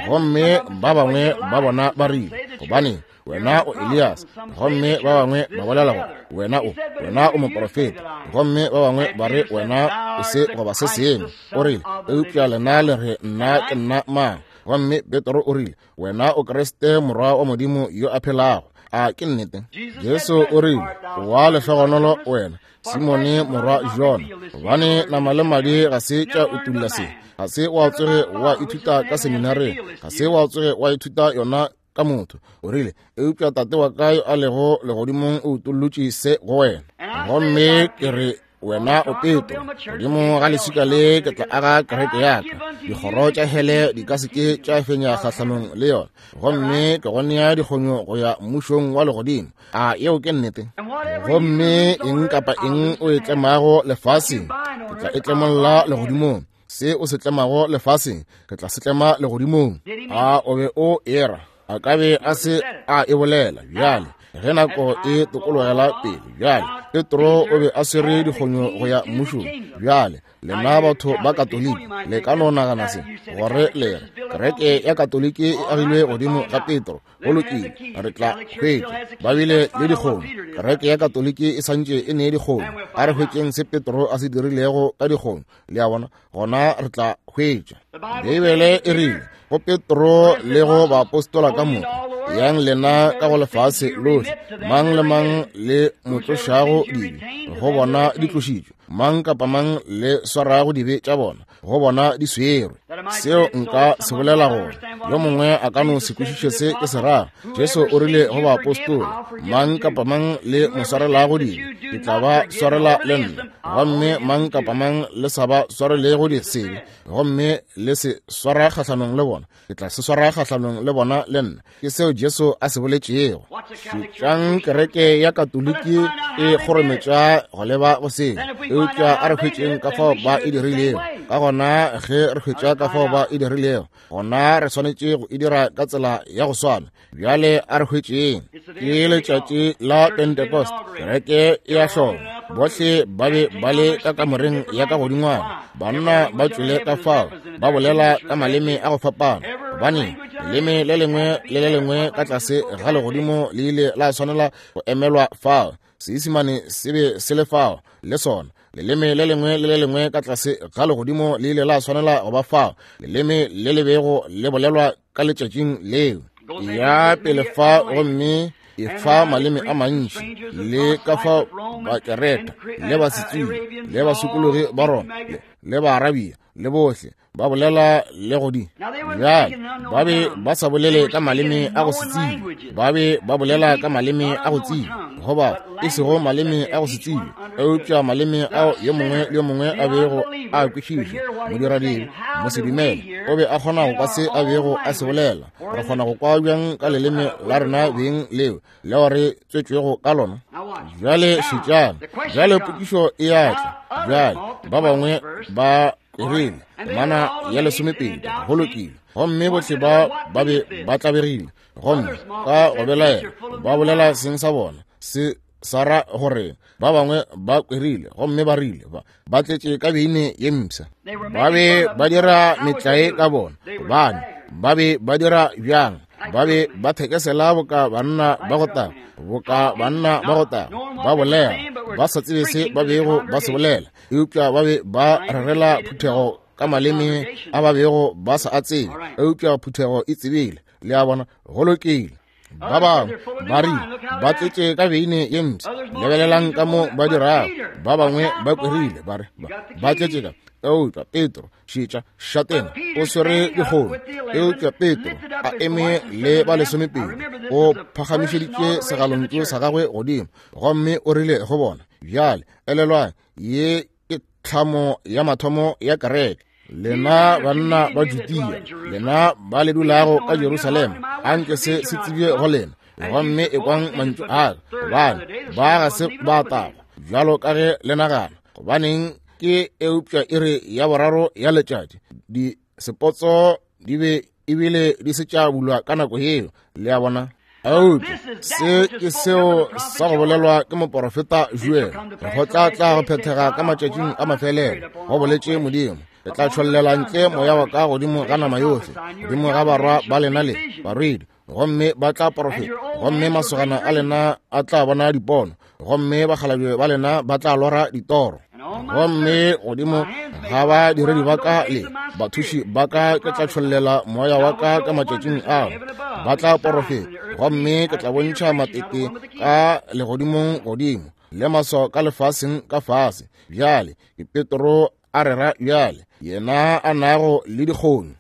Gomme ba bangwe ba bona ba rile, gobane wena o Elias. Gomme ba bangwe ba bolela gore wena o, wena o moprofeta. Gomme ba bangwe ba re wena o se goba se sengwe. O rile, eupša lena le re nna ke nna mang? Gomme Petro o rile, Wena o Kriste, Morwa wa Modimo yo a phelago. A ke nnete? Jesu o rile, Wa lehlogonolo wena, Simone morwa Jona, gobane nama le madi ga se tša utulla se. Ga se wa tsoge wa ithuta ka seminareng, ga se wa tsoge wa ithuta yona ka motho. O rile, Eupša Tate wa ka yo a lego legodimong o utollotše se go wena. Gomme ke re, wena o Petro, godimo ga leswika le ke tla aga kereke ya ka, dikgoro tša hele di ka se ke tša fenya kgahlanong le yona, gomme ke go nea dikgonyo go ya mmušong wa legodimo. A yeo ke nnete? Gomme eng kapa eng o e tlemago lefaseng, ke tla e tlemolla legodimong. Se o se tlemago lefaseng, ke tla se tlema legodimong. A o be o era? A ka be a se a e bolela. Bjale ge nako e tokologela pele, bjale Petro o be a swere dikgonyo go ya mmušong. Bjale lena batho ba Katoliki le ka no nagana se, gore le re kereke ya Katoliki e agilwe godimo ga Petro. Go lokile, re tla hwetša ba bile le dikgonyo. Kereke ya Katoliki e santše e ne dikgonyo. A re hwetšeng se Petro a se dirilego ka dikgonyo. Le a bona? Gona re tla hwetša. Beibele e rile go Petro le go baapostola ka moka, yang lena ka go lefase lohle, mang le mang le mo tlošago dibe, go bona di tlošitšwe, mang kapa mang le swarago dibe tša bona, go bona di swerwe. Seo nka se bolela gore yo mongwe a ka no se kwešiše se ke se rago. Jesu o rile go baapostola, mang kapa mang le mo swarelago dibe, ke tla ba swarela le nna, gomme mang kapa mang le sa ba swarelego sebe, gomme le se swara kgahlanong le bona, ke tla se swara kgahlanong le bona le nna. Ke seo Jesu a se boletšego. Šetšang kereke ya Katoliki e kgorometša go leba go seo, eupša a re hwetšeng ka fao ba e dirilego. Ka gona ge re hwetša ka fao ba e dirilego, gona re swanetše go e dira ka tsela ya go swana. Bjale a re hwetšeng. Ke letšatši la Pentecost, kereke e a hloma. Bohle ba be ba le ka kamoreng ya ka godingwana, banna ba tšwele ka fao ba bolela ka maleme a go fapana, gobane leleme le lengwe le le lengwe ka tlase ga legodimo le ile la swanela go emelwa fao. Seisimane se be se le fao le sona. Leleme le lengwe le le lengwe ka tlase ga legodimo le ile la swanela go ba fao, leleme le le bego le bolelwa ka letšatšing leo. Ya pele fa gomme e fa maleme a mantši, le ka fao Bakereta le Basetswile le basokologi ba Roma le Baarabia le bohle ba bolela le godi. Bjale ba be ba sa bolele ka maleme a go se tsebe, ba be ba bolela ka maleme a go tsebe, goba e sego maleme a go se tsebe, eupša maleme ao yo mongwe le yo mongwe a bego a kwešiša. Modiradibe, mosedumele, o be a kgona go kwa se a bego a se bolela. Re kgona go kwa bjang ka leleme la rena beng leo leo re tswetšwego ka lona? Bjale šetšang. Bjale potšišo e a tla. Bjale ba bangwe ba rile temana ya 12, go lokile, gomme bohle ba ba be ba tlabegile gomme ka go belaela ba bolela seng sa bona se sa ra gore ba bangwe ba kwerile gomme ba rile ba tletše ka beine ye mpsha. Ba be ba dira metlae ka bona, gobane ba be ba dira bjang? Ba be ba thekesela boka banna ba go taga, boka banna ba go taga, ba bolela ba sa tsebe se ba bego ba se bolela, eupša ba be ba rerela phuthego ka maleme a ba bego ba sa a tsebe, eupša phuthego e tsebile. Le a bona? Go lokile. Ba bangwe ba rile ba tletše ka beine ye mpsha, lebelelang ka mo ba dirago. Ba bangwe ba kwerile ba re ba tletše ka, eupša Petro, šetša, šatena, o swere dikgomo. Eupša Petro a eme le ba 12, o phagamišeditše segalontšu sa gagwe godimo gomme o rile go bona, bjale elelwang, ye ke tlhamo ya mathomo ya kereke. Lena banna ba Judea, lena ba le dulago ka Jerusalema, a nke se se tsebje go lena, gomme ekwang mantšu a ka, gobane ba ga se ba tagwa bjalo ka ge le nagana. Gobaneng ke eupša iri ya 3 ya letšatši, disepotso di be ebile di se tša bulwa ka nako yeo. Le a bona? Eupša se ke seo sa go bolelwa ke moporofeta Joel, go tla tla go phethega ka matšatšing a mafelelo, go boletše Modimo, ke tla tšhollela ntle moya wa ka godimo ga nama yohle, godimo ga barwa ba lena le barwedi, gomme ba tla porofeta, gomme masogana a lena a tla bona dipono, gomme bakgalabje ba lena ba tla lora ditoro. Gomme godimo ga badiredi ba ka le bathuši ba ka ke tla tšhollela moya wa ka ka matšatšing ao, ba tla porofeta. Gomme ke tla bontšha matete ka legodimong godimo le maswao ka lefaseng ka fase. Bjale ke Petro a rera bjale, yena a nago le dikgonyo,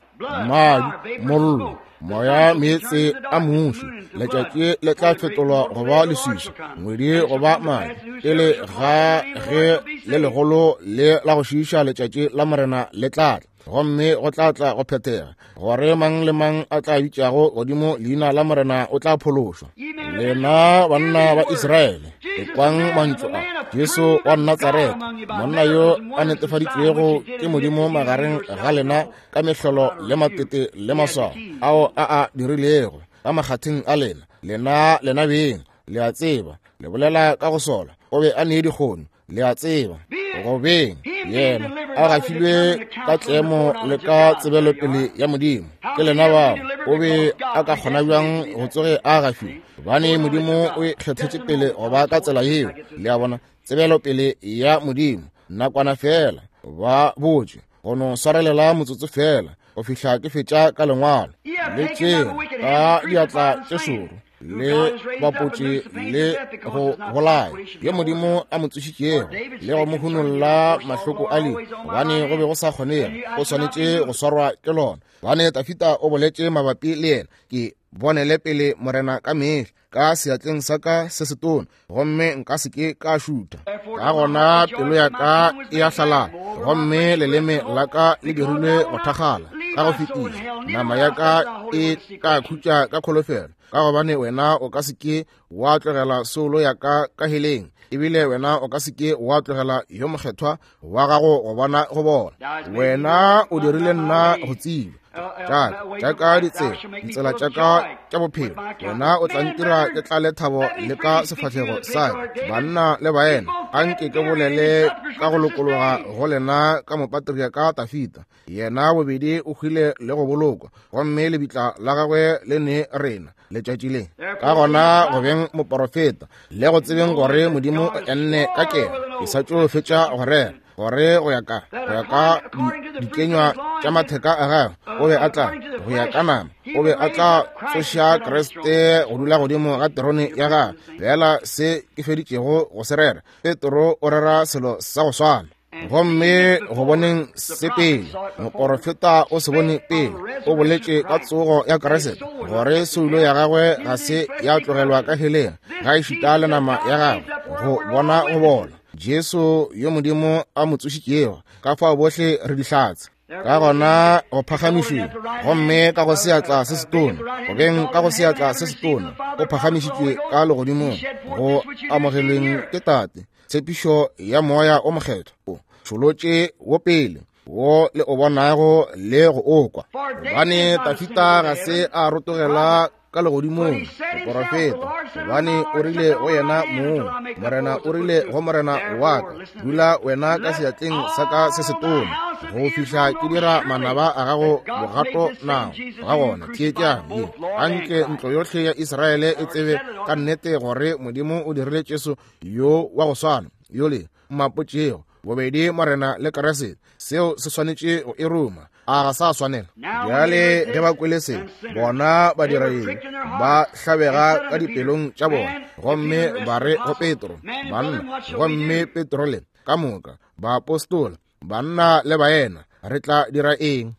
madi, mollo, moya, meetse a muši. Letšatši le tla fetolwa go ba leswiswi, ngwedi go ba madi, pele ga ge le legolo le la go šiiša letšatši la Morena le tla tla. Gomme go tla tla go phethega gore mang le mang a tla bitšago godimo leina la Morena o tla phološwa. Lena banna ba Israele, ekwang mantšu a Jesu wa Natsaretha, monna yo a netefaditšwego ke Modimo magareng ga lena ka mehlolo le matete le maswao ao a a dirilego ka makgatheng a lena. Lena lena beng le a tseba, le bolela ka go sola, o be a nee dikgono, le a tseba, go beng yena a gafilwe ka tlemo le ka tsebelopele ya Modimo. Ke lena bao. O be a ka kgona bjang go tsoge a gafilwe? Gobane Modimo o e kgethetše pele go ba ka tsela yeo. Le a bona, tsebelopele ya Modimo. Nakwana feela ba botše, go no swarelela motsotso feela go fihla ke fetša ka lengwalo. Le tšere ka diatla tše šoro le bapotše le go bolaya yo Modimo a mo tsošitšego le go mo hunolla mahloko a lehu, gobane go be go sa kgonege, o swanetše go swarwa ke lona. Gobane Dafida o boletše mabapi le yena, ke bonele pele Morena ka mehla ka seatleng sa ka se setona, gomme nka se ke ka šutha. Ka gona pelo ya ka e a hlalala, gomme leleme la ka le dirilwe go thakgala ka go fetiša. Nama ya ka e ka khutša ka kholofelo, ka gobane wena o ka se ke wa tlogela soulo ya ka ka heleng, ebile wena o ka se ke wa tlogela yo mokgethwa wa gago go bona go bona. Wena o dirile nna go tseba tša ka ditsela, ditsela tša ka tša bophelo. Wena o tla ntira ke tlale thabo le ka sefahlego sa ka. Banna le baena, a nke ke bolele ka go lokologa go lena ka mopatria ka Dafida. Yena bobedi o hwile le go bolokwa, gomme lebitla la gagwe le ne rena letšatši le. Ka gona go beng moporofeta le go tsebeng gore Modimo o enne ka keno, ke sa tšo fetša go rera gore go ya ka dikenywa tša matheka a gagwe o be a tla go ya ka nama, o be a tla tsoša Kriste go dula godimo ga terone ya gagwe. Fela se ke feditšego go se rera, Petro o rera selo sa go swana. Gomme go boneng se pele, moporofeta o se bone pele, o boletše ka tsogo ya Kriste, gore soulo ya gagwe ga se ya tlogelwa ka heleng, ga ešita le nama ya gagwe go bona go bola. Jesu yo Modimo a mo tsošitšego, ka fao bohle re dihlatse. Ka gona go phagamišwe, gomme ka go seatla se setona, go beng ka go seatla se setona, o phagamišitšwe ka legodimong, go amogelweng ke Tate, tshepišo ya Moya o Mokgethwa o tšholotše wo pele, wo le o bonago le go o kwa. Gobane Dafida ga se a rotogela ka legodimong, moporofeta, gobane o rile go yena mong, Morena o rile go Morena wa ka, dula wena ka seatleng sa ka se setona, go fihla ke dira manaba a gago bogato nao. Ga gona theetšang ye, anke ntlo yohle ya Israele e tsebe ka nnete gore Modimo o dirile Jesu yo wa go swana yole mmapotšego, bobedi Morena le Kriste. Seo se swanetše go e ruma, a ga sa swanela? Bjale ge ba kwele se, bona ba dira eng? Ba hlabega ka dipelong tša bona, gomme ba re go Petro, banna, gomme Petro le ka moka baapostola, banna le baena, re tla dira eng?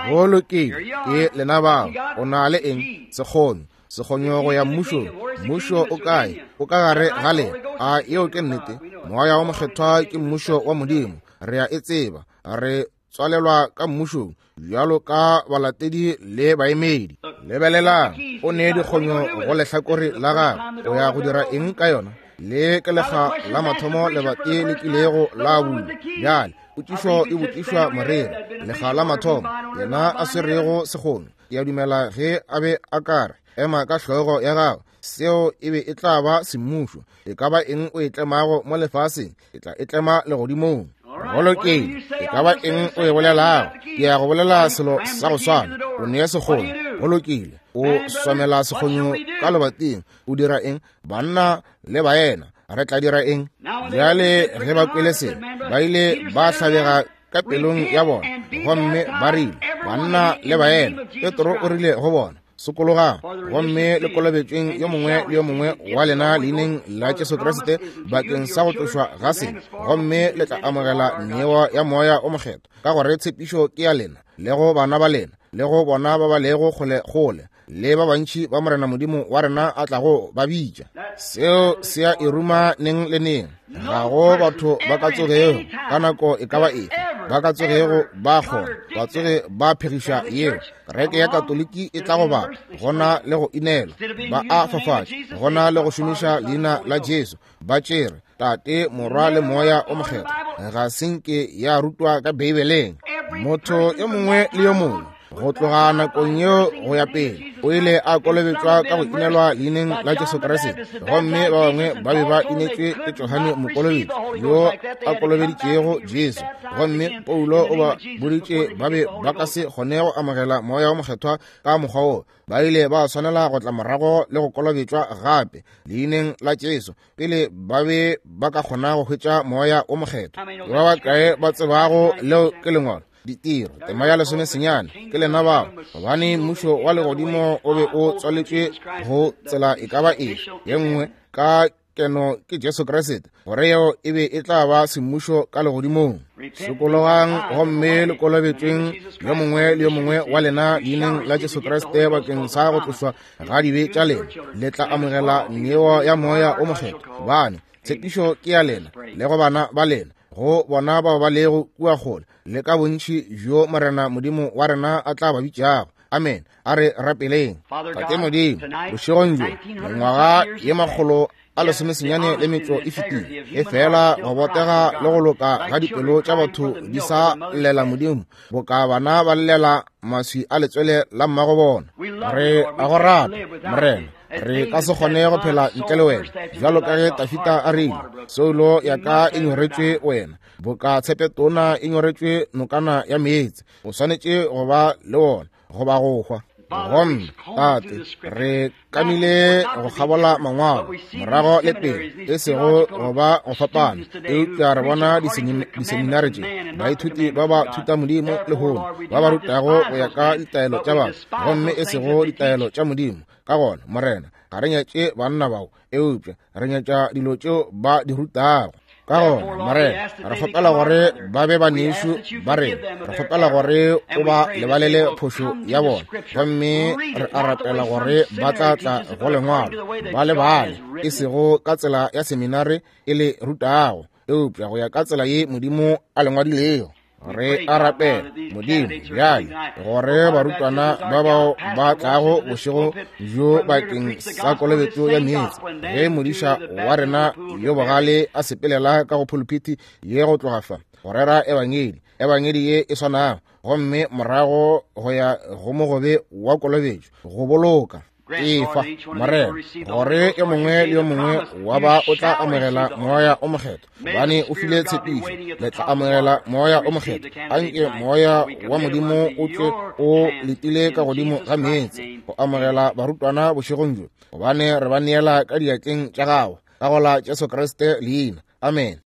Go lokile, ke lena bao. O na le eng? Sekgonyo, sekgonyo go ya mmušong. Mmušo o kae? O ka gare ga lena. A yeo ke nnete? Moya wo Mokgethwa ke mmušo wa Modimo. Re a e tseba. Re tswalelwa ka mmušong bjalo ka balatedi le baemedi. Lebelelang, o ne dikgonyo go lehlakore la gagwe. O ya go dira eng ka yona? Le ke lekga la mathomo lebati le kilego la bulwa. Bjale potšišo e botšišwa moreri, lekga la mathomo yena a swerego sekgonyo. Ke a dumela ge a be a ka re, ema ka hlogo ya gago, seo e be e tla ba semmušo. E ka ba eng o e tlemago mo lefaseng, e tla e tlema legodimong. Go lokile, e ka ba eng o e bolelago, ke ya go bolela selo sa go swana. O nea sekgonyo, go lokile, o swamela sekgonyo ka lebating. O dira eng? Banna le baena, re tla dira eng? Bjale ge ba kwele se, Ba ile ba hlabega ka pelong ya bona, gomme ba rile, Banna le baena, Petro o rile go bona, sokologang gomme le kolobetšweng yo mongwe le yo mongwe wa lena leineng la Jesu Kriste bakeng sa go tlošwa ga sebe, gomme le tla amogela neo ya Moya o Mokgethwa, ka gore tshepišo ke ya lena le go bana ba lena le go bona ba ba lego kgole-kgole, le ba bantši ba Morena Modimo wa rena a tlago ba bitša. Seo se a e ruma neng le neng. Ga go batho ba ka tsogego ka nako e ka ba efe ba ka tsogego ba kgona ba tsoge ba phegiša yeo. Kereke ya Katoliki e tla go bapa gona le go inelwa, ba a fafatša gona le go šomiša leina la Jesu, ba tšere Tate, Morwa le Moya o Mokgethwa. Ga se nke ya rutwa ka Beibeleng. Motho yo mongwe le yo mongwe go tloga nakong yeo go ya pele o ile a kolobetšwa ka go inelwa leineng la Jesu Kriste, gomme ba bangwe ba be ba inetšwe ke Johane Mokolobetši yo a kolobeditšego Jesu, gomme Paulo o ba boditše ba be ba ka se kgone go amogela Moya o Mokgethwa ka mokgwa wo. Ba ile ba swanela go tla morago le go kolobetšwa gape leineng la Jesu pele ba be ba ka kgona go hwetša Moya o Mokgethwa. Ba bakae ba tsebago leo ke lengwalo? Ditiro tema ya 19 ke lena bao, gobane mmušo wa legodimo o be o tswaletšwe go tsela e ka ba efe ye nngwe ka keno ke Jesu Kriste, gore yeo e be e tla ba semmušo ka legodimong. Sokologang gomme le kolobetšweng yo mongwe le yo mongwe wa lena leineng la Jesu Kriste bakeng sa go tlošwa ga dibe tša lena, le tla amogela neo ya Moya o Mokgethwa, gobane tshepišo ke ya lena le go bana ba lena, go bona bao ba lego kua kgole, le ka bontši bjo Morena Modimo wa rena a tla ba bitšago. Amen. A re rapeleng. Tate Modimo, bošegong bjo, mengwaga ye 195 e fetile, e fela go botega le go loka ga dipelo tša batho di sa llela Modimo boka bana ba llela maswi a letswele la mmago bona. Re a go rata, Morena. Re ka se kgone go phela ntle le wena, bjalo ka ge Tafita a rile, soulo ya ka e nyoretšwe wena, boka tshepetona e nyoretšwe nokana ya meetse. O swanetše go ba le wona goba go hwa. Gomme Tate, re kamile go kgabola mangwalo morago le pele, e sego go ba go fapana, eupša re bona diseminare tše, baithuti ba ba thuta Modimo lehono ba ba rutago go ya ka ditaelo tša batho gomme e sego ditaelo tša Modimo. Ka gona, Morena, ga re nyatše banna bao, eupša re nyatša dilo tšeo ba di rutago. Ka gona, Morena, re kgopela gore ba be banešu ba rena. Re kgopela gore o ba lebalele phošo ya bona, gomme re a rapela gore ba tla tla go lengwalo ba le bale, e sego ka tsela ya seminare e le rutago, eupša go ya ka tsela ye Modimo a le ngwadilego. Re a rapela, Modimo, bjale gore barutwana ba bao ba tlago bošego bjo bakeng sa kolobetšo ya meetse, ge modiša wa rena yo bogale a sepelela ka go phuluphithi ye go tloga fa go rera ebangedi, ebangedi ye e swanago, gomme morago go ya go mogobe wa kolobetšo go boloka. Efa, Morena, gore yo mongwe le yo mongwe wa ba o tla amogela Moya o Mokgethwa, gobane o file tshepišo, le tla amogela Moya o Mokgethwa. Anke Moya wa Modimo o tšwe o letile ka godimo ga meetse go amogela barutwana bošegong bjo, gobane re ba neela ka diatleng tša gago, ka go la Jesu Kriste leina. Amen.